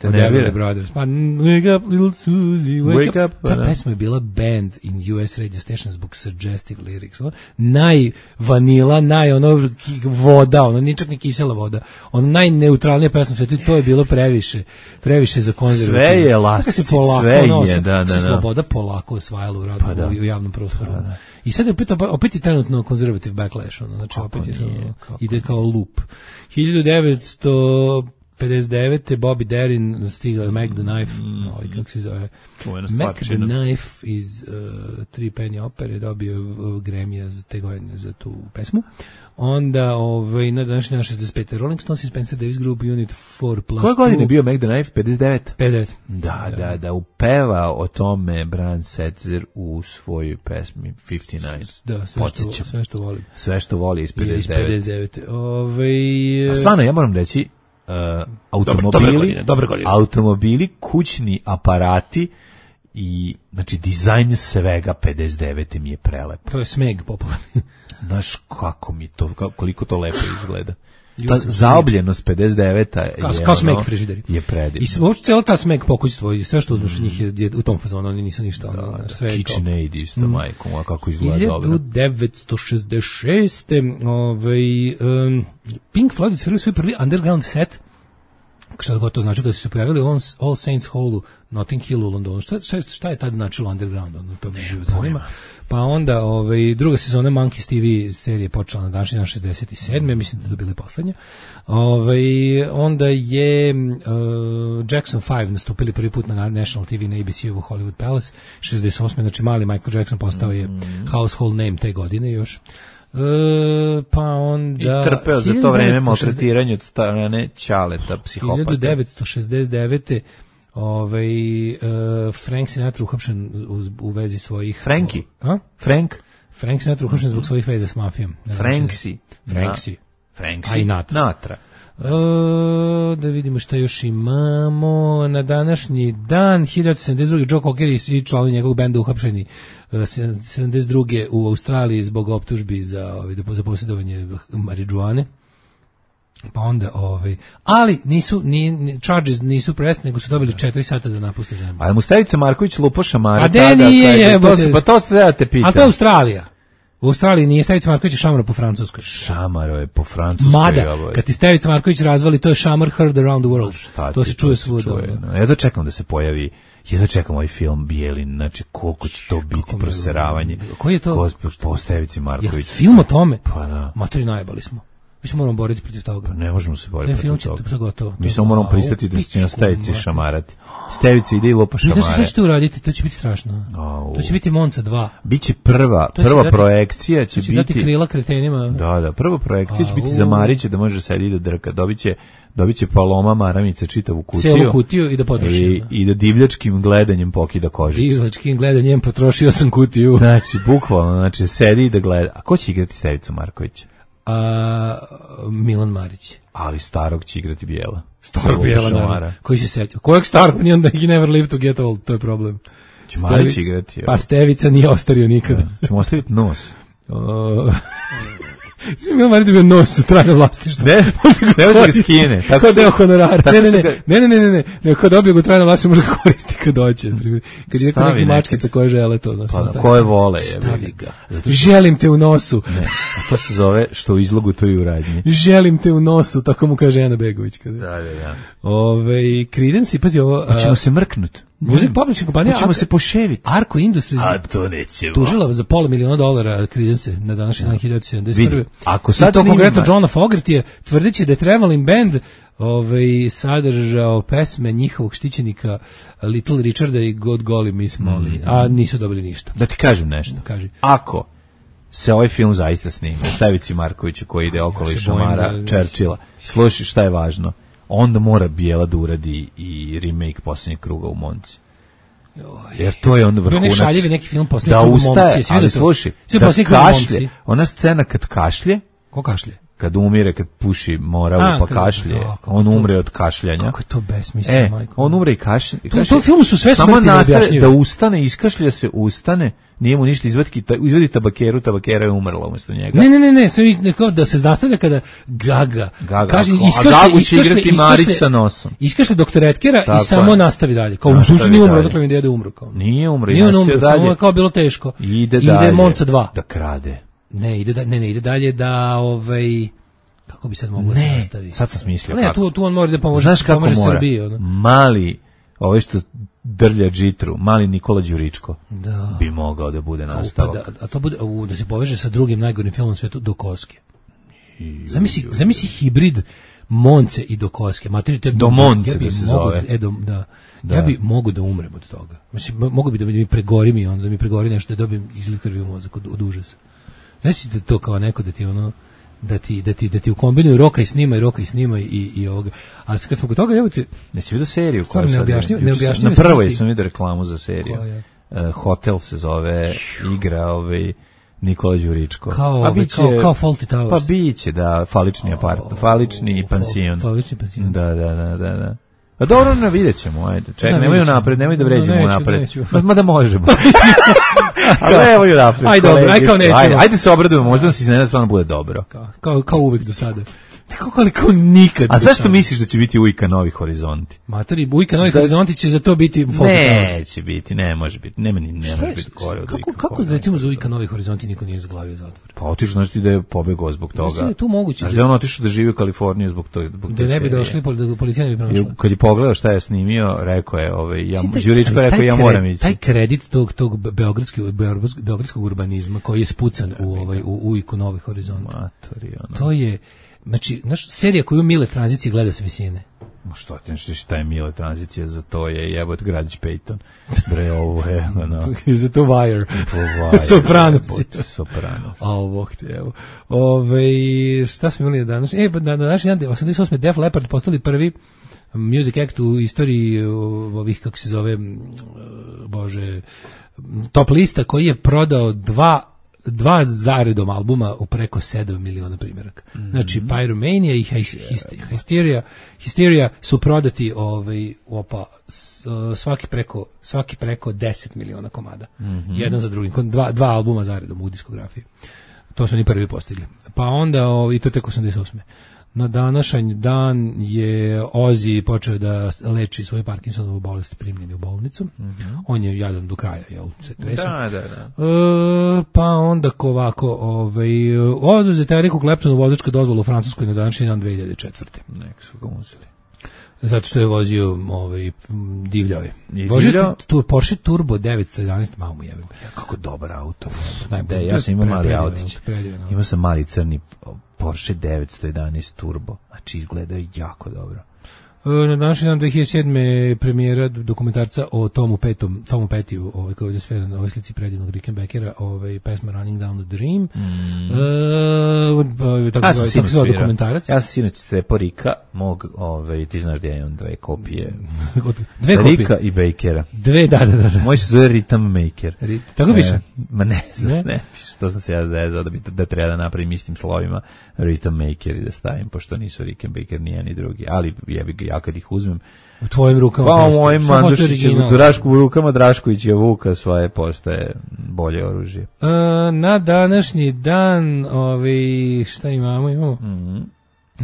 Od Everly Brothers. Pa, wake up, little Susie, wake, wake up. up. Ta pesma je bila banned in U S radio station zbog suggestive lyrics. Ono, najvanila, naj ono voda, ono nije čak ni kisela voda. Ono najneutralnija pesma sve, to je bilo previše, previše za konzervativno. Sve je lasici, sve je, da, da, da. Sloboda polako osvajala u radu, pa da. u, u javnom prostoru. Pa da. I sad je opet, opet je trenutno konzervative backlash, ono, znači opet je samo, ide kao loop. hiljadu devetsto pedeset devete. Bobby Darin stigla Mac the Knife, mm. ovaj, kako se zove, Mac the Knife iz uh, Tri penny opere, dobio uh, Grammy za te godine za tu pesmu. Onda, ovaj, na današnji na šezdeset pete. Rolling Stones i Spencer Davis Group Unit four plus Koje godine je bio Mac the Knife? pedeset devet. pedeset devet. Da, da, da, upeva o tome Brian Setzer u svojoj pesmi pedeset devet. Da, sve što, sve što volim. Sve što voli iz pedeset devet. Iz pedeset devete. Ovaj, a stvarno, ja moram reći, Uh, automobili, dobre godine, dobre godine. automobili, kućni aparati i znači dizajn svega pedeset devete mi je prelepo. To je smeg popularni. Znaš kako mi to, koliko to lepo izgleda. Ta zaobljenost pedeset deveta je, kao smeg frižideri. Je predivno. I uopšte cijela ta smeg pokućstvo i sve što uzmeš od njih je, je u tom fazonu, oni nisu ništa. Da, ono, da, sve KitchenAid isto, mm. majkom, a kako izgleda dobro. hiljadu devetsto šezdeset šeste. Ovaj, um, Pink Floyd otvorili svoj prvi underground set. Šta god to znači, kada su se pojavili u All Saints Hall u Notting Hill u Londonu. Šta, šta, šta je tad značilo underground? Ono, to me živo zanima. Pa onda ovaj, druga sezona Monkeys T V serije počela na današnji dan šezdeset sedme. Mislim da to bili poslednja. Ovaj, onda je uh, Jackson five nastupili prvi put na National T V na A B C-u u Hollywood Palace šezdeset osme. Znači mali Michael Jackson postao je household name te godine još. Uh, pa onda i trpeo za to vreme maltretiranje od strane Ćaleta, psihopata. hiljadu devetsto šezdeset devete. Ovaj, uh, Frank Sinatra uhapšen u, u vezi svojih... Franki? A? Frank? Frank Sinatra uhapšen zbog svojih veza s mafijom. Franksi. Franksi. Franksi. A i Natra. Natra. Uh, da vidimo šta još imamo. Na današnji dan hiljadu devetsto sedamdeset druge. Joe Cocker i članovi njegovog benda uhapšeni uh, sedamdeset druge u Australiji zbog optužbi za, za posjedovanje marijuane. Pa onda, ovaj, ali nisu, ni, ni, charges nisu pressed, nego su dobili četiri sata da napuste zemlju. A mu Stevica Marković lupa šamara. A de nije, jebote. Pa to se da te pitam. A to je Australija. U Australiji nije Stevica Marković, je šamar po francuskoj. Šamaro je po francuskoj. Mada, kad ti Stevica Marković razvali, to je šamar heard around the world. Šta to ti, se čuje to svuda. No, ja da čekam da se pojavi, ja da čekam ovaj film Bijelin, znači koliko će to biti proseravanje. Koji je to? Ko, po Stevici Marković. Ja, film o tome? Pa da. Matori, najebali smo. Mi se moramo boriti protiv toga. Pa ne možemo se boriti protiv toga. To gotovo. Mi samo moramo pristati da će na Stevici šamarati. Stevica ide i lopa šamare. Šta ćete uraditi? To će biti strašno. Au. To će biti Monca dva. Biće prva, prva dati, projekcija će, će biti... dati krila kretenima. Da, da, prva projekcija će biti za Marića da može sedi da drka. Dobiće, dobiće Paloma Maramica čitavu kutiju. Celu kutiju i da potroši. I, i da divljačkim gledanjem pokida kožicu. Divljačkim gledanjem potrošio sam kutiju. Znači, bukvalno, znači sedi i da gleda. A ko će igrati Stevicu Markovića? A, Milan Marić. Ali starog će igrati Bijela. Starog Bijela, naravno. Koji se seća? Kojeg starog? Nije onda he never live to get old, to je problem. Će Marić igrati. Ja. Pa Stevica nije ostario nikada. Ja. Ćemo ostaviti nos. O... Svi Milan Marić bio nos u trajnom vlastištvu. Ne, ne može ga skine. Kao deo honorara. Ne, ne, ne, ne, ne, ne, ne, ne, ne, kad dobio ga trajno vlastištvo može ga koristiti kad doće. Kad je neki mačkica koje žele to. Znači, pa, koje vole. Je, stavi ga. Zato što... Želim te u nosu. Ne, a to se zove što u izlogu, to i u radnji. Želim te u nosu, tako mu kaže Ana Begović. Kada. Da, da, da. Ove, Creedence, pazi ovo. Hoćemo se mrknut. Music Publishing kompanija. Hoćemo se poševiti. Arco Industries. A to nećemo. Tužila za pola miliona dolara Creedence na današnji dan hiljadu devetsto sedamdeset prve. Ako sad i to konkretno Johna Fogerty je tvrdeći da je Traveling Band ovaj, sadržao pesme njihovog štićenika Little Richarda i God Golly Miss Molly, mm. a nisu dobili ništa. Da ti kažem nešto. Kaži. Ako se ovaj film zaista snima, Stevici Markoviću koji ide okolo ja i šamara da, Churchilla, slušaj šta je važno, onda mora Bijela da uradi i remake Posljednjeg kruga u Monci. Jer to je onda vrhunac. Ne šaljevi neki film Posljednjeg da kruga u ustaje, Monci. Ali slušaj, da kašlje, ona scena kad kašlje, ko kašlje? Kad umire, kad puši moravu a, pa kašlje, da, on umre od kašljanja. Kako je to besmisleno, e, majko? On umre i kašlje. U tom filmu su sve smrti neobjašnjive. Da ustane, iskašlja se, ustane, nije mu ništa, izvadi, izvadi tabakeru, tabakera je umrla umjesto njega. Ne, ne, ne, ne, ne da se zastavlja kada Gaga, Gaga kaže, iskašlje, a Gagu će igrati Marić sa nosom. Iskašlje doktor Etkera i samo nastavi dalje. Kao, u suštini nije umro, odakle mi dede umro. Kao. Nije umro, nije umro, samo je kao bilo teško. Ide, ide Monca dva. Da krade. Ne, ide, da, ne, ne, ide dalje da, ovaj... Kako bi sad moglo se nastaviti? Sad sam smislio. Ne, tu, tu on mora da pomože, znaš kako pomože mora? Srbiji. Ono. Mali, ovaj što drlja džitru, mali Nikola Đuričko da. Bi mogao da bude nastavak. Da, a to bude, u, da se poveže sa drugim najgorim filmom svetu, Dokoske. Zamisli, zamisli hibrid Monce i Dokoske. Materi, do Monce ja da se mogu, zove. E, do, da. Da. Ja bi mogu da umrem od toga. Znači, mogu bi da mi pregori mi, onda da mi pregori nešto, da dobijem izliv krvi u mozak od, od užasa. Mislite to kao neko da ti ono da ti da ti da ti ukombinuju roka i snima i roka i snima i i ovoga. A kad smo kod toga, evo ti ne si vidio seriju koja ne objašnjavam, ne objašnjavam. Na prvoj sam vidio reklamu za seriju. Uh, Hotel se zove, igra ovaj Nikola Đuričko. Kao, a biće, kao, kao Fawlty Towers. Pa biće, da, falični apartman, falični pansion. Falični pansion. Da, da, da, da, da. A dobro, ne vidjet ćemo, ajde. Čekaj, nemoj napred, nemoj da vređemo napred. Ma, ma da možemo. Ali evo ju napred. Ajde, dobro, aj kao nećemo. Ajde, ajde se obradujemo, možda nam se iznenada stvarno bude dobro. Kao, kao, kao uvek do sada. Kako ali kao nikad. A zašto misliš da će biti Ujka Novi horizonti? Matori, Ujka Novi horizonti će za to biti Fawlty Towers. Neće biti, ne može biti. Ne, ne, ne može biti gore od kako, Ujka. Kako recimo za Ujka Novi horizonti niko nije zaglavio zatvor? Pa otišao, znači da je pobegao zbog toga. Znači je tu moguće. Znači da je on otišao da živi u Kaliforniji zbog toga. Da ne bi došli, da policija ne bi pronašla. Kad je pogledao šta je snimio, rekao je, ovaj, ja, Đuričko rekao, ja moram ići. Taj kredit tog, tog beogradskog, beogradskog urbanizma koji je spucan u, ovaj, u Ujku Novi horizonti. Matori, ono. To je... Znači, naš serija koju Mile tranzicije gleda s visine. Ma što ti nešto šta je Mile tranzicija, za to je jebot Gradić Peyton. Bre, ovo je, ono... za to Wire. Wire. Sopranos. Sopranos. A ovo, evo. Ove, šta smo imali danas? E, na današnji dan, osamdeset osme Def Leppard postali prvi music act u istoriji ovih, kako se zove, bože, top lista koji je prodao dva dva zaredom albuma u preko sedam miliona primjeraka. Mm -hmm. Znači Pyromania i Hysteria, Hysteria su prodati ovaj opa svaki preko svaki preko deset miliona komada. Mm -hmm. Jedan za drugim, dva dva albuma zaredom u diskografiji. To su oni prvi postigli. Pa onda ovaj, i to tek osamdeset osme Na današanj dan je Ozzy počeo da leči svoju Parkinsonovu bolest, primljen u bolnicu. Mm-hmm. On je jadan do kraja, jel, se tresa. Da, da, da. E, pa onda ovako, ovaj, oduzeta Eriku Claptonu vozačka dozvola u Francuskoj na današnji dan dve hiljade četvrte. Nek su ga uzeli. Zato što je vozio ovaj, divljao je. I Vozio divljao? tu Porsche Turbo devetsto jedanaest, malo mu jebim. Kako dobar auto. Najbolji. Da, ja sam imao mali Predivno, autić. predivno. Imao sam mali crni Porsche devetsto jedanaest Turbo. Znači, izgleda jako dobro. Na današnji dan dve hiljade sedme premijera dokumentarca o Tomu Petom, Tomu Petiju, ovaj koji je sve na ovoj slici predivnog Rickenbackera, ovaj pesma Running Down the Dream. Mm. E, tako, ja sam tako se dokumentarac. Ja sam sinoć cepo Rika, mog, ovaj, ti znaš gdje je on dve kopije. Dve kopije. Rika i Bakera. Dve, da, da, da. Moj se zove Rhythm Maker. Rit, tako piše? E, ma ne, ne, ne piše. To sam se ja zezao da, bi, da treba da napravim istim slovima Rhythm Maker i da stavim, pošto nisu Rickenbacker ni jedan ni drugi. Ali jebi ga, ja kad ih uzmem u tvojim rukama pa u mojim Mandušićem, u Drašku, rukama Draškovića Vuka svoje postaje bolje oružje. E, na današnji dan ovaj, šta imamo? Imamo? Mm-hmm.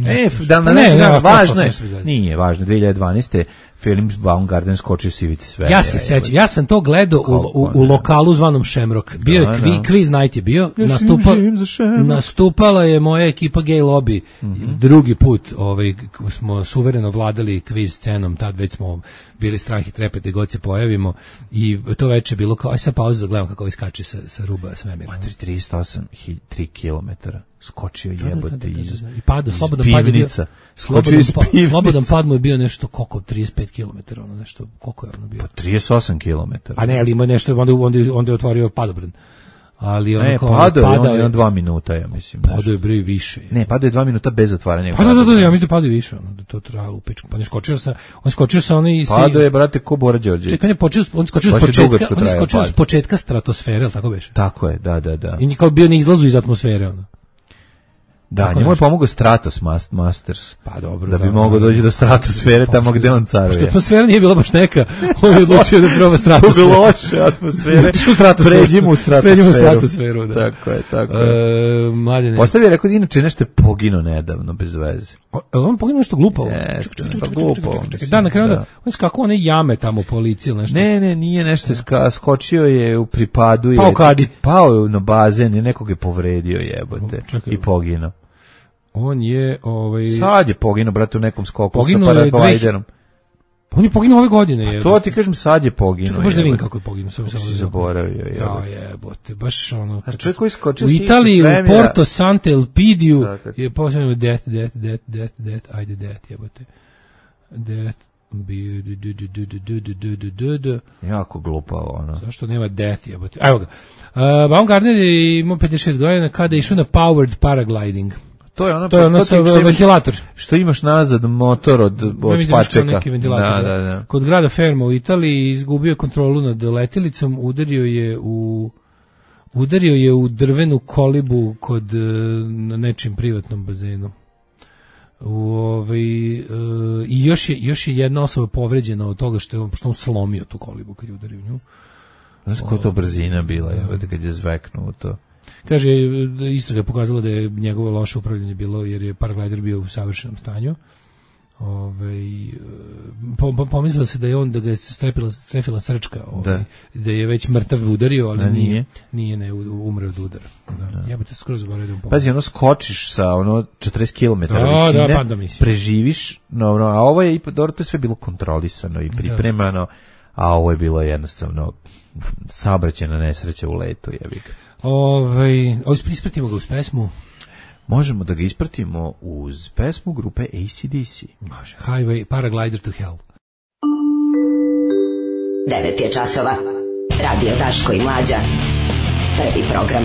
E, dan na ne, ne, važno je, nije važno, dve hiljade dvanaeste film Baumgarten skočio s ivice svemira. Ja se sećam, ja sam to gledao u, u, u lokalu zvanom Shamrock. Bio je kvi, Quiz Night je bio, nastupa, nastupala je moja ekipa Gay Lobby, mm-hmm. drugi put ovaj, smo suvereno vladali kviz scenom, tad već smo bili strah i trepet da god se pojavimo i to veče bilo kao, aj sad pauza da gledam kako iskače sa, sa ruba svemira. tristo osam tri kilometara. Skočio jebote iz i pada slobodan pad je bio slobodan, pa, slobodan pad mu je bio nešto koliko trideset pet kilometara, ono nešto koliko je ono bio pa trideset osam kilometara. A ne, ali ima nešto onda onda onda je otvorio padobran. Ali on ne, padao je on je dva minuta, ja mislim. Padao je bre više. Ne, padao je dva minuta bez otvaranja. Pa da, da, da, ja mislim da padao više, ono da to trajalo u pičku. Pa ne skočio sa, on skočio sa onaj padao je brate ko Bora Đorđević. Čekaj, on je počeo, on skočio s početka, on je skočio s početka stratosfere, al tako beše. Tako je, da, da, da. I nikao bio na izlazu iz atmosfere, ono. Da, njemu je pomogao Stratos Masters. Pa dobro, da bi mogao doći do stratosfere pa, tamo gde on caruje. Što atmosfera nije bila baš neka, on je odlučio da proba stratosferu. Zbog loše atmosfere. Pređimo u stratosferu. Pređimo u stratosferu, da. Tako je, tako je. E, mladine. Postavi je rekao da inače nešto je poginuo nedavno, bez veze. O, on poginuo nešto glupavo. Jeste, pa glupavo. Da, na kraju da, on skako one jame tamo policije ili nešto. Ne, ne, nije nešto, ska, skočio je u pripadu. Pao kadi. Pao je na bazen i nekog je povredio jebote i poginuo. On je ovaj sad je poginuo brate u nekom skoku sa paraglajderom. On je poginuo ove godine, je. To ti kažem, sad je poginuo. Čekaj, možda vidim kako je poginuo, samo sam zaboravio. Ja jebote, baš ono. A čovjek koji skoči u Italiji, u Porto Sante Elpidiu je posebno death, death, death, death, death, ajde death, jebote. Death, bi du du du du du du du du. Jako glupavo, ono. Zašto nema death, jebote. Evo ga. Uh, Baumgartner je imao pedeset šest godina kada je išao na powered paragliding. To je ono, to je ono sa ventilator. Što imaš nazad motor od, od pačeka. Da, da, da. Kod grada Fermo u Italiji izgubio kontrolu nad letjelicom, udario je u udario je u drvenu kolibu kod na nečim privatnom bazenu. U ovaj uh, i još je još je jedna osoba povređena od toga što je on što on slomio tu kolibu kad je udario nju. Znaš koja to brzina bila, je kad je zveknuo to. Kaže, istraga je pokazala da je njegovo loše upravljanje bilo jer je paraglider bio u savršenom stanju. Ove, po, po, pomislilo se da je on, da ga je strepila, strefila srčka, ove, da. da je već mrtav udario, ali da, nije, nije ne, umre od udara. Da. Ja bih te skoro zaboravio da mu Pazi, ono skočiš sa ono četrdeset kilometara da, visine, da, pa preživiš, no, no, a ovo je, dobro, to je sve bilo kontrolisano i pripremano, a ovo je bilo jednostavno saobraćajna nesreća u letu, jebi ga. Ovaj, ispratimo ga uz pesmu. Možemo da ga ispratimo uz pesmu grupe A C D C. Može. Highway, Paraglider to Hell. devet je časova. Radio Daško i Mlađa. Prvi program.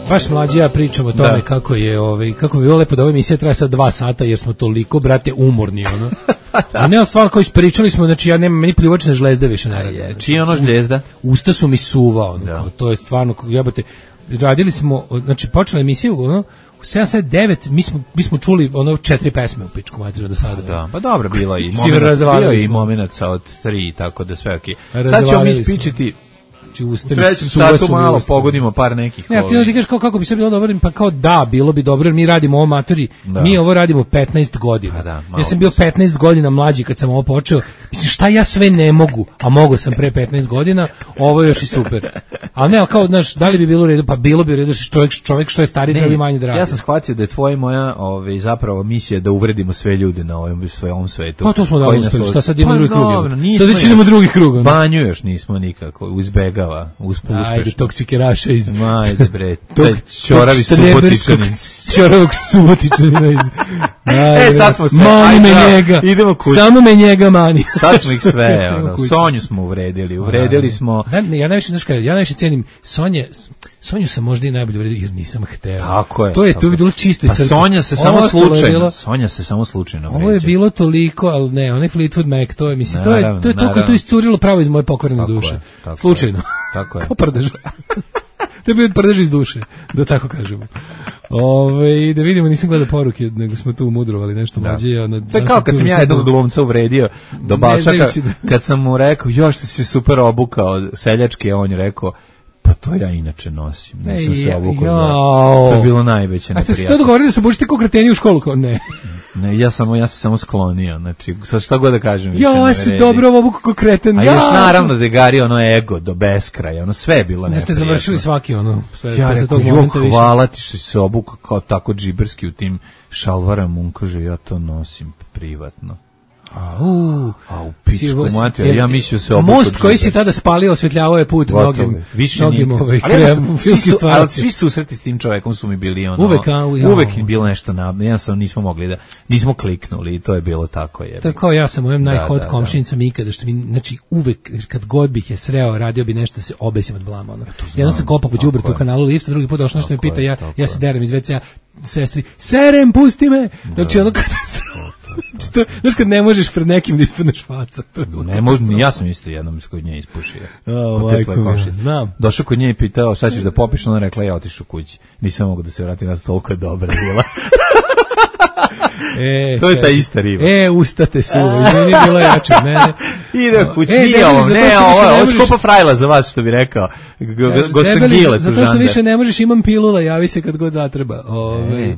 Baš Mlađa ja pričam o tome da. kako je, ovaj, kako bi bilo lepo da ova emisija traje sad dva sata jer smo toliko, brate, umorni, ono. A ne, stvarno koji ispričali smo, znači ja nemam, meni pljuvačne žlezde više ne rade. Znači, čiji ono žljezda? Usta su mi suva, ono, kao, to je stvarno, jebote, radili smo, znači počela emisiju, ono, u sedam devet mi smo, mi smo čuli ono četiri pesme u pičku materiju do sada. Da, pa dobro, bilo i moment, bio i momenat sa od tri, tako da sve okej. Okay. Sad ćemo mi ispričati Znači, u trećem satu malo pogodimo par nekih. Ne, ti ti kažeš kao kako bi se bilo dobro, pa kao da, bilo bi dobro jer mi radimo ovo amatori. Mi ovo radimo petnaest godina. Da, ja sam bio petnaest godina mlađi kad sam ovo počeo. Mislim šta ja sve ne mogu, a mogu sam pre petnaest godina, ovo je još i super. A ne, kao znaš, da li bi bilo u redu, pa bilo bi u redu čovjek čovjek što je stariji treba manje da radi. Ja sam shvatio da je tvoja moja, ovaj zapravo misija da uvredimo sve ljude na ovom svojom svetu. Pa to smo da uspeli, šta sad idemo drugi krug. Sad već idemo drugi krug. Banju još nismo nikako, uzbegava, uspešno. Ajde, toksikeraša iz... Ajde bre, taj čoravi subotičani. Čoravog subotičani. E, sad smo sve, mani me njega. Idemo kući. Samo me njega mani. Sad smo ih sve, ono, Sonju smo uvredili, uvredili smo... Ja najviše, znaš kada, ja najviše cijenim Sonje, Sonju sam možda i najbolje uvredio jer nisam hteo. Tako je. To je, to bi bilo čisto i srce. Sonja se samo slučajno, Sonja se samo slučajno vređa. Ovo je bilo toliko, ali ne, onaj Fleetwood Mac, to je, mislim, to je, to je to koje to iscurilo pravo iz moje pokvarene duše. Slučajno. Tako je. Kao prdež. To je bio prdež iz duše, da tako kažemo. Ove, da vidimo, nisam gledao poruke, nego smo tu mudrovali nešto mlađe. To je kao kad sam ja jednog glumca uvredio do Balšaka, kad sam mu rekao, još ti si super obukao seljački, a on je rekao, pa to ja inače nosim. Nisam se obukao za... To je bilo najveće neprijatno. A ste se to dogovorili da se bučite kao kreteni u školu? Kao ne. Ne, ja samo ja se samo sklonio. Znači, sad šta god da kažem više. Ja se dobro obuku kao kreten. A još naravno da je gario ono ego do beskraja. Ono sve je bilo neprijatno. Ne ste završili svaki ono. Sve, ja rekao, jo, hvala ti što si se obuka kao tako džiberski u tim šalvarama. On kaže, ja to nosim privatno. Au, au, pičku mater, ja mislio se obuku. Most koji si tada spalio osvetljavao je put mnogim, mnogim ovaj krem, filmskim stvarima. Ali svi susreti s tim čovjekom su mi bili ono, uvek, a, uvek je bilo nešto na, jednostavno nismo mogli da, nismo kliknuli i to je bilo tako. Je. To je kao ja sam mojem najhod komšinicom ikada, što mi, znači uvek, kad god bih je sreo, radio bi nešto da se obesim od blama. Ono. Jednom sam kopao po đubretu u kanalu lifta, drugi put došlo nešto me pita, ja, ja se derem iz ve cea, sestri, serem, pusti me! Znači ono kada to, znaš kad ne možeš pred nekim da ispadneš faca. Ne možeš, ja sam isto jednom kod nje ispušio. Oh, znam. Došao kod nje i pitao šta ćeš da popiš, ona rekla ja otišu kući. Nisam mogu da se vratim, nas toliko je dobra bila. E, to je ta ista riba. E, ustate su, izmeni bila jače od mene. Ide kući, e, nije ovo, ne, ovo je skupa frajla za vas, što bi rekao. Gostangilec. Zato što više ne možeš, imam pilula, javi se kad god zatreba. Ove,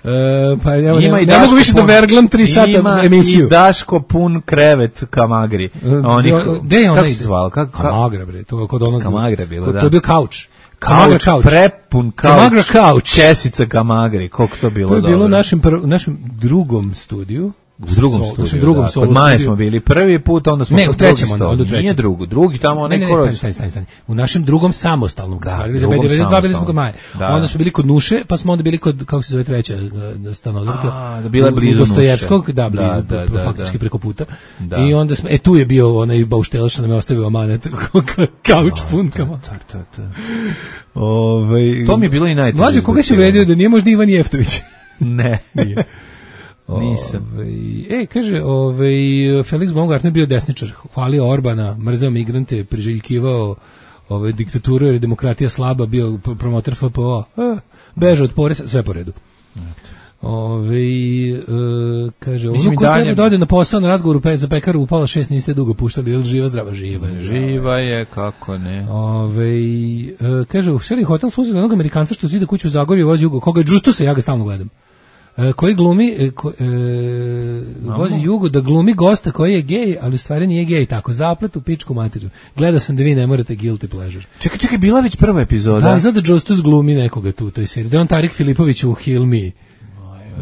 Uh, pa evo, ne, ne mogu više da verglam tri sata ima emisiju. Ima i Daško pun krevet Kamagri. Oni, gde je ona kako ide? se zval? Kako, Kamagra, bre, to je kod onog... Kamagra bilo, kod, da. To je bio kauč. Kauč, kauč. Prepun kauč. Kamagra kauč. Česica Kamagri, koliko to bilo dobro. To je bilo u našem, prv, našem drugom studiju. U drugom Sol, studiju, drugom da. Kod Maje smo bili prvi put, onda smo ne, kod drugog studiju. Nije drugo, drugi tamo ne, ne, ne, ne, stani, stani, stani. U našem drugom samostalnom, da, kad smo bili za bili smo kod Maje. Da. Onda smo bili kod Nuše, pa smo onda bili kod, kako se zove treća stanodorka. A, da bila blizu Dostojevskog, da, blizu, da, da, da, faktički da. Preko puta. Da. I onda smo, e, tu je bio onaj bauštelac što nam je ostavio amanet, kauč pun kama. Ove, to mi je bilo i najteže. Mlađe, koga si uvredio da nije možda Ivan Jeftović? Ne, nije. Nisam. Ove, e, kaže, ovaj Felix Baumgartner bio desničar, hvalio Orbana, mrzeo migrante, priželjkivao ove diktaturu jer je demokratija slaba, bio promotor F P O, e, beže od poreza, sve po redu. Ove, e, kaže, ono ko treba da ode na posao na razgovoru pe, za pekaru u pola šest niste dugo puštali, ili živa, zdrava, živa je. Živa je, kako ne. Ove, e, kaže, u seri hotel služi za onog Amerikanca što zida kuću u Zagorju, vozi Jugo, koga je Džustusa, ja ga stalno gledam. E, koji glumi e, ko, e, vozi Jugo da glumi gosta koji je gej, ali u stvari nije gej, tako zaplet u pičku materiju. Gledao sam da vi ne morate guilty pleasure. Čekaj, čekaj, bila već prva epizoda. Da, sada Justus glumi nekoga tu u toj seriji. Da je on Tarik Filipović u Heal Me.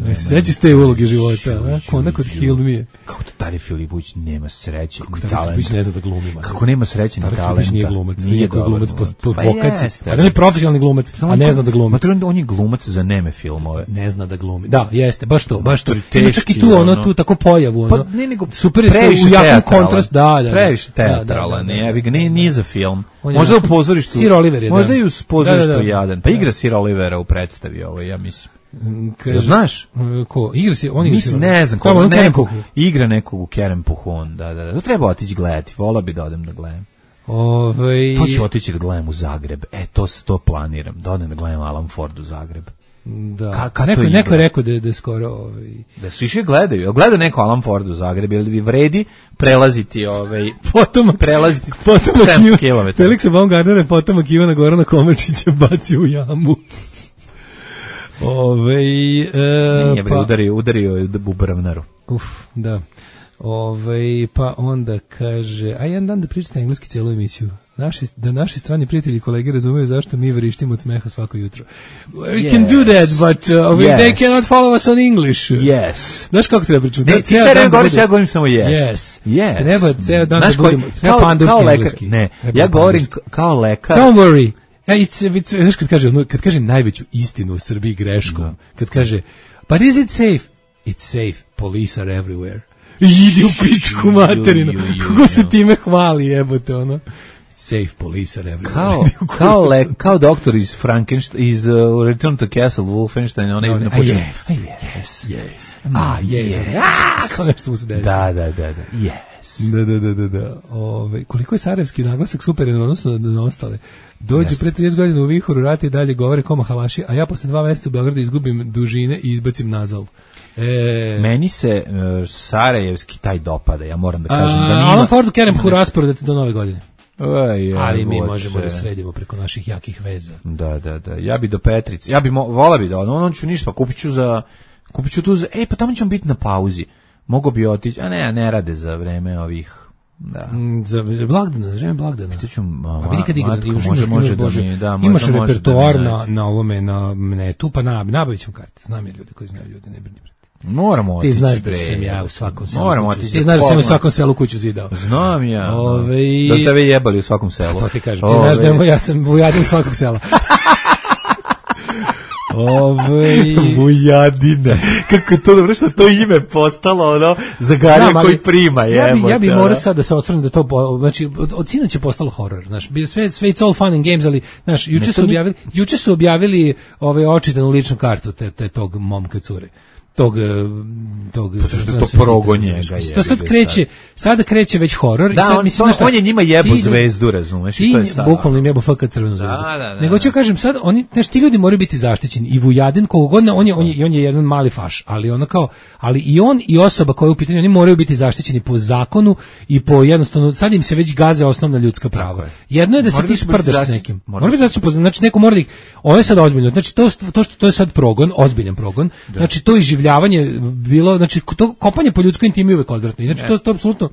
Ne se sećaš te uloge života, a? Konda kod Heal Me. Kako to Tarik Filipović nema sreće ni talenta? Tarik Filipović ne zna da glumi. Kako nema sreće ni talenta? Tarik Filipović nije glumac, nije glumac po, po pa vokaciji. A da je profesionalni glumac, a ne zna da glumi. Ma on je glumac za neme filmove. Ne zna da glumi. Da, jeste, baš to, baš to. Ima čak i tu ono, tu tako pojavu, ono. Pa ne nego super je se u jakom kontrast, da, da. Previše teatralan, nije nije za film. Možda u pozorištu. Sir Oliver je. Možda i u pozorištu jadan. Pa igra Sir Olivera u predstavi ovo, ja mislim. Kaže, znaš? Ko? Igra si, on igra Mislim, ne znam, ko, nekog, igra nekog u Kerempuhon, da, da, da. To treba otići gledati, vola bi da odem da gledam. Ove... To ću otići da gledam u Zagreb, e, to, to planiram, da odem da gledam Alan Ford u Zagreb. Da. Ka, ka neko, to neko je igra? rekao da, da je skoro... Ovaj... Da su išli gledaju. Jel gleda neko Alan Ford u Zagrebu? Jel bi vredi prelaziti ovaj... Potomak, prelaziti potomak sedamsto kilometara? Feliksa Baumgartnera je potomak Ivana Gorana Komačića bacio u jamu. Ove, e, Nije bre, pa, udario, udario je u bravnaru. uf, da. Ove, pa onda kaže, a jedan dan da pričate engleski cijelu emisiju. Naši, da naši strani prijatelji i kolege razumeju zašto mi vrištimo od smeha svako jutro. We Yes. can do that, but uh, we, Yes. they cannot follow us on English. Yes. Znaš kako treba pričati? Ne, ti sad ne govoriš, ja govorim samo yes. Yes. Yes. Treba ceo dan Znaš da koji- budemo, treba kao- pandurski kao lekar- engleski. Ne, Treba ja govorim pandurski. k- kao lekar. Don't worry. Ja, it's, it's, znaš kad kaže, ono, kad kaže najveću istinu u Srbiji greškom, kad kaže, but is it safe? It's safe. Police are everywhere. Idi u pičku materinu. Ju, ju, ju, Kako se ju. time hvali, jebote, ono. Safe, police are everywhere. Kao, kao, le, kao doktor iz Frankenstein, iz uh, Return to Castle Wolfenstein, onaj No, na a početku. yes, yes, yes. A, yes. A, kao nešto mu se desi. Da, da, da, da. Yes. Da, da, da, da, da. Ove, koliko je sarajevski naglasak super u odnosu na, na ostale. Dođu Jeste. pre trideset godina u vihoru rata i dalje govore koma halaši, a ja posle dva meseca u Beogradu izgubim dužine i izbacim nazal. E, Meni se uh, sarajevski taj dopada, ja moram da kažem a, da nima... Alan Fordu kerem hu rasporedati do nove godine. Aj, Ali mi jebote. možemo da sredimo preko naših jakih veza. Da, da, da. Ja bi do Petrice. Ja bi mo, vola bi da ono, ono ću ništa, pa kupit ću za kupit ću tu za, ej, pa tamo ćemo biti na pauzi. Mogu bi otići, a ne, ne rade za vreme ovih. Da. Mm, za blagdana, za vreme blagdana. To ću, ma, A vidi kad igra, matko, imaš, može, imaš, može imaš, da Bože, mi, da, možda imaš može da mi repertoar na, nađe. na ovome, na netu, pa na, nabavit ćemo karte. Znam ja ljude koji znaju ljude, ne brini. Moramo Ti otići. znaš da bre. sam ja u svakom selu Moramo kuću. otići. Ti znaš da sam u pogled. svakom selu kuću zidao. Znam ja. Ove, Da tebe jebali u svakom selu. To ti kažem. Ti Ove, znaš da je, ja sam vujadin svakog sela. Ove, Vujadine. Kako to dobro što to ime postalo ono za Garija Znam, ali koji prima, ja bi, ja bi jebote, morao ono. sad da se osvrnem da to po- znači od, od sinoć je postalo horor, znaš. Bi- Sve sve it's all fun and games, ali znaš, juče Ne, su to ni- objavili, juče su objavili ovaj očitanu ličnu kartu te, te tog momka cure. Tog, eh, tog Pa zašto je to transvestita, progon razumeš? njega, To sad jebi ga kreće, sada kreće već horor. Da, i sad, on, mislim, to- znaš šta, on je njima jebo ti- zvezdu, razumeš, i Ti, to je sad. bukvalno im jebo F K crvenu zvezdu. Da, da, da, Nego ću da. kažem sad, oni, znaš, ti ljudi moraju biti zaštićeni. I Vujadin, koliko god, on je, on je, i on je jedan mali faš, ali ono kao, ali i on i osoba koja je u pitanju, oni moraju biti zaštićeni po zakonu i po jednostavno, sad im se već gaze osnovna ljudska prava. Jedno je da se Moraju ti biti sprdaš s zaštićeni. nekim. Moraju Mora biti zaštićen, po- znači neko mora da ih, ovo je sad ozbiljno, znači to, to, što, to je sad progon, ozbiljan progon, znači to iživljavanje bilo, znači to kopanje po ljudskoj intimi je uvek odvratno. I Znači to, to apsolutno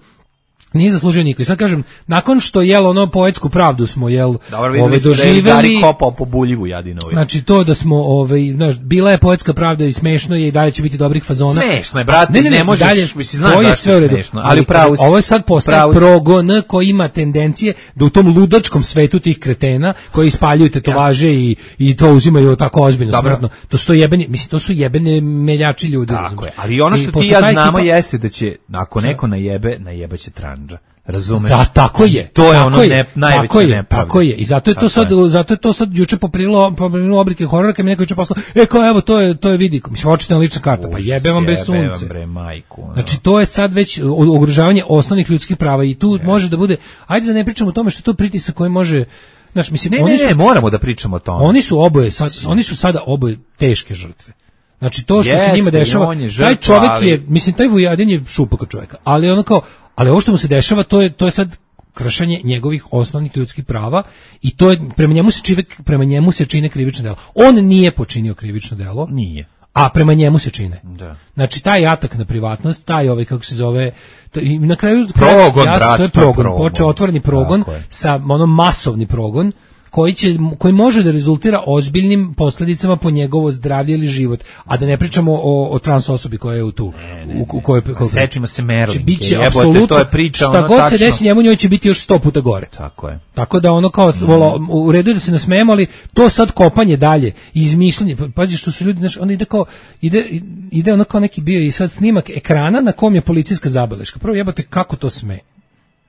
nije zaslužio niko. I sad kažem, nakon što jel ono poetsku pravdu smo jel Dobro, videli ovaj, smo da je Gari doživeli, kopao po buljivu Jadinovi. znači to da smo ovaj znaš, bila je poetska pravda i smešno je i dalje će biti dobrih fazona. Smešno je, brate, ne možeš, dalje, mislim, znaš to je zašto sve u je redu, smešno, ali ali upravo si. ovo je sad postaje Upravo si. progon koji ima tendencije da u tom ludačkom svetu tih kretena koji ispaljuju tetovaže i i to uzimaju tako ozbiljno, Dobro. smrtno. To su to jebeni, mislim to su jebene meljači ljudi, Tako razumeš? je, ali ono I što ti posle ja ta znamo ekipa- jeste da će, ako neko najebe, najebaće tranđa. Razumeš? Da, tako je. To je tako ono je, ne, najveća tako je, nepravda. Tako je. I zato je to Tako sad je. zato je to sad juče poprilo poprilo obrike horora kad mi neko juče poslao. E kao evo to je to je vidi. Mislim očitana lična karta. Pa Užas, jebe vam bez jebe vam, sunce. bre, majku, ono. Znači to je sad već ugrožavanje osnovnih ljudskih prava i tu može da bude. Ajde da ne pričamo o tome što je to pritisak koji može. Znaš, mislim Ne, oni ne, su ne, moramo da pričamo o tome. oni su oboje sad oni su sada oboje teške žrtve. Znači to što se Jeste, njima i dešava, on je taj žrtva, čovjek ali- je, mislim taj Vujadin je šupaka čovjeka, ali ono kao, ali ovo što mu se dešava to je to je sad kršenje njegovih osnovnih ljudskih prava i to je prema njemu se čine prema njemu se čine krivično delo. On nije počinio krivično delo, Nije. a prema njemu se čine. Da. Znači taj atak na privatnost, taj ovaj kako se zove, to, i na kraju Progon, jasno, brat, to je to je progon, progon. počeo otvoreni progon Tako je. sa ono masovni progon koji će koji može da rezultira ozbiljnim posljedicama po njegovo zdravlje ili život, a da ne pričamo o, o trans osobi koja je u tu u, u kojoj ko, Sećimo se Merlinke, biće jebote, apsolutno to je priča, šta ono, god se tačno. desi njemu, njoj će biti još sto puta gore. Tako je. Tako da ono kao vola, u redu je da se nasmejemo, ali to sad kopanje dalje, izmišljanje, pa- pazi što su ljudi, znaš, onda ide kao, ide, ide ono kao neki bio i sad snimak ekrana na kom je policijska zabeleška. Prvo jebote, kako to sme?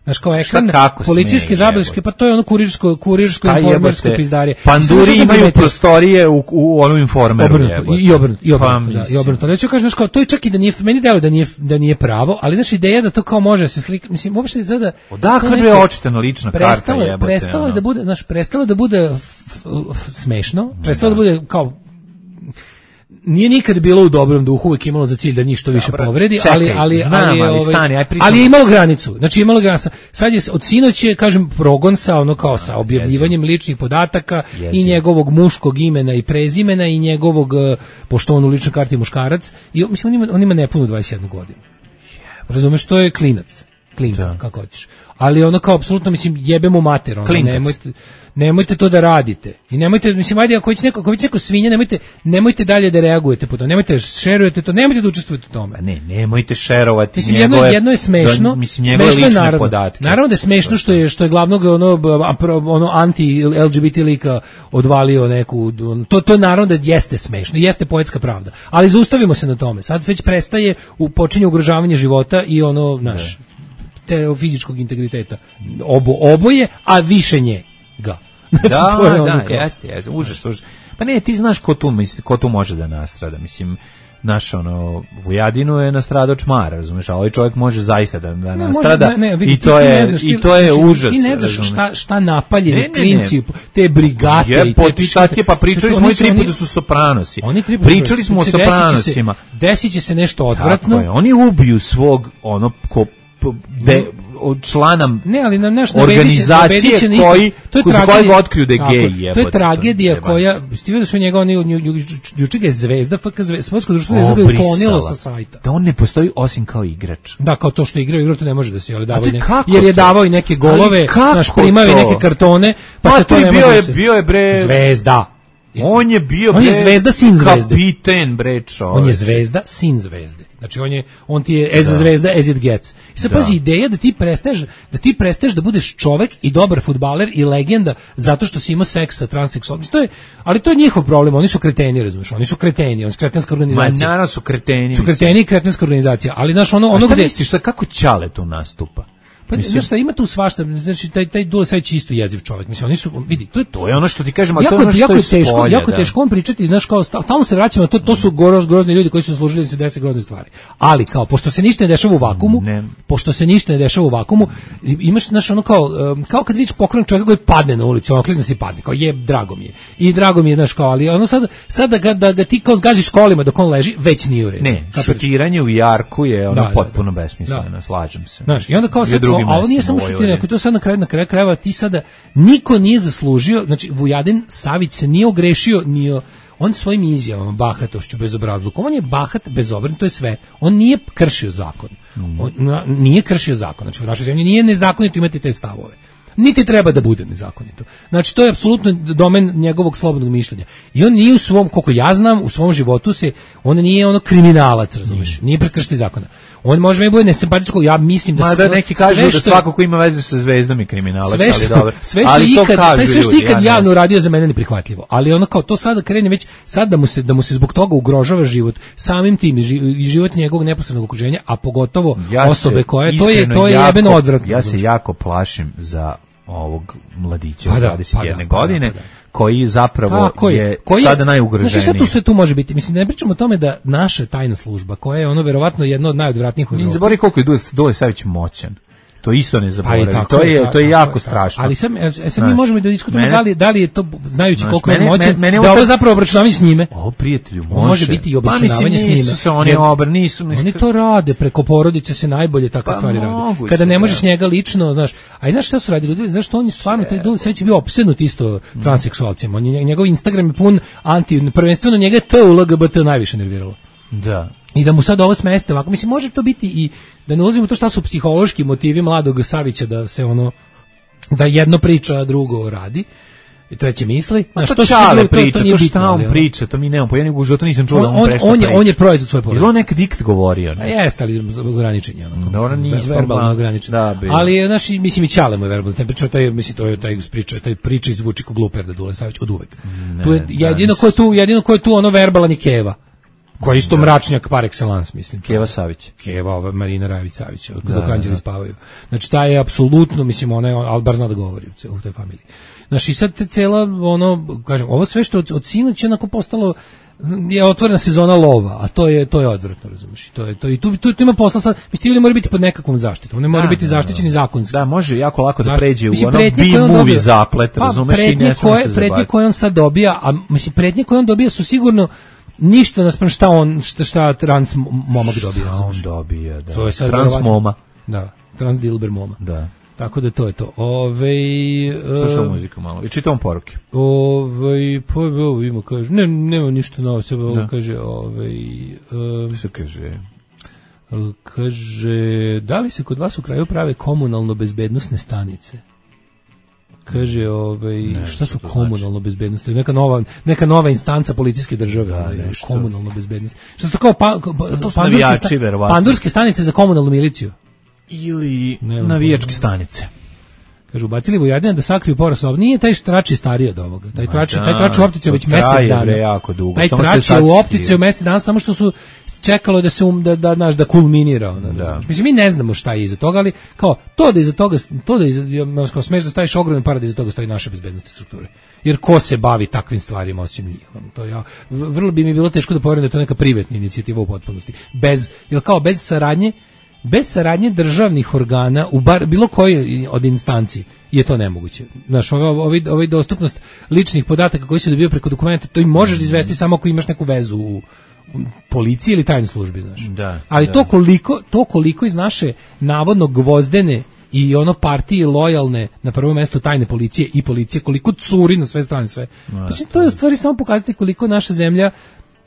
Znaš, kao ekran, kako policijske sme, zabeleške, jebote? pa to je ono kurirsko, kurirsko Šta informersko jebote? pizdarje. Panduri Samo što sam imaju primetio- prostorije u, u onom informeru. Obrnuto, jebote. i, i obrnuto, i Pa, obrnuto, da, i mislim. obrnuto. Ali ću kažem, znaš, kao, to je čak i da nije, meni delo da nije, da nije pravo, ali znaš, ideja da to kao može se slika, mislim, uopšte sada... Odakle to bre neko- očitana lična karta, prestalo je- jebote, Prestalo je ono. da bude, znaš, prestalo je da bude f- f- smešno, prestalo da bude kao nije nikad bilo u dobrom duhu, uvijek imalo za cilj da njih što više Dobro, povredi, čekaj, ali ali znam, ali, ali ovaj, stani, aj pričamo. ali je imalo granicu. Znači imalo granicu. Sad je od sinoć je, kažem, progon sa ono kao sa objavljivanjem ličnih podataka Jezivo. i njegovog muškog imena i prezimena i njegovog, pošto on u ličnoj karti je muškarac, i mislim on ima, on ima nepunu dvadeset jednu godinu. Razumeš, to je klinac. Klinka, Da. kako hoćeš. Ali ono kao apsolutno, mislim, jebe mu mater, ono, Klinkac. nemojte, nemojte to da radite. I nemojte, mislim, ajde, ako već neko, ako već neko svinja, nemojte, nemojte dalje da reagujete po to, nemojte da šerujete to, nemojte da učestvujete u tome. Pa ne, nemojte šerovati Mislim, jedno, njegove, jedno je smešno, da, mislim, njegove smešno je lične naravno. podatke. Naravno da je smešno što je, što je glavnog ono, ono anti-L G B T lika odvalio neku, to, to naravno da jeste smešno, jeste poetska pravda. Ali zaustavimo se na tome. Sad već prestaje, u, počinje ugrožavanje života i ono, naš, te fizičkog integriteta. Obo, oboje, a više njega. Znači, Da, to je ono da, kao- jeste, jeste, užas, užas. Pa ne, ti znaš ko tu, misli, ko tu može da nastrada, mislim, naš ono, Vujadinu je nastradao čmara, razumeš, a ovaj čovjek može zaista da, da Ne, nastrada može, ne, ne, vidi, i ti- to ti ne je, znaš, i ti- to je znači, užas. Ti ne znaš razumeš. šta, šta napaljeni Ne, ne, ne. klinci, te brigate Je, i te pot- šta ti je, pa pričali to- smo oni i su- tri oni- puta su Sopranosi. Oni tri puta Pričali su- smo o desit će se- Sopranosima. Desit će se nešto Tako odvratno. je, oni ubiju svog, ono, ko, p- de, od člana Ne, ali na nešto organizacije koji, za kojeg otkriju da je gej, To je jebote, tragedija jebate. koja, ste vidjeli da su njega, oni, juče ga je Zvezda, F K Zvezda, Sportsko društvo Zvezda ga je Obrisala. uklonilo sa sajta. Da on ne postoji osim kao igrač. Da, kao to što igrao, igrao to ne može da se, ali davao to i neke, kako jer je to? davao i neke golove, Ali kako naš primao i to? neke kartone, pa Pa se to to ne je može bio da je, se- bio je bre... Zvezda. On je bio On je bre, Zvezda, sin Zvezde. Kapiten bre čoveče. On je Zvezda, sin Zvezde. Znači on je on ti je as a Zvezda as it gets. I sad Da. pazi, ideja da ti prestaješ da ti prestaješ da budeš čovek i dobar fudbaler i legenda zato što si imao seks sa transseksualnim. To je, ali to je njihov problem, oni su kreteni, razumiješ? Oni su kreteni, oni su kretenska Ma organizacija. naravno su kreteni. Su mislim. kreteni i kretenska organizacija, ali znaš ono A ono šta gde misliš, sad kako Ćale tu nastupa? pa Mislim- znaš šta, ima tu svašta, znači taj taj Dule Savić je isto jeziv čovjek. Mislim oni su vidi, to je To je ono što ti kažem, a to jako, je ono što jako je je teško, spolja, jako je da. teško on pričati, znaš, kao sta- stalno se vraćamo na to, to su groz, grozni ljudi koji su služili da se dese grozne stvari. Ali kao pošto se ništa ne dešava u vakumu, Ne. pošto se ništa ne dešava u vakumu, i- imaš znaš ono kao um, kao kad vidiš pokren čovjeka koji padne na ulici, on klizne se i padne, kao je drago mi je. I drago mi je znaš kao, ali ono sad sad da ga, da ga ti kao zgaziš kolima dok on leži, već nije u redu. Ne, Kapiraš? šutiranje u jarku je ono Da, da, da. potpuno besmisleno, Da. slažem se. Znaš, i onda kao I u sad, drugim a ovo nije mestima samo u šutiranje, Vojvodini. ako je to sad na kraju, na kraju krajeva ti sada, niko nije zaslužio, znači Vujadin Savić se nije ogrešio, nije, on svojim izjavama, bahatošću, bezobrazlukom, on je bahat, bezobran, to je sve, on nije kršio zakon, on na- nije kršio zakon, znači u našoj zemlji nije nezakonito imati te stavove. Niti treba da bude nezakonito. Znači, to je apsolutno domen njegovog slobodnog mišljenja. I on nije u svom, koliko ja znam, u svom životu se, on nije ono kriminalac, razumiješ, nije prekršitelj zakona. On može mi bude nesimpatičko, ja mislim da... Ma sve- da neki kažu sve da što- svako ko ima veze sa Zvezdom je kriminalac, sve ali što, dobro. sve što Ali to ikad, kažu taj sve što ljudi, ikad ja ne javno znam. uradio za mene neprihvatljivo. Ali ono kao to sada krene već sad da mu se da mu se zbog toga ugrožava život, samim tim i ži- i život njegovog neposrednog okruženja, a pogotovo Ja se osobe koje to je iskreno to je jako- jebeno odvratno. Ja se jako plašim za ovog mladića Pa od da, dvadeset jedne pa da, pa da, godine, pa da. koji zapravo Tako je, koji sada najugroženiji. Znači šta tu sve tu može biti? Mislim, ne pričamo o tome da naša tajna služba, koja je ono verovatno jedna od najodvratnijih u Ne Evropi. zaboravi koliko je Dule, Dule Savić moćan. To isto ne Pa i zaboravi. tako To je, ta- to je tako jako ta- strašno. Ali sad, e, sad mi Znaš, možemo i da diskutujemo mene- da li, da li je to, znajući Znaš, koliko je mene- moćan, mene- mene da ovo ovo sad- zapravo obračunavanje s njime. O, prijatelju, može. On može biti i Pa, mislim, obračunavanje s nisu njime. se oni Jer obr, nisu, mislim, Oni to rade, preko porodice se najbolje takve Pa, stvari rade. moguće, Kada ne da. možeš njega lično, znaš, a i znaš šta su radili ljudi, znaš što on je stvarno, taj Dule Savić je bio opsednut isto transseksualcima. On je, njegov Instagram je pun anti, prvenstveno njega je to u L G B T najviše nerviralo. Da. I da mu sad ovo smeste ovako, mislim, može to biti i, da ne ulazimo u to šta su psihološki motivi mladog Savića da se ono, da jedno priča, a drugo radi, i treće misli. Ma Znaš, to su Čale sigurno- priča, to, nije šta bitno, on ali ono- priča, to mi nemamo, pa ja nego u životu nisam čuo da On, on on, prešta on, je, priča. on je proizvod svoje Je li porodice. on nek dikt govorio? A Ne? jeste, ali ograničen je. Onako, Dobro, mislim, nisu, verbalno pa, ograničen. da, bi. Ali, znaš, i- mislim, i Ćale mu je verbalno. Taj priča, taj, mislim, to je taj priča, taj priča izvuči ko gluper da Dule Savić od uvek. Tu je, da, jedino ko je tu, jedino ko je tu ono verbalan i Keva. Koji je isto mračnjak par excellence, mislim. Keva Savić. Keva, ova Marina Rajević Savić, dok anđeli spavaju. Znači, taj je apsolutno, mislim, ona je, ali bar zna da govori u ce- u toj familiji. Znači, i sad te cela, ono, kažem, ovo sve što od, od sinoć je onako postalo, je otvorena sezona lova, a to je to je odvratno, razumiješ? To je to i tu tu, tu ima posla sad. Mislim ti ljudi moraju biti pod nekakvom zaštitom. Ne moraju Da, biti da, zaštićeni zakonski. Da, može jako lako da Znaš, pređe u mislim, ono pretnje koje on B-movie dobija- zaplet, pa, razumeš, i pretnje ne smije koje, se pretnje zabaviti. koje on sad dobija, a mislim pretnje koje on dobija su sigurno ništa naspram šta on, šta, šta trans momak dobija. Šta on dobija, da. To je sad trans moma. Da, trans dilber moma. Da. Tako da to je to. Ove, slušao muziku malo i čitam poruke. Ove, pa ovo ima, kaže, ne, nema ništa novo, sve ovo kaže, ove, um, što kaže? Kaže, da li se kod vas u kraju prave komunalno bezbednosne stanice? Kaže, ovaj, ne, šta su komunalno znači? Bezbednosti? Neka nova, neka nova instanca policijske države, da, ovaj, komunalno bezbednost. Šta su to kao pa, pa, to su navijači, verovatno. Pandurske stanice za komunalnu miliciju? Ili navijačke stanice. Kaže, ubacili Vojadina da sakriju porast. Nije taj trač je stariji od ovoga. Taj trač, taj trač u optici već mjesec dana. Jako dugo. Taj trač je u optici u mjesec dana, samo što su čekalo da se um, da da naš da kulminira. Da, da. Mislim, mi ne znamo šta je iza toga, ali kao to da iza toga, to da iza, kao smeš da staviš ogromne pare da iza toga stoji naše bezbednosne strukture. Jer ko se bavi takvim stvarima osim njih? To ja, vrlo bi mi bilo teško da poverujem da je to neka privatna inicijativa u potpunosti. Bez, jer kao bez saradnje bez saradnje državnih organa u bar bilo koje od instanci je to nemoguće. Znaš, ovaj ovaj dostupnost ličnih podataka koji se dobijaju preko dokumenta, to i možeš izvesti samo ako imaš neku vezu u, u policiji ili tajnoj službi, znaš. Da, ali da. to koliko to koliko iz naše navodno gvozdene i ono partije lojalne na prvo mesto tajne policije i policije, koliko curi na sve strane sve. Znači, to je u stvari samo pokazati koliko naša zemlja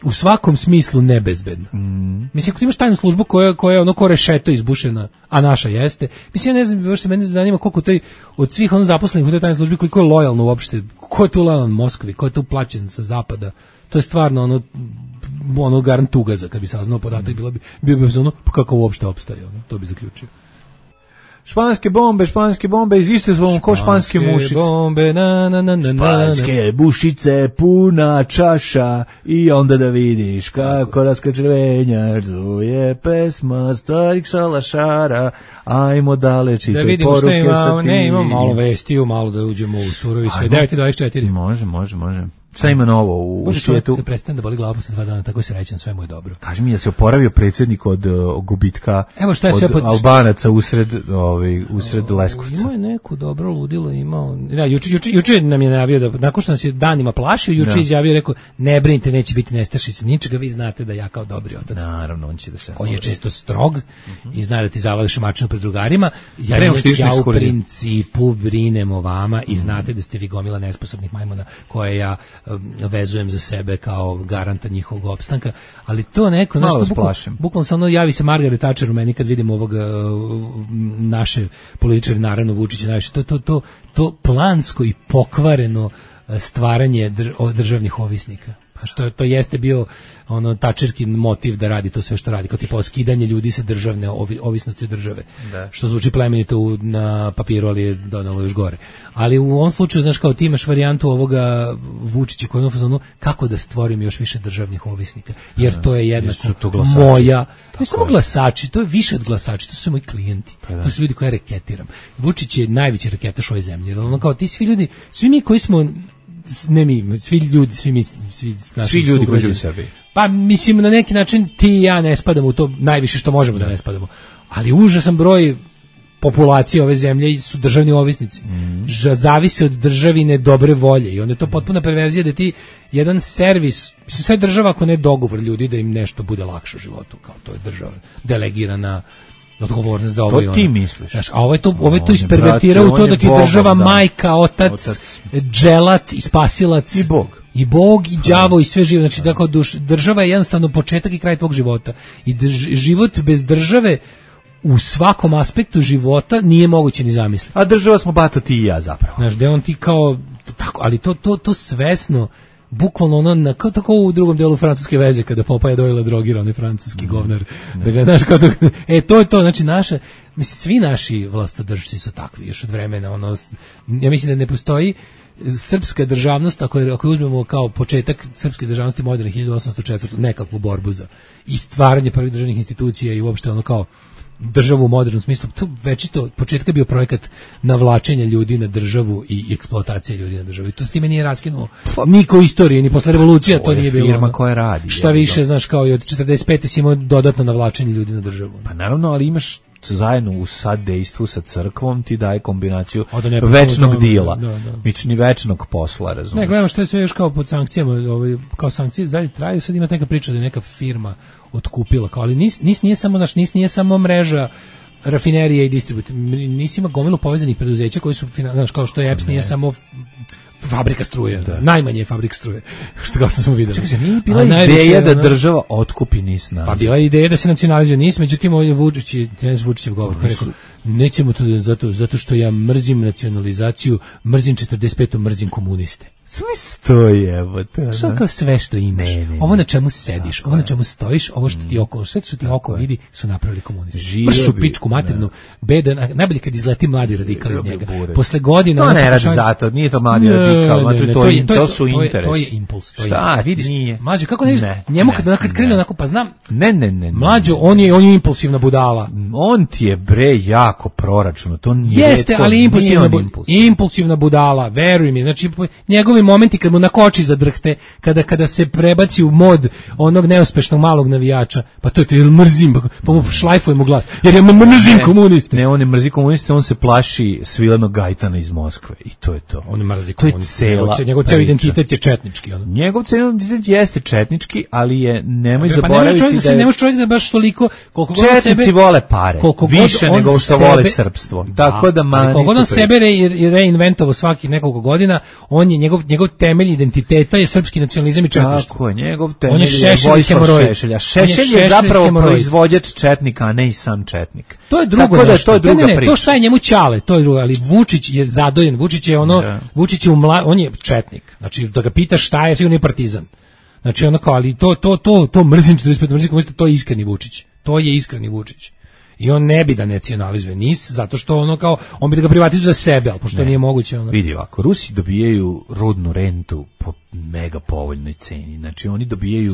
u svakom smislu nebezbedna. Mm. Mislim, ako ti imaš tajnu službu koja, koja je ono ko rešeto izbušena, a naša jeste, mislim, ja ne znam, baš se mene zanima koliko taj, od svih ono zaposlenih u toj tajnoj službi, koliko je lojalno uopšte, ko je tu lojalan Moskvi, ko je tu plaćen sa zapada, to je stvarno ono, ono garant tugaza, kad bi saznao podatak, bilo bi, bio bi ono, pa kako uopšte opstaje, ono, to bi zaključio. Španske bombe, španske bombe, isto su ko španske mušice. Bombe, na, na, na, na, španske bušice, puna čaša i onda da vidiš kako raskrčevenja zuje pesma starih šalašara, ajmo dale čitaj poruke. Da vidimo što ima, ne, imamo malo vestiju, malo da uđemo u surovi sve. devet dvadeset četiri. Može, može, može. Šta ima novo u, u svijetu? Može prestane da boli glava posle dva dana, tako se rećem, sve mu je dobro. Kaži mi, je se oporavio predsjednik od uh, gubitka Evo šta je od sve pod... Albanaca usred, ovaj, usred Leskovca? Imao je neku dobro ludilo, imao... Da, juče, juče, juče nam je najavio da, nakon što nas je danima plašio, juče ja. izjavio, rekao, ne brinite, neće biti nestašice ničega, vi znate da ja kao dobri otac. Naravno, on će da se... Koji je često strog uh-huh. i zna da ti zavališ mačinu pred drugarima. Ja, ja, ja u principu brinem o vama i znate da ste vi gomila nesposobnih majmuna koje ja um, vezujem za sebe kao garanta njihovog opstanka, ali to neko malo nešto bukvalno, bukvalno se ono javi se Margaret Thatcher u meni kad vidim ovog uh, naše političare, naravno Vučića, najviše, to, to, to, to plansko i pokvareno stvaranje dr, državnih ovisnika. Pa što to jeste bio ono Thatcherkin motiv da radi to sve što radi, kao tipa skidanje ljudi sa državne ovi, ovisnosti od države. Da. Što zvuči plemenito u, na papiru, ali je donalo još gore. Ali u ovom slučaju, znaš, kao ti imaš varijantu ovoga Vučića koji je ono kako da stvorim još više državnih ovisnika, jer da, to je jednako to moja, ne samo glasači, to je više od glasači, to su moji klijenti, pa to su ljudi koje reketiram. Vučić je najveći reketaš ove zemlje, jer ono kao ti svi ljudi, svi mi koji smo ne mi, svi ljudi, svi mi, svi, svi ljudi koji žive u Srbiji. Pa mislim na neki način ti i ja ne spadamo u to najviše što možemo da ne spadamo. Ali užasan broj populacije ove zemlje su državni ovisnici. Mm. Zavise od državine dobre volje i onda je to potpuna perverzija da ti jedan servis, mislim sve država ako ne dogovor ljudi da im nešto bude lakše u životu, kao to je država delegirana odgovornost za ovo i ono. To ti misliš. Znaš, a ovo je to, ovo je to ispervertirao u to da ti država, da. majka, otac, otac, dželat i spasilac. I Bog. I Bog, i đavo, i sve živo. Znači, da kao duš, država je jednostavno početak i kraj tvog života. I drž, život bez države u svakom aspektu života nije moguće ni zamisliti. A država smo bato ti i ja zapravo. Znaš, da on ti kao, tako, ali to, to, to svesno, bukvalno ono, na, kao tako u drugom delu francuske veze, kada Popaja dojela drogira, onaj francuski mm. govnar, mm. da ga, znaš, kao to, e, to je to, znači, naša, mislim, svi naši vlastodržci su takvi, još od vremena, ono, ja mislim da ne postoji srpska državnost, ako, je, ako uzmemo kao početak srpske državnosti moderne hiljadu osamsto četvrte nekakvu borbu za i stvaranje prvih državnih institucija i uopšte ono kao državu u modernom smislu, to večito početka bio projekat navlačenja ljudi na državu i eksploatacija ljudi na državu. I to s time nije raskinuo niko istorije, ni posle revolucije, to, to nije bilo. Firma koja radi. Šta više, znaš, kao i od četrdeset pete si imao dodatno navlačenje ljudi na državu. Pa naravno, ali imaš zajedno u sadejstvu sa crkvom ti daje kombinaciju ne, večnog da, dila, da, da. mični večnog posla, razumiješ. Ne, gledamo što je sve još kao pod sankcijama, ovaj, kao sankcije zadnje traju, sad ima neka priča da je neka firma otkupila, kao, ali nis, nis nije samo, znaš, nis nije samo mreža rafinerije i distributer, nis ima gomilu povezanih preduzeća koji su, znaš, kao što je E P S, ne. Nije samo fabrika struje, da. Najmanje je fabrika struje, što kao što smo videli. Čekaj, nije bila A ideja da država otkupi NIS naziv. Pa bila je ideja da se nacionalizuje NIS, međutim ovdje Vučić, trener Vučićev govor, koji rekao, nećemo to zato, zato što ja mrzim nacionalizaciju, mrzim četrdeset petu, mrzim komuniste. Sve stoje, evo to. Što kao sve što imaš, ne, ne, ovo na čemu sediš, ovo na čemu stojiš, ovo što ti oko, sve što ti oko vidi su napravili komunisti. Pršu pičku materinu, bedan, najbolje kad izleti mladi radikal iz njega. Posle godina... No ne radi zato, nije to mladi radikal, to su interesi. To je impuls. Šta, vidiš, mlađo, kako ne vidiš, njemu kad krene onako, pa znam, ne, ne, ne, mlađo, on je, on je impulsivna budala. On ti je bre jako proračuno, to nije... Jeste, ali impulsivna budala, veruj mi, znači, njegov momenti kad mu nakoči za drhte, kada kada se prebaci u mod onog neuspešnog malog navijača, pa to je to, jer mrzim, pa mu šlajfuje mu glas, jer ja mrzim komuniste. Ne, on ne mrzi komuniste, on se plaši Svilenog Gajtana iz Moskve i to je to. On mrzi komuniste, njegov, njegov ceo identitet je četnički. Ono. Njegov ceo identitet jeste četnički, ali je, nemoj pa zaboraviti ne da, da je... Ne može čovjek da baš toliko... Četnici sebe, vole pare, više nego što sebe, vole srpstvo. Da, tako da mani... Koliko on sebe re, reinventovao svakih nekoliko godina, on je njegov njegov temelj identiteta je srpski nacionalizam i četništvo. Tako je, njegov temelj je, je Vojislav Šešelja. Šešelj je, je zapravo hemoroj. Proizvođač četnika, a ne i sam četnik. To je drugo da, nešto. To je druga ne, ne, priča. To šta je njemu ćale, to je drugo, ali Vučić je zadojen, Vučić je ono, da. Vučić je umla, on je četnik. Znači, da ga pitaš šta je, sigurno je partizan. Znači, ono kao, ali to, to, to, to mrzim četrdeset pet, mrzim komunista, to je iskreni Vučić. To je iskreni Vučić. I on ne bi da nacionalizuje NIS, zato što ono kao, on bi da ga privatizuje za sebe, ali pošto ne, nije moguće. Ono. Vidi ovako, Rusi dobijaju rudnu rentu po mega povoljnoj ceni, znači oni dobijaju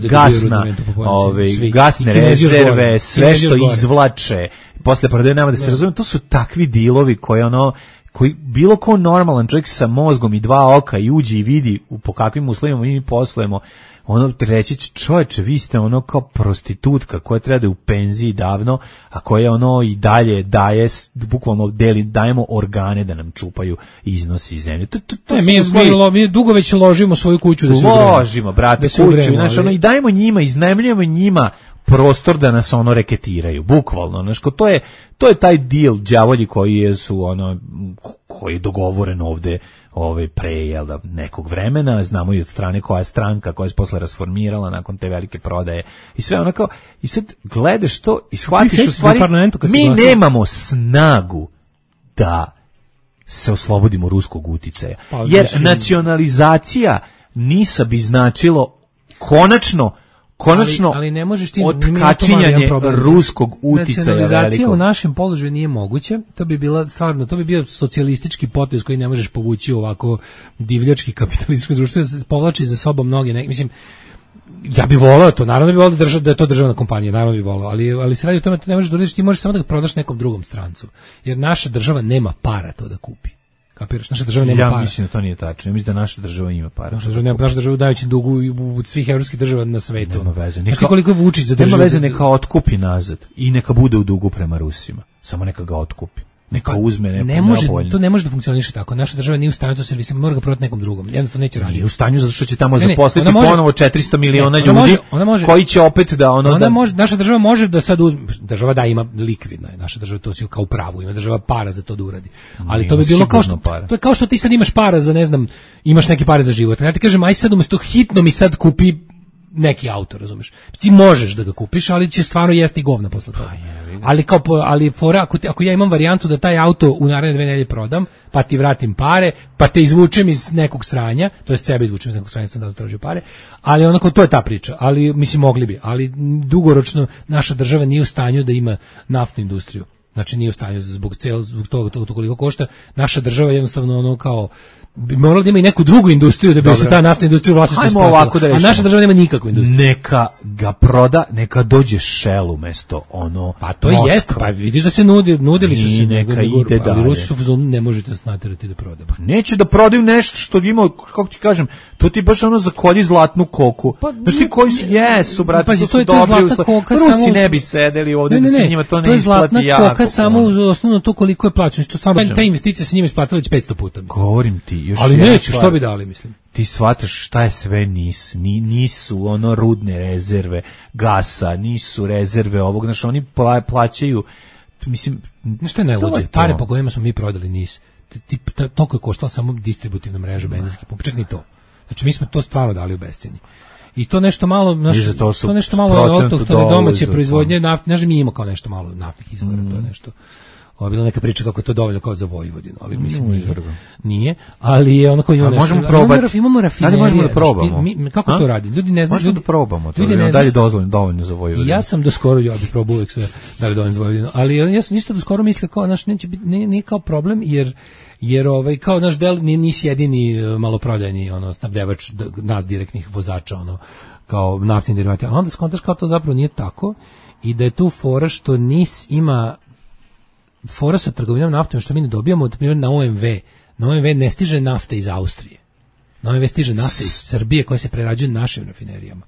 gasna, ove, gasne rezerve, sve što izvlače, posle prodaje nama da se razume, to su takvi dilovi koje ono, koji bilo ko normalan čovjek sa mozgom i dva oka i uđe i vidi u po kakvim uslovima mi poslujemo, ono reći će, čovječe, vi ste ono kao prostitutka koja treba da je u penziji davno, a koja ono i dalje daje, bukvalno deli, dajemo organe da nam čupaju iznosi iz zemlje. To, to, to ne, mi, mi, lo, mi dugo već ložimo svoju kuću da se ugremo. Ložimo, brate, kuću, znači ono, i dajemo njima, iznajmljujemo njima prostor da nas ono reketiraju, bukvalno, znači to je to je taj deal đavolji koji je su ono koji je dogovoren ovde ovaj pre jel da nekog vremena, znamo i od strane koja je stranka koja se posle rasformirala nakon te velike prodaje i sve onako i sad gledaš to i shvatiš u stvari mi nemamo snagu da se oslobodimo ruskog uticaja, pa, jer mislim, nacionalizacija NIS-a bi značilo konačno konačno ali, ali ne možeš ti otkačinjanje ruskog uticaja velikog. Nacionalizacija u našem položaju nije moguće, to bi bila stvarno, to bi bio socijalistički potez koji ne možeš povući u ovako divljački kapitalističko društvo, povlači za sobom mnoge, ne, mislim, ja bih voleo to, naravno bih voleo da, drža, da je to državna kompanija, naravno bih voleo, ali, ali se radi o tome, to ne možeš da uradiš, ti možeš samo da ga prodaš nekom drugom strancu, jer naša država nema para to da kupi. Kapiraš, naša država nema ja para. Ja mislim da to nije tačno. Ja mislim da naša država ima para. Naša država nema, naša država dajući dugu u svih evropskih država na svetu. Nema veze. Neka, znači koliko je Vučić za državu. Nema veze, neka otkupi nazad i neka bude u dugu prema Rusima. Samo neka ga otkupi. Neka pa, uzme neko ne može, to ne može da funkcioniše tako. Naša država nije u stanju, to se mislim mora ga prodati nekom drugom. Jednostavno neće raditi. Nije u stanju zato što će tamo ne, zaposliti može, ponovo četiristo miliona ljudi. Može, ona može, koji će opet da ono ona da može, naša država može da sad uzme, država da ima likvidna je. Naša država to si kao pravu, ima država para za to da uradi. Ali nije, to bi bilo kao što para. To je kao što ti sad imaš para za ne znam, imaš neke pare za život. Ja ti kažem aj sad umesto hitno mi sad kupi neki auto, razumeš? Ti možeš da ga kupiš, ali će stvarno jesti govna posle toga. Ali kao ali fora ako, ti, ako ja imam varijantu da taj auto u naredne dve nedelje prodam, pa ti vratim pare, pa te izvučem iz nekog sranja, to jest sebe izvučem iz nekog sranja, sam da tražio pare, ali onako to je ta priča, ali mislim mogli bi, ali dugoročno naša država nije u stanju da ima naftnu industriju. Znači nije u stanju zbog cel zbog toga to koliko košta. Naša država jednostavno ono kao bi moralo da ima i neku drugu industriju da bi Dobre. se ta naftna industrija u vlasništvu isplatila. Da a naša država nema nikakvu industriju. Neka ga proda, neka dođe Shell umesto ono. Pa to Moskva. Jeste, pa vidiš da se nudi, nudili su se neka ide dalje. Ali Rusi su fazonu, ne možete nas naterati da prodamo. Pa neće da prodaju nešto što ima, kako ti kažem, to ti baš ono zakolji zlatnu koku. Pa, znaš ti koji su, jesu, brate, pa, su, to su dobri uslovi. Rusi samo, ne bi sedeli ovde ne, ne, da se njima to ne to isplati jako. To je zlatna koka samo uz osnovno to koliko je plaćeno. To stvarno, te investicije se njima isplatile već petsto puta. Mislim. Govorim ti, još ali neće, što bi dali, mislim. Ti shvataš šta je sve nis, Ni, nisu ono rudne rezerve gasa, nisu rezerve ovog, znaš, oni pla, plaćaju, mislim, nešto je najluđe, pare po kojima smo mi prodali nis, ti, toliko je koštala samo distributivna mreža benzinskih pumpa, čak ni to. Znači mi smo to stvarno dali u bescenje. I to nešto malo, naš, to, to nešto malo autohtone domaće proizvodnje nafte, ne znam, mi ima kao nešto malo naftnih izvora, mm. to je nešto. Ovo je bila neka priča kako je to dovoljno kao za Vojvodinu, ali mislim nije, nije, ali je ono koji ima nešto. Možemo probati. Imamo rafinerije. Da možemo da probamo. Mi, kako A? to radi? Ljudi ne znaju. Možemo ljudi, da probamo to. Ljudi ne da li dozvoljeno dovoljno za Vojvodinu. Ja sam do skoro ja bih probao uvek sve da li dovoljno za Vojvodinu, ali ja sam isto do skoro mislio kao naš neće biti nije, nije kao problem jer jer ovaj kao naš del nisi jedini maloprodajni ono snabdevač nas direktnih vozača ono kao naftni derivati. A onda skontaš kao to zapravo nije tako i da je tu fora što N I S ima fora sa trgovinom naftom što mi ne dobijamo, na primjer na O M V. Na O M V ne stiže nafta iz Austrije. Na O M V stiže nafta iz Srbije koja se prerađuje našim rafinerijama.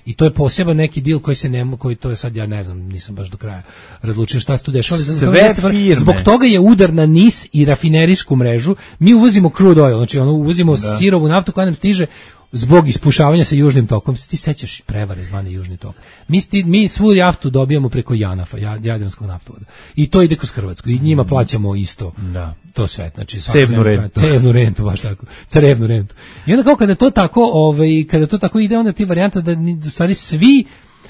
I to je poseban neki deal koji se ne koji to je sad ja ne znam, nisam baš do kraja razlučio šta se tu dešava. Sve firme. Zbog toga je udar na N I S i rafinerijsku mrežu. Mi uvozimo crude oil, znači ono uvozimo da. sirovu naftu koja nam stiže zbog ispušavanja sa južnim tokom. Ti sećaš prevare zvane južni tok. Mi, sti, mi svu naftu dobijamo preko Janafa, Jadranskog naftovoda. I to ide kroz Hrvatsku. I njima plaćamo isto da. to sve. Znači, cevnu rentu. Cevnu rentu, baš tako. Carevnu rentu. I onda kao kada to tako, ovaj, kada to tako ide, onda ti varijanta da u stvari svi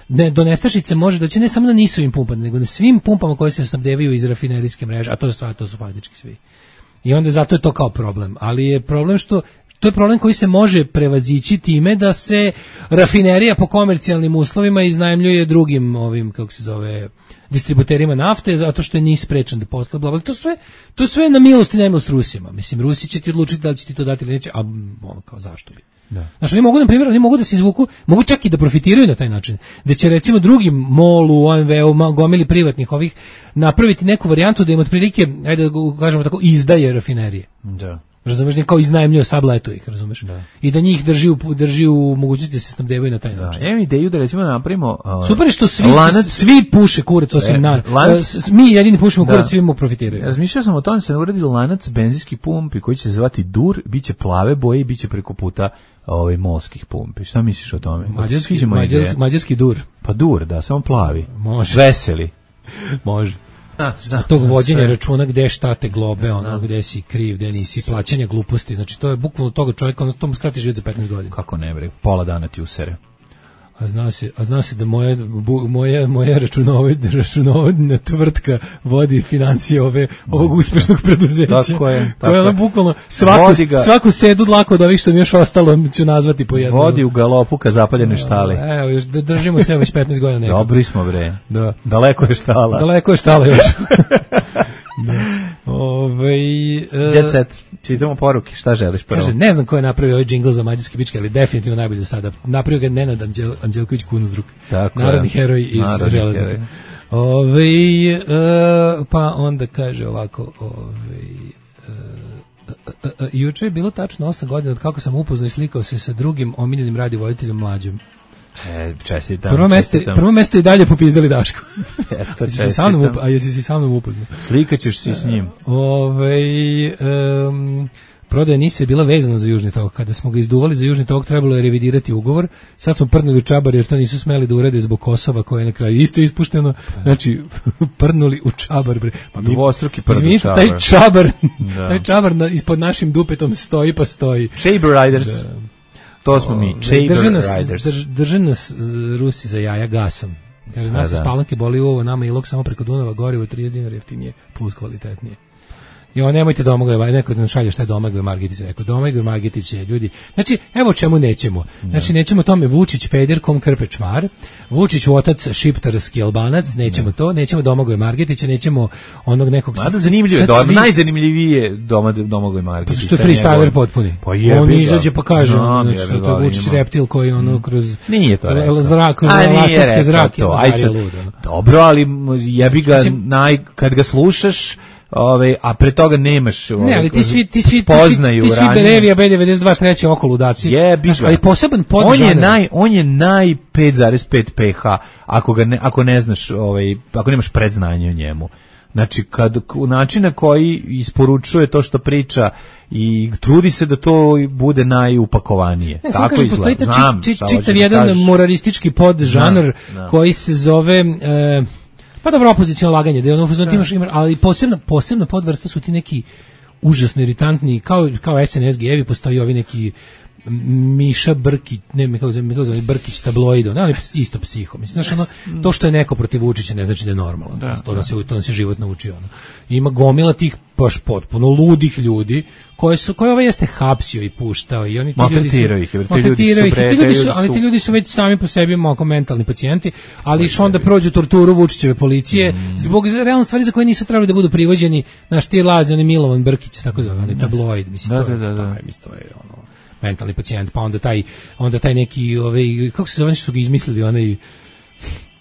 ne, do nestašice može doći ne samo na nisovim pumpama, nego na svim pumpama koje se snabdevaju iz rafinerijske mreže, a to je stvar, to su faktički svi. I onda zato je to kao problem. Ali je problem što to je problem koji se može prevazići time da se rafinerija po komercijalnim uslovima iznajmljuje drugim ovim kako se zove distributerima nafte zato što je N I S sprečen da posluje bla bla. To sve to sve na milost i nemilost Rusima. Mislim Rusi će ti odlučiti da li će ti to dati ili neće, a ono kao zašto bi. Da. Znači oni mogu na primjer, oni mogu da se izvuku, mogu čak i da profitiraju na taj način. Da će recimo drugim MOL-u, O M V-u, gomili privatnih ovih napraviti neku varijantu da im otprilike, ajde da kažemo tako, izdaje rafinerije. Da. Razumeš, kao iznajmljuje sableto ih, razumeš? Da. I da njih drži u, drži u mogućnosti da se snabdevaju na taj način. Da, imam ideju da recimo napravimo... Uh, Super je što svi, lanac, svi puše kurac, osim na... Lanac, mi jedini pušimo kurac, svi mu profitiraju. Razmišljao sam o tome da se uradi lanac benzinskih pumpi koji će se zvati Dur, bit će plave boje i bit će preko puta ovaj molskih pumpi. Šta misliš o tome? Mađarski, mađarski, mađarski Dur. Pa Dur, da, samo plavi. Može. Veseli. Može. Da, zna, tog vođenja sve. računa gde šta te globe, ono gde si kriv, gde nisi, plaćanje gluposti, znači to je bukvalno toga čovjeka, ono to mu skrati život za petnaest godina. Kako ne bre, pola dana ti usere. A zna se, a zna se da moja moja moja računovodna računovodna tvrtka vodi financije ove ovog uspešnog preduzeća. Tako je. Tako je. Bukvalno svaku svaku sedu dlako od ovih što mi još ostalo ću nazvati po jednom. Vodi u galopu ka zapaljenoj štali. Evo, još da držimo se već petnaest godina nekako. Dobri smo bre. Da. Daleko je štala. Daleko je štala još. Ove, Jet set, čitamo poruke, šta želiš prvo? Kaže, ne znam ko je napravio ovaj džingl za mađarske bičke, ali definitivno najbolje do sada. Napravio ga Nenad Anđel, Anđelković Kunzdruk, narodni heroj iz Železnika. Ove, uh, pa onda kaže ovako, ove, uh, uh, uh, uh, juče je bilo tačno osam godina od kako sam upoznao i slikao se sa drugim omiljenim radiovoditeljem Mlađom. E, čestitam. Prvo mesto, prvo mesto i dalje popizdali Daško. Eto, čestitam. Sa mnom, a jesi si sa mnom upoznao? Slikaćeš si s njim. Ove, um, prodaja N I S je bila vezana za Južni tok. Kada smo ga izduvali za Južni tok, trebalo je revidirati ugovor. Sad smo prdnuli u čabar jer to nisu smeli da urede zbog Kosova koje je na kraju isto ispušteno. Znači, prdnuli u čabar. Bre. Pa dvostruki prd u čabar. Taj čabar, da. taj čabar na, ispod našim dupetom stoji pa stoji. Shaber Riders. Da. To smo mi, Shaber Riders. Drž, drže nas Rusi za jaja gasom. Kaže, nas iz Palanke boli ovo, nama ilog samo preko Dunava, gorivo trideset dinara jeftinije, plus kvalitetnije. I on nemojte Domagoj, neko nam šalje šta je Domagoj Margetić rekao. Domagoj Margetić je ljudi. Znači, evo čemu nećemo. Znači, nećemo tome Vučić pederkom Krpečmar, Vučić otac šiptarski Albanac, nećemo to, nećemo Domagoj Margetića, nećemo onog nekog. Mada zanimljivo je, svi... najzanimljivije doma Domagoj Margetić. Pa što je freestyler potpuni. Pa je, on izađe pa kaže, znam, znači, je, to je Vučić reptil koji ono kroz nije to rekao. Zrak, kroz lastarske zrake. Dobro, ali jebi ga naj, kad ga slušaš, ove, a pre toga nemaš ove, ne, ali ti svi ti svi spoznaju ti svi, ti svi Berevija B devedeset dva treće oko ludaci. Jebi ga. Ali poseban podžanr. On je naj on je naj pet zarez pet pH ako ga ne, ako ne znaš, ovaj, ako nemaš predznanje o njemu. Znači, kad način na koji isporučuje to što priča i trudi se da to bude najupakovanije. Ne, tako kažem, izgleda. Postoji Znam, čit, čit, čitav jedan kažeš. moralistički podžanr koji se zove... E, pa dobro, opoziciono laganje, da je ono, da. Imaš, ali posebna, posebna podvrsta su ti neki užasno iritantni, kao, kao S N S G-evi, postoji ovi neki Miša Brkić, ne, mi kako zove, mi kako zove, Brkić tabloido, ne, ali isto psiho. Mislim, znaš, ono, to što je neko protiv Vučića ne znači da je normalno. Da, to, nas je, to nas je život naučio. Ono. Ima gomila tih baš potpuno ludih ljudi koje su, koje ovaj jeste hapsio i puštao i oni ti ljudi su, ih, ti maltretiraju ih, ti ljudi su, ali ti ljudi su već sami po sebi malo mentalni pacijenti, ali iš onda prođu torturu Vučićeve policije mm. zbog realno stvari za koje nisu trebali da budu privođeni, naš ti lazi, oni Milovan Brkić, tako zove, oni tabloid, mislim, da, to je, da, da, da. Taj, mislim, to je ono, mentalni pacijent, pa onda taj, onda taj neki, ovaj, kako se zove, što su ga izmislili, onaj,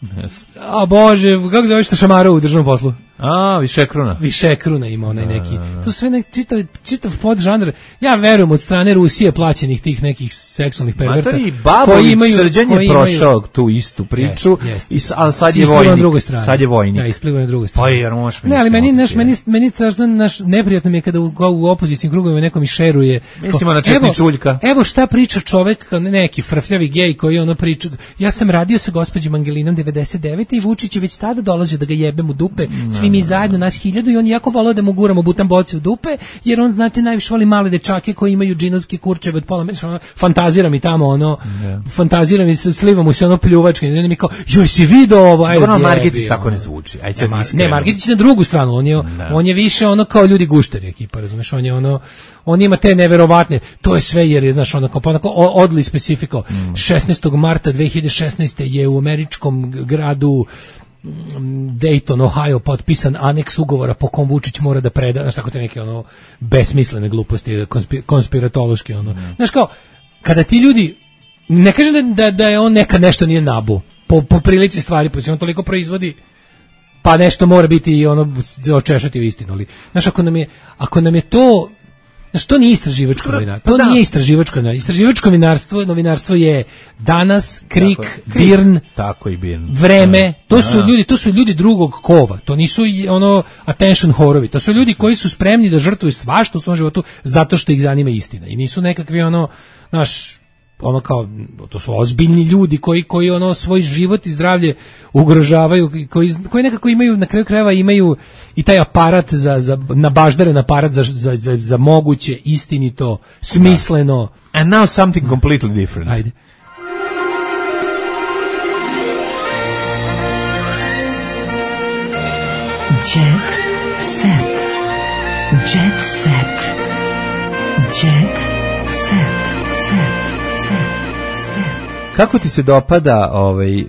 yes. A Bože, kako zove što šamara u državnom poslu? A, Višekruna. Višekruna ima onaj neki. To sve nek čitav čitav podžanr. Ja verujem od strane Rusije plaćenih tih nekih seksualnih perverta. Matori Babović Srđan je prošao tu istu priču yes, yes. i ali sad je vojnik. Sad je vojnik. Ja, ispliva na drugoj strani. Pa jer možeš mi. Ne, ali meni naš meni meni strašno naš neprijatno mi je kada u, u opozicijskim krugovima nekom i šeruje. Mislimo na Četni Čuljka. Evo šta priča čovek, neki frfljavi gej koji ono priča. Ja sam radio sa gospođom Angelinom devedeset devete i Vučić je već tada dolazio da ga jebem u dupe. Svi mi zajedno nas hiljadu i on jako voleo da mu guramo butan boce u dupe, jer on, znate, najviše voli male dečake koji imaju džinovski kurčeve od pola metra, ono, fantazira mi tamo, ono, yeah. fantazira mi, sliva mu se ono pljuvačke, i on mi kao, joj si vidio ovo, ajde, ono, Margetić tako ne zvuči, ajde sad ne, ne, Margetić na drugu stranu, on je, on je više ono kao ljudi gušteri ekipa, razumeš, on je ono, on ima te neverovatne, to je sve jer je, znaš, ono, kao, onako, odli specifiko, mm. šesnaestog marta dve hiljade šesnaeste je u američkom gradu Dayton, Ohio, potpisan aneks ugovora po kom Vučić mora da preda, znaš, tako te neke ono besmislene gluposti, konspir, konspiratološki, ono. Mm. Znaš, kao, kada ti ljudi, ne kažem da, da, da je on nekad nešto nije nabu, po, po prilici stvari, po on toliko proizvodi, pa nešto mora biti i ono, očešati u istinu, ali, znaš, ako nam je, ako nam je to, znaš, to nije istraživačko novinarstvo. To da. nije istraživačko novinarstvo. Istraživačko novinarstvo, novinarstvo je Danas, Krik, tako, Birn, tako i Birn. Vreme. To su ljudi, to su ljudi drugog kova. To nisu ono attention horovi. To su ljudi koji su spremni da žrtvuju svašta u svom životu zato što ih zanima istina. I nisu nekakvi ono, naš, ono kao, to su ozbiljni ljudi koji koji ono svoj život i zdravlje ugrožavaju, koji koji nekako imaju na kraju krajeva imaju i taj aparat za za nabaždaren aparat za za za, za moguće istinito, smisleno. And now something completely different. Ajde. Jet set. Jet set. Jet set. Kako ti se dopada ovaj um,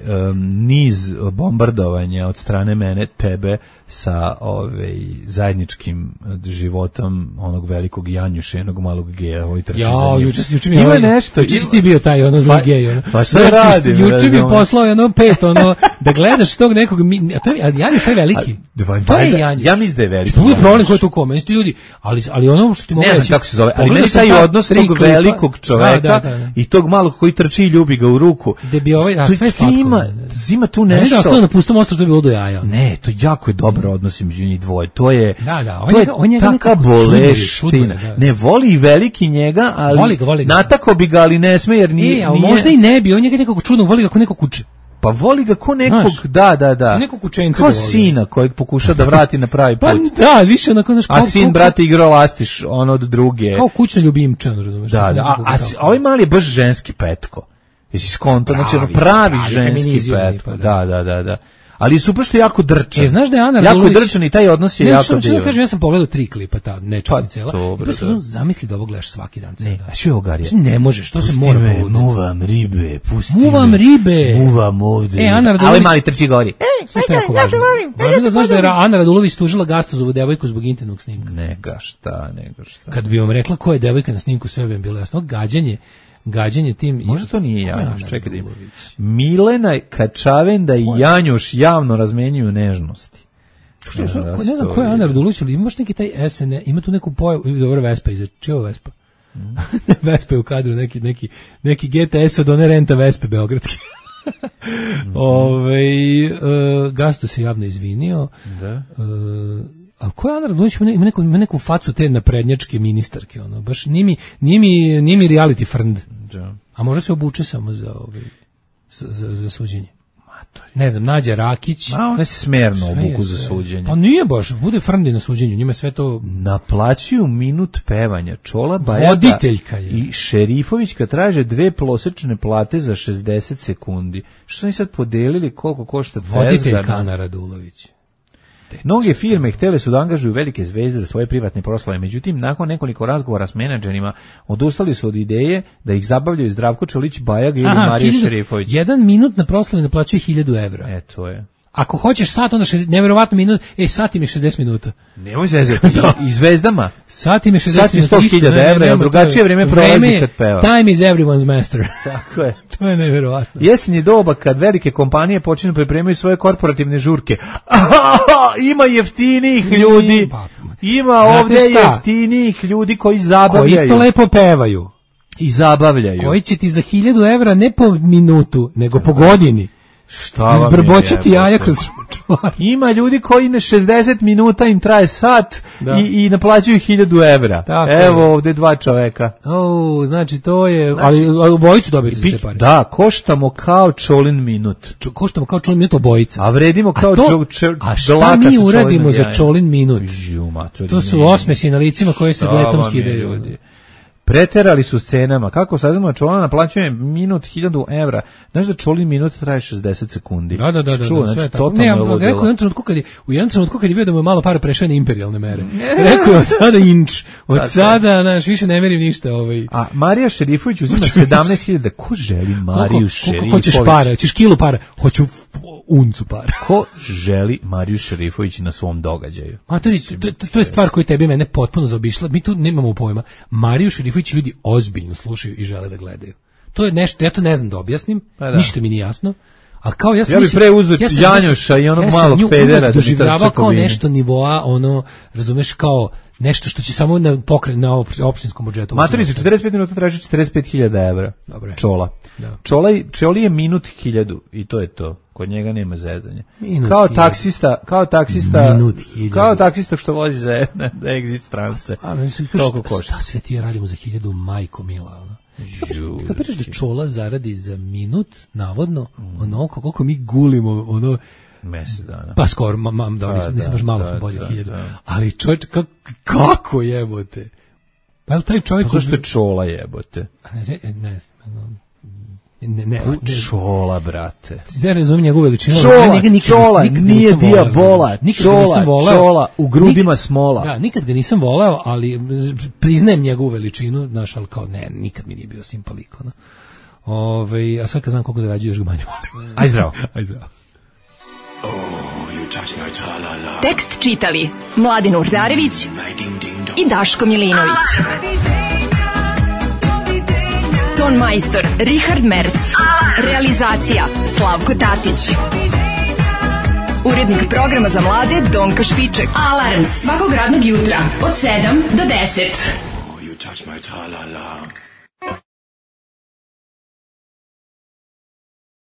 niz bombardovanja od strane mene, tebe sa ovaj zajedničkim životom onog velikog Janjuša, jednog malog geja, ovaj trči za njim. Ja, juče juče mi ima ovaj, nešto. Juče si ti bio taj ono zli gej, ono. Pa šta radi? Juče mi poslao jedno pet, ono, da gledaš tog nekog, a to je Janjuš taj veliki. A, to je Janjuš. Ja mislim da je veliki. To je problem koji tu kome, isti ljudi, ali ali ono što ti mogu reći. Ne znam kako se zove, ali meni taj odnos tog velikog čoveka i tog malog koji trči i ljubi ga u ruku. Da bi ovaj, a sve slatko. Ima, ima tu nešto. Ne, ostalo na pustom ostrvu, to je bilo do jaja. Ne, to jako je dobar odnos između njih dvoje. To je, da, da, on to je, on je taka boleština. Ne voli i veliki njega, ali voli ga, voli ga. Natako bi ga, ali ne sme, jer nije... E, ali nije... možda i ne bi, on njega nekako čudno, voli ga ko neko kuće. Pa voli ga ko nekog, znaš, da, da, da. Nekog kućenca. Kao sina kojeg pokuša da vrati na pravi put. Pa da, više onako, znaš, a sin, brate, igrao lastiš ono od druge. Kao kućna ljubimča, razumeš. Da, da, a, a, a ovaj mali je baš ženski petko. Jesi skonto, znači ono pravi, pravi ženski petko. Da, da, da, da. Ali super što je jako drčan. E, znaš da je Ana jako Radulović... drčan i taj odnos je ne, jako što, divan. Kažem, ja sam pogledao tri klipa, ta nečega Pa, cela. dobro, I pa da. zamisli da ovo gledaš svaki dan. Ne, a sve ogarije. Ne možeš, to se Pusti mora me, povoditi. muvam ribe, pusti Muvam me. ribe. Muvam ovde. E, Ana Radulović... Ali mali trči gori. E, slušaj, jako važno. Važno da znaš da je Ana Radulović tužila Gastozovu devojku zbog intimnog snimka. Nega šta, nega šta. Kad bi vam rekla ko je devojka na snimku, sve bi vam bilo jasno. Gađanje, gađanje tim... Možda to nije Janjuš, čekaj da ima. Milena Kačavenda i Janjuš javno razmenjuju nežnosti. Što, što, ko, ne znam ko je Ana Radulović, ali imaš neki taj S N, ima tu neku pojavu, dobro Vespa iza, čija Vespa? Mm. Vespa je u kadru, neki, neki, neki G T S od one renta Vespe beogradske. mm. Ove, uh, Gasto se javno izvinio. Da. Uh, a ko je Ana Radulović, ima neku, ima neku facu te naprednjačke ministarke, ono, baš nije mi, nije mi, nije mi reality frnd. Da. A možda se obuče samo za, ove, za, za, za suđenje. Ne znam, Nađa Rakić. A one se smerno obuku za suđenje. Pa nije baš, bude frndi na suđenju, njima sve to... Naplaćuju minut pevanja. Čola Bajaga Voditeljka je. I Šerifovićka traže dve prosečne plate za šezdeset sekundi. Što su oni sad podelili koliko košta Voditeljka Ana Radulović. Mnoge firme htjele su da angažuju velike zvezde za svoje privatne proslave, međutim, nakon nekoliko razgovora s menadžerima, odustali su od ideje da ih zabavljaju Zdravko Čolić, Bajaga ili Aha, Marija hiljadu, Šerifović. Jedan minut na proslavi naplaćuje hiljadu evra. E, to je. Ako hoćeš sat, onda šezdeset, nevjerovatno minut, e, sat im je šezdeset minuta. Nemoj zezati, i, i zvezdama. Sat im je šezdeset minuta. Sat je sto hiljada evra, jer drugačije vreme prolazi kad peva. Time is everyone's master. Tako je. To je nevjerovatno. Jesen je doba kad velike kompanije počinju pripremaju svoje korporativne žurke. Ima jeftinijih ljudi. Ima ovdje jeftinijih ljudi koji zabavljaju. Koji isto lepo pevaju. I zabavljaju. Koji će ti za hiljadu evra ne po minutu, nego po godini. Šta izbrboćati jaja kroz čvar. Ima ljudi koji na šezdeset minuta im traje sat i, i naplaćuju hiljadu evra. Tako Evo je. Ovdje dva čoveka. O, znači to je, znači, ali obojicu dobiti za te pare. Da, koštamo kao Čolin minut. Čo, koštamo kao Čolin minut obojica. A vredimo kao a to, čo, A šta mi uradimo za Čolin minut? To su osmesi na licima koje se letom skidaju. Preterali su scenama. Kako saznamo, Čola naplaćuje minut hiljadu evra. Znaš da Čolin minut traje šezdeset sekundi. Da, da, da. Čuo, da, da znači, tako. Ne, ja rekao u jednom trenutku kad je, u jednom trenutku kad je vidio da mu je malo para prešao na imperijalne mere. Rekao je od sada inč. Od da, sada, znaš, više ne merim ništa. Ovaj. A Marija Šerifović uzima sedamnaest hiljada. Ko želi Mariju Šerifović? Koliko hoćeš para? Hoćeš kilu para? Hoću uncu para. Ko želi Mariju Šerifović na svom događaju? A to, to, to je stvar koja tebi mene potpuno zaobišla. Mi tu nemamo pojma. Mariju Šerifović ljudi ozbiljno slušaju i žele da gledaju. To je nešto, ja to ne znam da objasnim, pa da. Ništa mi nije jasno. A kao ja sam ja bih pre uzeo ja Janjuša i onog ja malog pedera da doživljavao kao nešto nivoa, ono, razumeš, kao nešto što će samo na pokret na opštinskom budžetu. Matori, četrdeset pet minuta traži četrdeset pet hiljada evra. Dobre. Čola. Da. Čola, Čoli je minut hiljadu i to je to. Kod njega nema zezanja. Minut kao hiljadu. taksista, kao taksista, minut kao taksista što vozi za, za exit strance. A mislim, šta, šta sve ti radimo za hiljadu, majko mila, ono? Kad pričaš da Čola zaradi za minut, navodno, mm. onoliko koliko mi gulimo, ono, mesec dana. Pa skoro, mam, da, nisam, nisam baš malo da, bolje da, hiljadu. Da. Ali čovječ, kako, kako jebote? Pa je li taj čovjek... Pa zašto je Čola jebote? Ne, ne, ne, ne, ne, pa Čola, brate. Ja razumijem njegovu veličinu. Čola, ja nikad, Čola, nikad nije dijabola. Čola, Čola, u grudima nikad, smola. Da, nikad ga nisam voleo, ali priznajem njegovu veličinu, znaš, ali kao, ne, nikad mi nije bio simpaliko. No. Ove, a sad kad znam koliko zarađuje, još ga manje volim. Aj zdravo. Aj zdravo. Tekst čitali Mladin Urdarević i Daško Milinović. Ton majstor Richard Merc. Realizacija Slavko Tatić. Urednik programa za mlade Donka Špiček. Alarms svakog radnog jutra od sedam do deset.